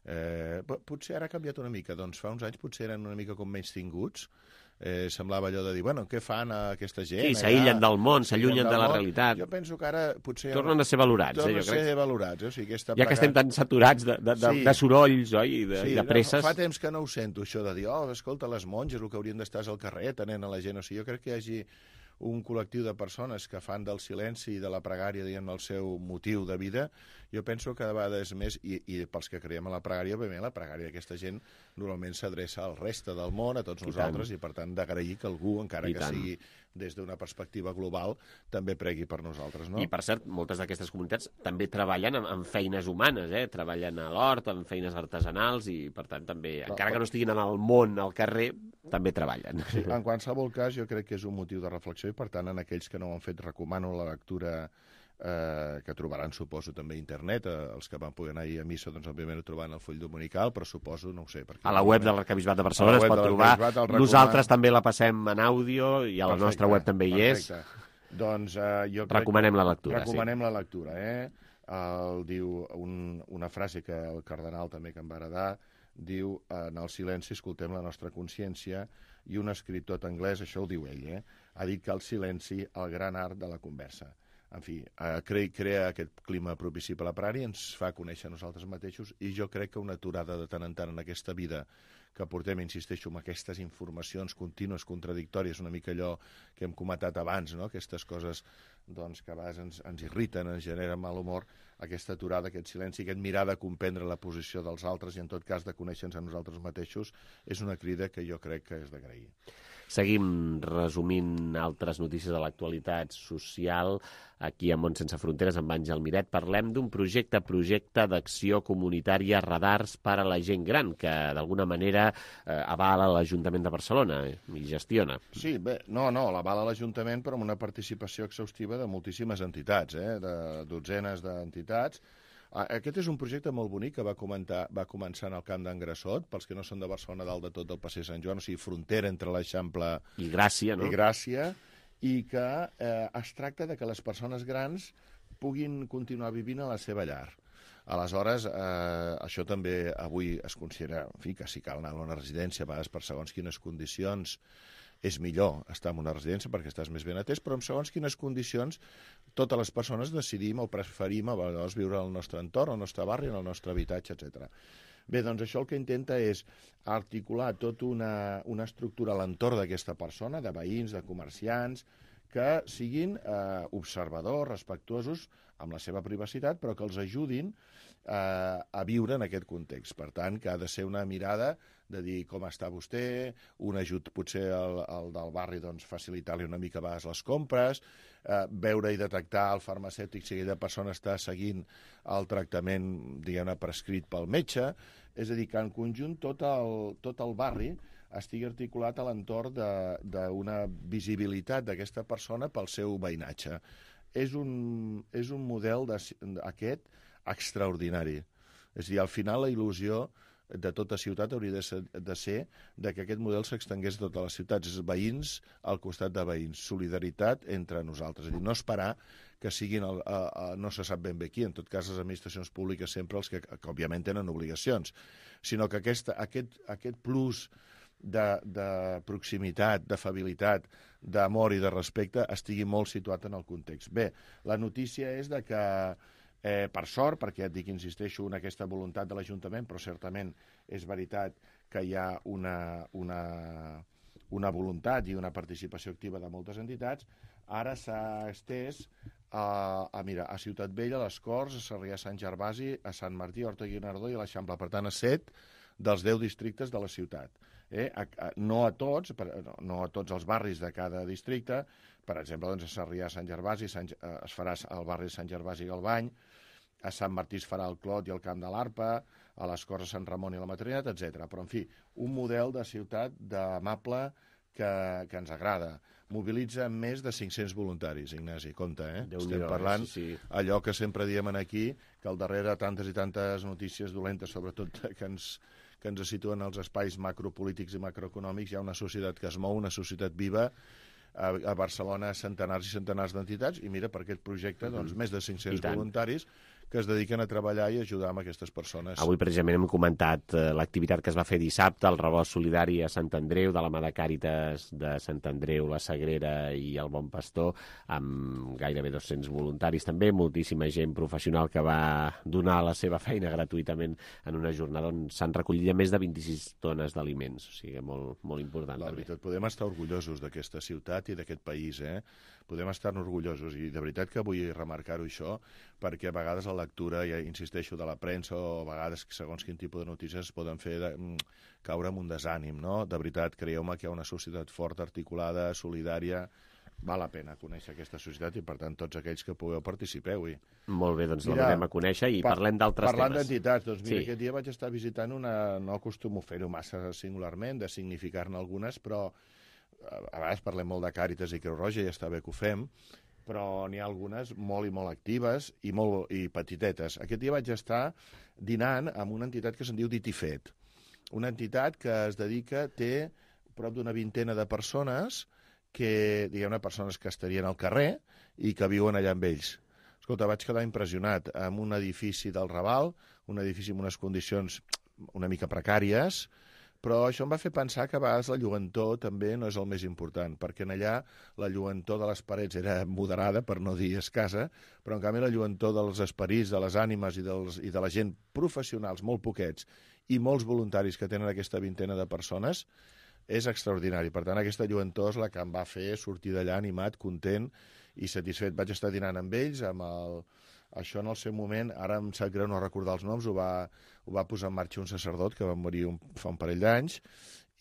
eh, potser ara ha canviat una mica, doncs fa uns anys potser eren una mica com menys tinguts, Eh, semblava allò de dir, bueno, què fan aquesta gent? Sí, s'aïllen del món, s'allunyen de la realitat. Jo penso que ara potser... Tornen a ser valorats, tornen eh, jo crec. a ser valorats, eh? O sigui, aquesta ja que estem tan saturats de, de, de, sí. de sorolls, oi, i de, sí, i de presses. Fa temps que no ho sento, això de dir, oh, escolta, les monges, el que haurien d'estar és al carrer, atenent a la gent. O sigui, jo crec que hi hagi un col·lectiu de persones que fan del silenci i de la pregària, diguem, el seu motiu de vida. Jo penso que de vegades més, i, i pels que creiem en la pregària, òbviament la pregària d'aquesta gent normalment s'adreça al reste del món, a tots I nosaltres, tant. i per tant d'agrair que algú, encara I que tant. sigui des d'una perspectiva global, també pregui per nosaltres, no? I, per cert, moltes d'aquestes comunitats també treballen en, en feines humanes, eh? Treballen a l'hort, en feines artesanals, i, per tant, també, Però, encara que no estiguin en el món, al carrer, també treballen. Sí, en qualsevol cas, jo crec que és un motiu de reflexió, i, per tant, en aquells que no ho han fet, recomano la lectura eh, que trobaran, suposo, també a internet. Eh, els que van poder anar ahir a missa, doncs, òbviament, ho trobaran al full dominical, però suposo, no ho sé... Perquè A la web de l'Arquebisbat de Barcelona es pot trobar. Nosaltres també la passem en àudio, i a la perfecte, nostra web també hi és. Doncs eh, jo crec recomanem la lectura. Recomanem sí. la lectura, eh? El, diu un, una frase que el cardenal també que em va agradar, diu, en el silenci escoltem la nostra consciència, i un escriptor anglès, això ho diu ell, eh? Ha dit que el silenci, el gran art de la conversa. En fi, eh, crea, crea aquest clima propici per la pregària, ens fa conèixer nosaltres mateixos, i jo crec que una aturada de tant en tant en aquesta vida que portem, insisteixo, amb aquestes informacions contínues, contradictòries, una mica allò que hem comentat abans, no? Aquestes coses doncs, que a vegades ens, ens irriten, ens generen mal humor, aquesta aturada, aquest silenci, aquest mirar de comprendre la posició dels altres i, en tot cas, de conèixer-nos a nosaltres mateixos, és una crida que jo crec que és d'agrair. Seguim resumint altres notícies de l'actualitat social. Aquí a Mont Sense Fronteres, amb Àngel Miret, parlem d'un projecte, projecte d'acció comunitària Radars per a la gent gran, que d'alguna manera eh, avala l'Ajuntament de Barcelona eh, i gestiona. Sí, bé, no, no, l'avala l'Ajuntament, però amb una participació exhaustiva de moltíssimes entitats, eh, de dotzenes d'entitats. Aquest és un projecte molt bonic que va, comentar, va començar en el Camp d'en Grassot, pels que no són de Barcelona, dalt de tot del Passeig Sant Joan, o sigui, frontera entre l'Eixample i Gràcia, no? I Gràcia, i que eh, es tracta de que les persones grans puguin continuar vivint a la seva llar. Aleshores, eh, això també avui es considera, en fi, que si cal anar a una residència, a vegades per segons quines condicions, és millor estar en una residència perquè estàs més ben atès, però en segons quines condicions totes les persones decidim o preferim a vegades viure al nostre entorn, al nostre barri, en el nostre habitatge, etcètera. Bé, doncs això el que intenta és articular tota una, una estructura a l'entorn d'aquesta persona, de veïns, de comerciants, que siguin eh, observadors, respectuosos amb la seva privacitat, però que els ajudin eh, a viure en aquest context. Per tant, que ha de ser una mirada de dir com està vostè, un ajut potser al, al del barri, doncs, facilitar-li una mica a vegades les compres, eh, veure i detectar el farmacèutic si aquella persona està seguint el tractament, diguem-ne, prescrit pel metge. És a dir, que en conjunt tot el, tot el barri estigui articulat a l'entorn d'una visibilitat d'aquesta persona pel seu veïnatge. És un, és un model de, aquest extraordinari. És a dir, al final la il·lusió de tota ciutat hauria de ser, de ser de que aquest model s'extengués a totes les ciutats. És veïns al costat de veïns, solidaritat entre nosaltres. És a dir, no esperar que siguin, el, a, a, no se sap ben bé qui, en tot cas les administracions públiques sempre els que, que òbviament tenen obligacions, sinó que aquesta, aquest, aquest plus de, de proximitat, d'afabilitat, d'amor i de respecte estigui molt situat en el context. Bé, la notícia és de que Eh, per sort, perquè ja et dic, insisteixo en aquesta voluntat de l'Ajuntament, però certament és veritat que hi ha una, una, una voluntat i una participació activa de moltes entitats, ara s'ha estès a, a, mira, a Ciutat Vella, a les Corts, a Sarrià Sant Gervasi, a Sant Martí, a Horta Guinardó i a l'Eixample. Per tant, a set dels deu districtes de la ciutat. Eh? A, a, no a tots, per, no, no a tots els barris de cada districte. Per exemple, doncs, a Sarrià Sant Gervasi Sant, eh, es farà al barri de Sant Gervasi i Galbany, a Sant Martí es farà el Clot i el Camp de l'Arpa, a les Corts a Sant Ramon i la Matrinitat, etcètera. Però, en fi, un model de ciutat d'amable que, que ens agrada. Mobilitza més de cinc-cents voluntaris, Ignasi, compte, eh? Déu Estem Déu, parlant sí, sí. allò que sempre diem aquí, que al darrere tantes i tantes notícies dolentes, sobretot que ens, que ens situen als espais macropolítics i macroeconòmics, hi ha una societat que es mou, una societat viva, a Barcelona centenars i centenars d'entitats, i mira, per aquest projecte, doncs, més de cinc-cents voluntaris que es dediquen a treballar i ajudar amb aquestes persones. Avui precisament hem comentat eh, l'activitat que es va fer dissabte, el rebost solidari a Sant Andreu, de la mà de Càritas de Sant Andreu, la Sagrera i el Bon Pastor, amb gairebé dos-cents voluntaris també, moltíssima gent professional que va donar la seva feina gratuïtament en una jornada on s'han recollit més de vint-i-sis tones d'aliments, o sigui, molt, molt important. La veritat, podem estar orgullosos d'aquesta ciutat i d'aquest país, eh? Podem estar orgullosos, i de veritat que vull remarcar-ho això, perquè a vegades la lectura, ja insisteixo, de la premsa, o a vegades segons quin tipus de notícies poden fer de, caure en un desànim, no? De veritat, creieu-me que hi ha una societat forta, articulada, solidària. Val la pena conèixer aquesta societat i, per tant, tots aquells que pugueu participeu-hi. Molt bé, doncs la donem a conèixer i parlem d'altres temes. Parlant d'entitats, doncs mira, sí. Aquest dia vaig estar visitant una... No acostumo a fer-ho massa singularment, de significar-ne algunes, però a vegades parlem molt de Càritas i Creu Roja i està bé que ho fem, però n'hi ha algunes molt i molt actives i, molt, i petitetes. Aquest dia vaig estar dinant amb una entitat que se'n diu Dit i Fet. Una entitat que es dedica, té prop d'una vintena de persones que, diguem-ne, persones que estarien al carrer i que viuen allà amb ells. Escolta, vaig quedar impressionat amb un edifici del Raval, un edifici amb unes condicions una mica precàries, però això em va fer pensar que a vegades la lluentor també no és el més important, perquè en allà la lluentor de les parets era moderada, per no dir escassa, però en canvi la lluentor dels esperits, de les ànimes i, dels, i de la gent professionals, molt poquets, i molts voluntaris que tenen aquesta vintena de persones, és extraordinari. Per tant, aquesta lluentor és la que em va fer sortir d'allà animat, content i satisfet. Vaig estar dinant amb ells, amb el... Això en el seu moment, ara em sap greu no recordar els noms, ho va, ho va posar en marxa un sacerdot que va morir un, fa un parell d'anys,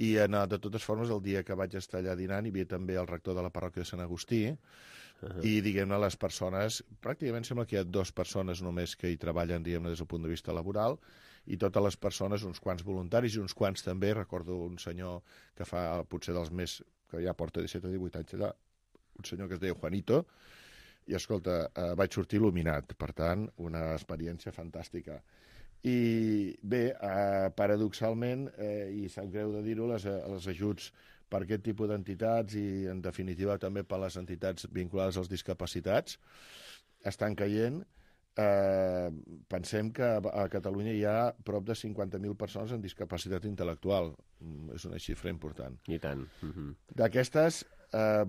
i en, de totes formes, el dia que vaig estar allà dinant hi havia també el rector de la parròquia de Sant Agustí, uh-huh. I, diguem-ne, les persones, pràcticament sembla que hi ha dues persones només que hi treballen, diguem-ne, des del punt de vista laboral, i totes les persones, uns quants voluntaris i uns quants també, recordo un senyor que fa potser dels més, que ja porta disset o divuit anys allà, un senyor que es deia Juanito, i escolta, eh, vaig sortir il·luminat, per tant, una experiència fantàstica. I bé, eh, paradoxalment, eh, i sap greu de dir-ho, les, els ajuts per aquest tipus d'entitats i, en definitiva, també per les entitats vinculades als discapacitats, estan caient. Eh, pensem que a Catalunya hi ha prop de cinquanta mil persones amb discapacitat intel·lectual. És una xifra important. I tant. Uh-huh. D'aquestes, eh,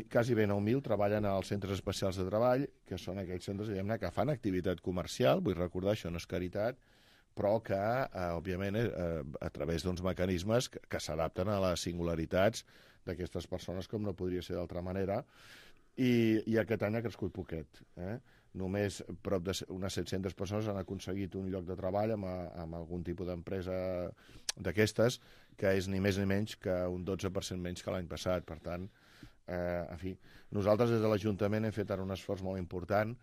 quasi bé nou mil treballen als centres especials de treball, que són aquells centres, diguem-ne, que fan activitat comercial, vull recordar, això no és caritat, però que, eh, òbviament, eh, a través d'uns mecanismes que, que s'adapten a les singularitats d'aquestes persones, com no podria ser d'altra manera, i, i aquest any ha crescut poquet, eh? Només prop d'unes set-centes persones han aconseguit un lloc de treball amb, amb algun tipus d'empresa d'aquestes, que és ni més ni menys que un dotze per cent menys que l'any passat. Per tant, eh, en fi, nosaltres des de l'Ajuntament hem fet ara un esforç molt important,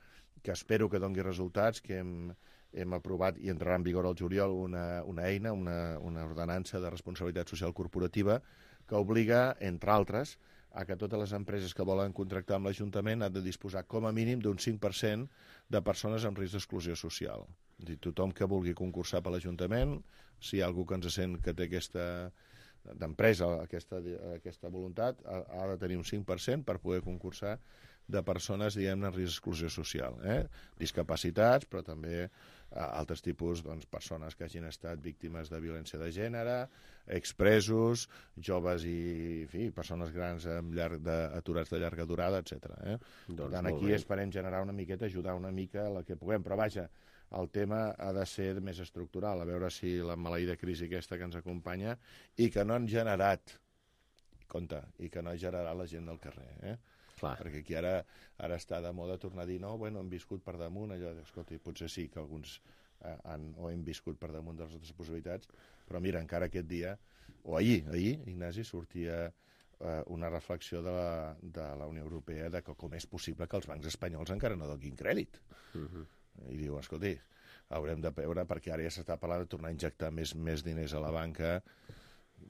que espero que doni resultats, que hem, hem aprovat i entrarà en vigor al juliol una, una eina, una, una ordenança de responsabilitat social corporativa, que obliga, entre altres, a que totes les empreses que volen contractar amb l'Ajuntament han de disposar com a mínim d'un cinc per cent de persones amb risc d'exclusió social. És a dir, tothom que vulgui concursar per l'Ajuntament, si hi ha algú que ens sent que té aquesta d'empresa, aquesta, aquesta voluntat, ha, ha de tenir un cinc per cent per poder concursar de persones, diguem-ne, en risc d'exclusió social. Eh? Discapacitats, però també altres tipus, doncs, persones que hagin estat víctimes de violència de gènere, expresos, joves i, en fi, persones grans amb llarg de, aturats de llarga durada, etcètera. Eh? Doncs per tant, aquí esperem generar una miqueta, ajudar una mica la que puguem, però vaja, el tema ha de ser més estructural, a veure si la maleïda crisi aquesta que ens acompanya i que no han generat, compte, i que no ha generat la gent del carrer, eh? Clar. Perquè aquí ara, ara està de moda tornar a dir no, bueno, hem viscut per damunt, allò, escolta, potser sí que alguns eh, han, o hem viscut per damunt de les altres possibilitats, però mira, encara aquest dia, o ahir, ahir, Ignasi, sortia eh, una reflexió de la, de la Unió Europea de que com és possible que els bancs espanyols encara no donin crèdit. Uh-huh. I diu, escolti, haurem de veure, perquè ara ja s'està parlant de tornar a injectar més, més diners a la banca.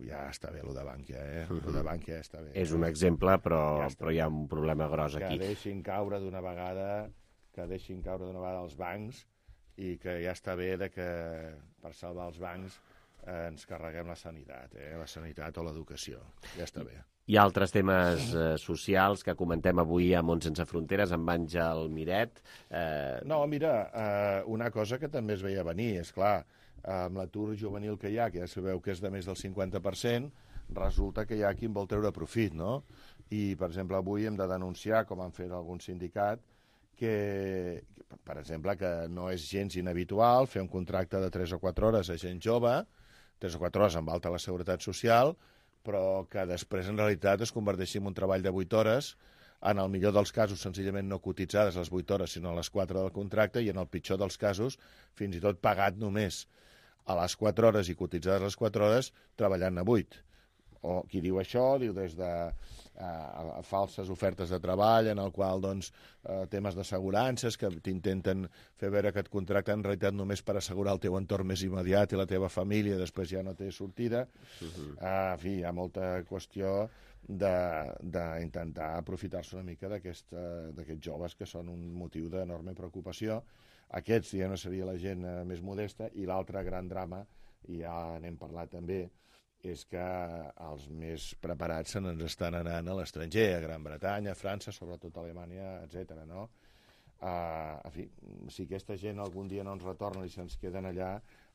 Ja està bé, allò de Bànquia, eh? Allò de Bànquia està bé. És un exemple, però, ja però hi ha un problema gros aquí. Que deixin caure d'una vegada, que deixin caure d'una vegada els bancs i que ja està bé de que per salvar els bancs eh, ens carreguem la sanitat, eh? La sanitat o l'educació. Ja està bé. Hi ha altres temes eh, socials que comentem avui a Mont Sense Fronteres amb Àngel Miret. Eh... No, mira, eh, una cosa que també es veia venir, és clar, amb l'atur juvenil que hi ha, que ja sabeu que és de més del cinquanta per cent, resulta que hi ha qui en vol treure profit, no? I, per exemple, avui hem de denunciar, com han fet algun sindicat, que, per exemple, que no és gens inhabitual fer un contracte de tres o quatre hores a gent jove, tres o quatre hores amb alta la seguretat social, però que després en realitat es converteixi en un treball de vuit hores, en el millor dels casos senzillament no cotitzades les vuit hores, sinó a les quatre del contracte, i en el pitjor dels casos fins i tot pagat només a les quatre hores i cotitzades les quatre hores, treballant a vuit. O qui diu això, diu des de eh, falses ofertes de treball, en el qual, doncs, eh, temes d'assegurances, que t'intenten fer veure que et contracten en realitat només per assegurar el teu entorn més immediat i la teva família, després ja no té sortida. Uh-huh. eh, en fi, hi ha molta qüestió d'intentar aprofitar-se una mica d'aquests joves que són un motiu d'enorme preocupació. Aquests ja no seria la gent eh, més modesta, i l'altre gran drama, i ja n'hem parlat també, és que els més preparats se n'ens estan anant a l'estranger, a Gran Bretanya, a França, sobretot a Alemanya, etcètera, no? Uh, en fi, si aquesta gent algun dia no ens retorna i se'ns queden allà,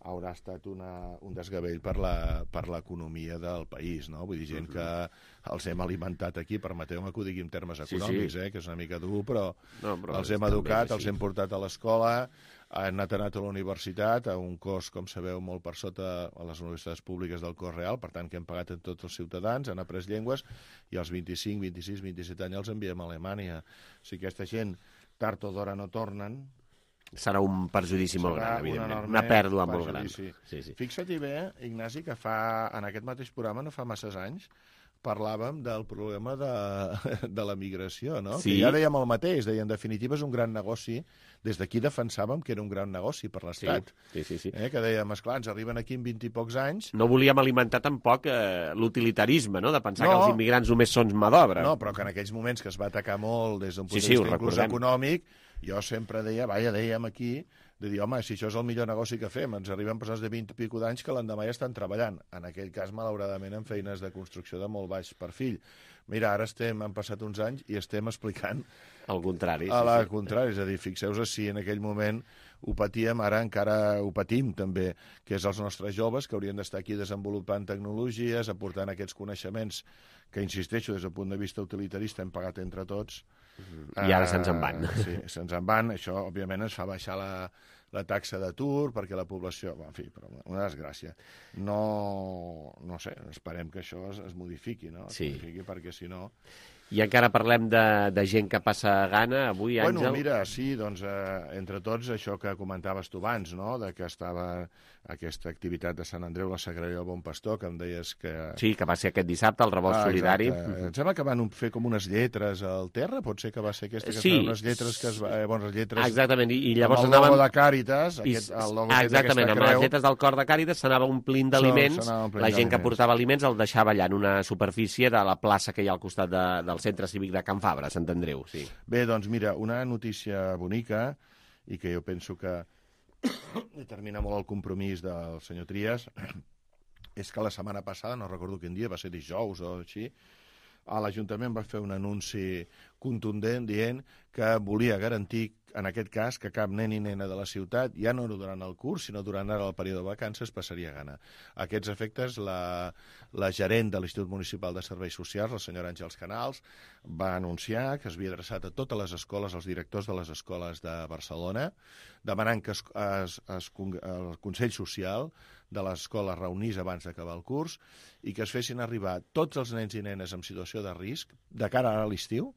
haurà estat una, un desgavell per la, per l'economia del país, no? Vull dir, gent uh-huh. que els hem alimentat aquí, permeteu-me que ho digui en termes econòmics, sí, sí. Eh, que és una mica dur, però, no, però els hem educat, els hem portat a l'escola, han anat, anat a la universitat, a un cost, com sabeu, molt per sota a les universitats públiques del cost real, per tant, que hem pagat a tots els ciutadans, han après llengües, i als vint-i-cinc, vint-i-sis, vint-i-set anys els enviem a Alemanya. Si aquesta gent tard o d'hora no tornen... Serà un perjudici molt gran, evidentment. Una pèrdua molt gran. Sí, sí. Fixa't-hi bé, Ignasi, que fa, en aquest mateix programa, no fa masses anys, parlàvem del problema de, de la migració, no? Sí. Que ja dèiem el mateix, deia, en definitiva és un gran negoci. Des d'aquí defensàvem que era un gran negoci per l'Estat. Sí, sí, sí. Eh? Que dèiem, esclar, ens arriben aquí en vint i pocs anys... No volíem alimentar tampoc eh, l'utilitarisme, no?, de pensar no. que els immigrants només són mà d'obra. No, però que en aquells moments que es va atacar molt des d'un punt sí, de vista sí, inclús econòmic, jo sempre deia, vaja, dèiem aquí, de dir, home, si això és el millor negoci que fem, ens arriben persones de vint i pico d'anys que l'endemà ja estan treballant. En aquell cas, malauradament, en feines de construcció de molt baix perfil. Mira, ara estem, han passat uns anys i estem explicant... El contrari. A la sí, sí. contrari, és a dir, fixeu-vos si en aquell moment ho patíem, ara encara ho patim també, que és els nostres joves que haurien d'estar aquí desenvolupant tecnologies, aportant aquests coneixements que, insisteixo, des del punt de vista utilitarista hem pagat entre tots. I ara uh, se'ns en van. Sí, se'ns en van. Això, òbviament, ens fa baixar la, la taxa d'atur, perquè la població... En fi, però una desgràcia. No, no sé, esperem que això es, es modifiqui, no? Es sí. modifiqui, perquè si no... I encara parlem de, de gent que passa gana avui, Àngel? Bueno, mira, sí, doncs, eh, entre tots, això que comentaves tu abans, no?, de que estava aquesta activitat de Sant Andreu, la Sagrera del Bon Pastor, que em deies que... Sí, que va ser aquest dissabte, el revolt ah, solidari. Exacte. Em sembla que van fer com unes lletres al terra, pot ser que va ser aquesta, que sí. es unes lletres que es va... Eh, bones lletres... Exactament, i, i llavors amb el anaven... logo de Càritas, aquest, el logo ah, exactament, amb creu... les lletres del cor de Càritas s'anava omplint d'aliments, so, la gent que portava aliments el deixava allà en una superfície de la plaça que hi ha al costat de, del centre cívic de Can Fabra, Sant Andreu, sí. Bé, doncs mira, una notícia bonica, i que jo penso que determina molt el compromís del senyor Trias, és que la setmana passada, no recordo quin dia, va ser dijous o així, l'Ajuntament va fer un anunci contundent dient que volia garantir, en aquest cas, que cap nen i nena de la ciutat, ja no durant el curs, sinó durant ara el període de vacances, passaria gana. A aquests efectes, la, la gerent de l'Institut Municipal de Serveis Socials, la senyora Àngels Canals, va anunciar que es havia adreçat a totes les escoles, als directors de les escoles de Barcelona, demanant que es, es, es, el Consell Social de l'escola es reunís abans d'acabar el curs i que es fessin arribar tots els nens i nenes en situació de risc, de cara a l'estiu,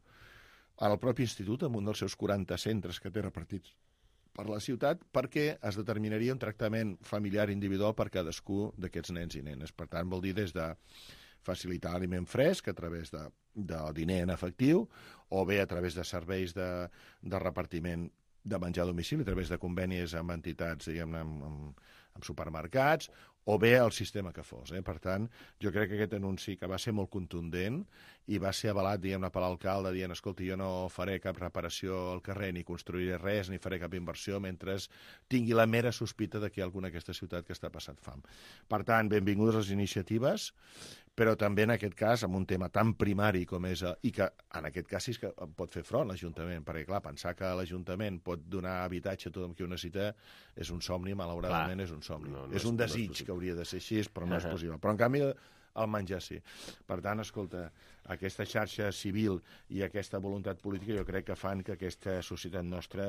al propi institut, amb un dels seus quaranta centres que té repartits per la ciutat, perquè es determinaria un tractament familiar individual per cadascú d'aquests nens i nenes. Per tant, vol dir des de facilitar aliment fresc a través de, de diner en efectiu, o bé a través de serveis de, de repartiment de menjar a domicili, a través de convenis amb entitats, diguem-ne, amb, amb, amb supermercats, o bé el sistema que fos. Eh? Per tant, jo crec que aquest anunci que va ser molt contundent i va ser avalat, diguem-ne, per l'alcalde, dient, escolta, jo no faré cap reparació al carrer, ni construiré res, ni faré cap inversió, mentre tingui la mera sospita de que hi ha alguna aquesta ciutat que està passant fam. Per tant, benvingudes les iniciatives, però també en aquest cas, amb un tema tan primari com és, i que en aquest cas sí que pot fer front l'Ajuntament, perquè clar, pensar que l'Ajuntament pot donar habitatge a tothom qui ho necessita és un somni, malauradament clar. És un somni. No, no és un desig no és que hauria de ser així, però no és possible. Però en canvi el menjar sí. Per tant, escolta, aquesta xarxa civil i aquesta voluntat política jo crec que fan que aquesta societat nostra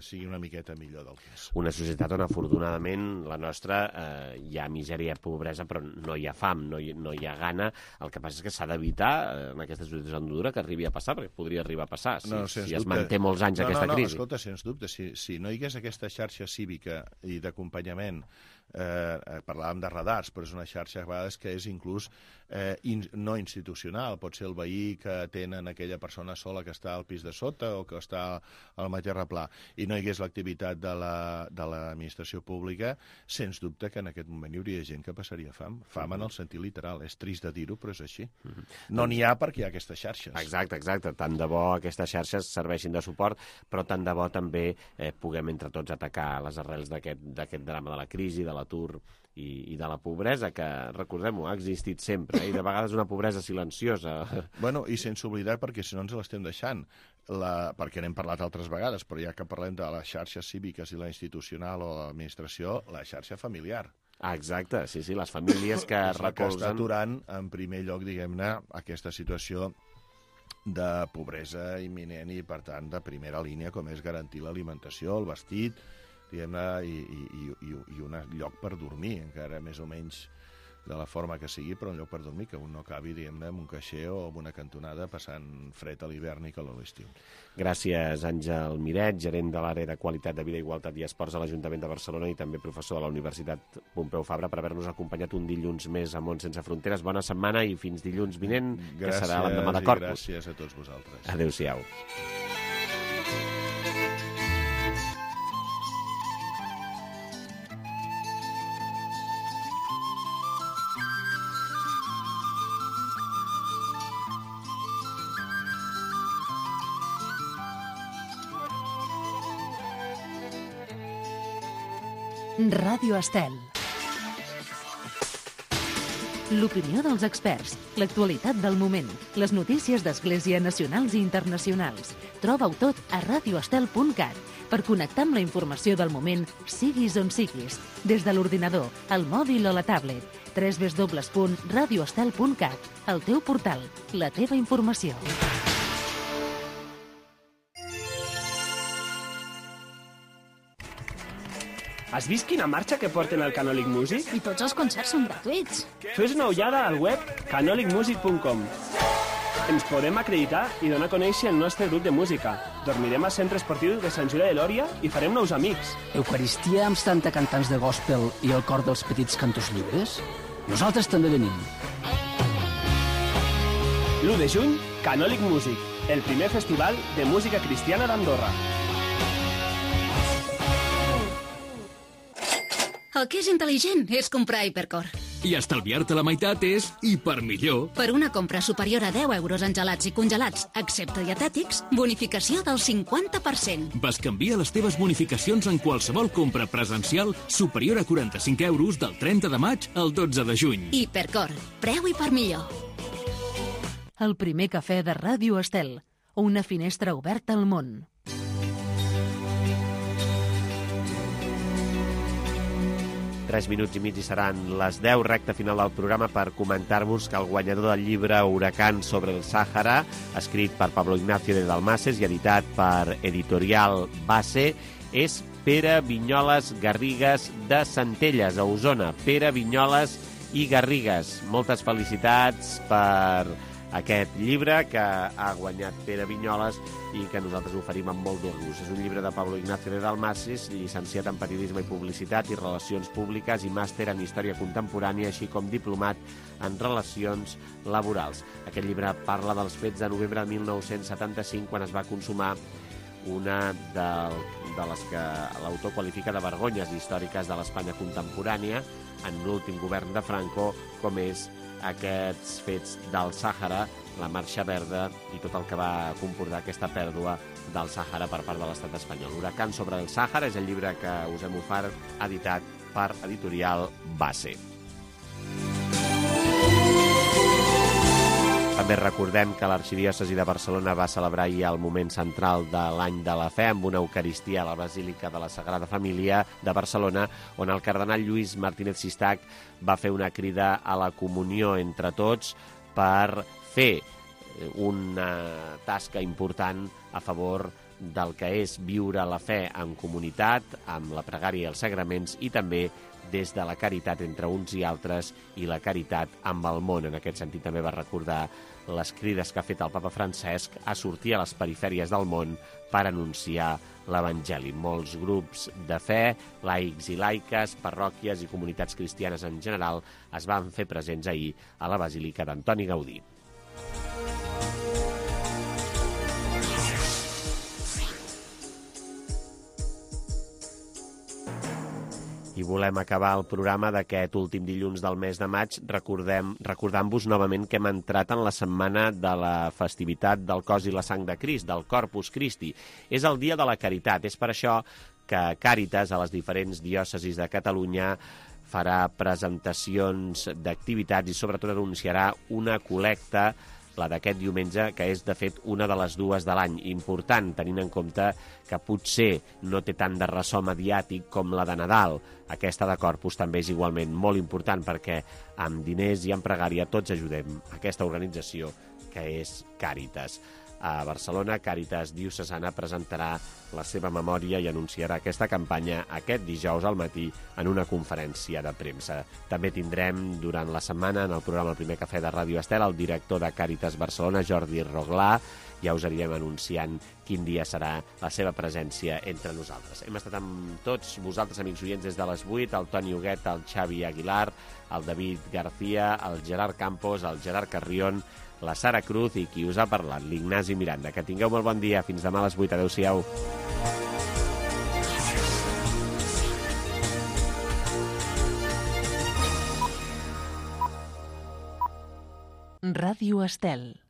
sigui una miqueta millor del que és. Una societat on, afortunadament, la nostra eh, hi ha misèria i pobresa, però no hi ha fam, no hi, no hi ha gana. El que passa és que s'ha d'evitar, eh, en aquesta situació dura, que arribi a passar, perquè podria arribar a passar, si, no, si dubte. es manté molts anys no, aquesta no, no, crisi. Escolta, sens dubte, si, si no hi hagués aquesta xarxa cívica i d'acompanyament, eh, parlàvem de radars, però és una xarxa a vegades que és inclús eh, in, no institucional, pot ser el veí que atenen aquella persona sola que està al pis de sota o que està al mateix replà, i no hi hagués l'activitat de l'administració la, pública, sens dubte que en aquest moment hi hauria gent que passaria fam, fam en el sentit literal, és trist de dir-ho, però és així. No n'hi ha perquè hi ha aquestes xarxes. Exacte, exacte, tant de bo aquestes xarxes serveixin de suport, però tant de bo també eh, puguem entre tots atacar les arrels d'aquest drama de la crisi, de l'atur i, i de la pobresa, que, recordem-ho, ha existit sempre, eh? I de vegades una pobresa silenciosa. Bueno, i sense oblidar, perquè si no ens l'estem deixant, la, perquè n'hem parlat altres vegades, però ja que parlem de les xarxes cíviques i la institucional o l'administració, la xarxa familiar. Ah, exacte, sí, sí, les famílies que recolzen... que està aturant, en primer lloc, diguem-ne, aquesta situació de pobresa imminent i, per tant, de primera línia, com és garantir l'alimentació, el vestit, diguem-ne, i, i, i, i un lloc per dormir, encara més o menys de la forma que sigui, però un lloc per dormir, que un no acabi, diguem-ne, en un caixer o en una cantonada passant fred a l'hivern i calor a l'estiu. Gràcies, Àngel Miret, gerent de l'àrea de Qualitat de Vida, Igualtat i Esports a l'Ajuntament de Barcelona i també professor de la Universitat Pompeu Fabra, per haver-nos acompanyat un dilluns més a Món Sense Fronteres. Bona setmana i fins dilluns vinent, gràcies, que serà l'endemà de Corpus. Gràcies a tots vosaltres. Adéu-siau. Ràdio Estel. L'opinió dels experts, l'actualitat del moment, les notícies d'Església nacionals i internacionals. Troba-ho tot a radio estel punt cat per connectar amb la informació del moment, siguis on siguis, des de l'ordinador, el mòbil o la tablet. w w w punt radio estel punt cat, el teu portal, la teva informació. Has vist quina marxa que porten al Canòlic Music? I tots els concerts són gratuïts. Fes una ullada al web canòlic music punt com. Ens podem acreditar i donar a conèixer el nostre grup de música. Dormirem al centre esportiu de Sant Julià de Lòria i farem nous amics. Eucaristia amb setanta cantants de gospel i el cor dels petits cantos lliures? Nosaltres també venim. l'u de juny, Canòlic Music, el primer festival de música cristiana d'Andorra. El que és intel·ligent és comprar Hipercor. I estalviar-te la meitat és hipermillor. Per una compra superior a deu euros en gelats i congelats, excepte dietètics, bonificació del cinquanta per cent. Bescanvia les teves bonificacions en qualsevol compra presencial superior a quaranta-cinc euros del trenta de maig al dotze de juny. Hipercor, preu hipermillor. El primer cafè de Ràdio Estel, una finestra oberta al món. Tres minuts i mig i seran les deu, recta final del programa, per comentar-vos que el guanyador del llibre Huracán sobre el Sàhara, escrit per Pablo Ignacio de Dalmases i editat per Editorial Base, és Pere Vinyoles Garrigues de Centelles, a Osona. Pere Vinyoles i Garrigues. Moltes felicitats per aquest llibre que ha guanyat Pere Vinyoles i que nosaltres oferim amb molt d'orgull. És un llibre de Pablo Ignacio de Dalmases, llicenciat en Periodisme i Publicitat i Relacions Públiques i màster en Història Contemporània, així com diplomat en Relacions Laborals. Aquest llibre parla dels fets de novembre de mil nou-cents setanta-cinc, quan es va consumar una de, de les que l'autor qualifica de vergonyes històriques de l'Espanya contemporània en l'últim govern de Franco, com és aquests fets del Sàhara, la Marxa Verda i tot el que va comportar aquesta pèrdua del Sàhara per part de l'estat espanyol. Huracán sobre el Sàhara és el llibre que us hem ofert, editat per Editorial Base. També recordem que l'Arxidiòcesi de Barcelona va celebrar ahir el moment central de l'Any de la Fe amb una eucaristia a la Basílica de la Sagrada Família de Barcelona, on el cardenal Lluís Martínez Sistac va fer una crida a la comunió entre tots per fer una tasca important a favor del que és viure la fe en comunitat, amb la pregària i els sagraments, i també des de la caritat entre uns i altres i la caritat amb el món. En aquest sentit també va recordar les crides que ha fet el papa Francesc a sortir a les perifèries del món per anunciar l'Evangeli. Molts grups de fe, laics i laiques, parròquies i comunitats cristianes en general es van fer presents ahir a la Basílica d'Antoni Gaudí. I volem acabar el programa d'aquest últim dilluns del mes de maig recordem, recordant-vos novament que hem entrat en la setmana de la festivitat del cos i la sang de Crist, del Corpus Christi. És el dia de la caritat, és per això que Càritas a les diferents diòcesis de Catalunya farà presentacions d'activitats i sobretot anunciarà una col·lecta, la d'aquest diumenge, que és, de fet, una de les dues de l'any. Important, tenint en compte que potser no té tant de ressò mediàtic com la de Nadal. Aquesta de Corpus també és igualment molt important perquè amb diners i amb pregària tots ajudem aquesta organització que és Càritas. A Barcelona, Càritas Diocesana presentarà la seva memòria i anunciarà aquesta campanya aquest dijous al matí en una conferència de premsa. També tindrem durant la setmana en el programa El Primer Cafè de Ràdio Estel el director de Càritas Barcelona, Jordi Roglà. Ja us anirem anunciant quin dia serà la seva presència entre nosaltres. Hem estat amb tots vosaltres, amics oients, des de les vuit, el Toni Huguet, el Xavi Aguilar, el David García, el Gerard Campos, el Gerard Carrión, la Sara Cruz i qui us ha parlat, l'Ignasi Miranda. Que tingueu molt bon dia. Fins demà a les vuit. Adéu-siau. Ràdio Estel.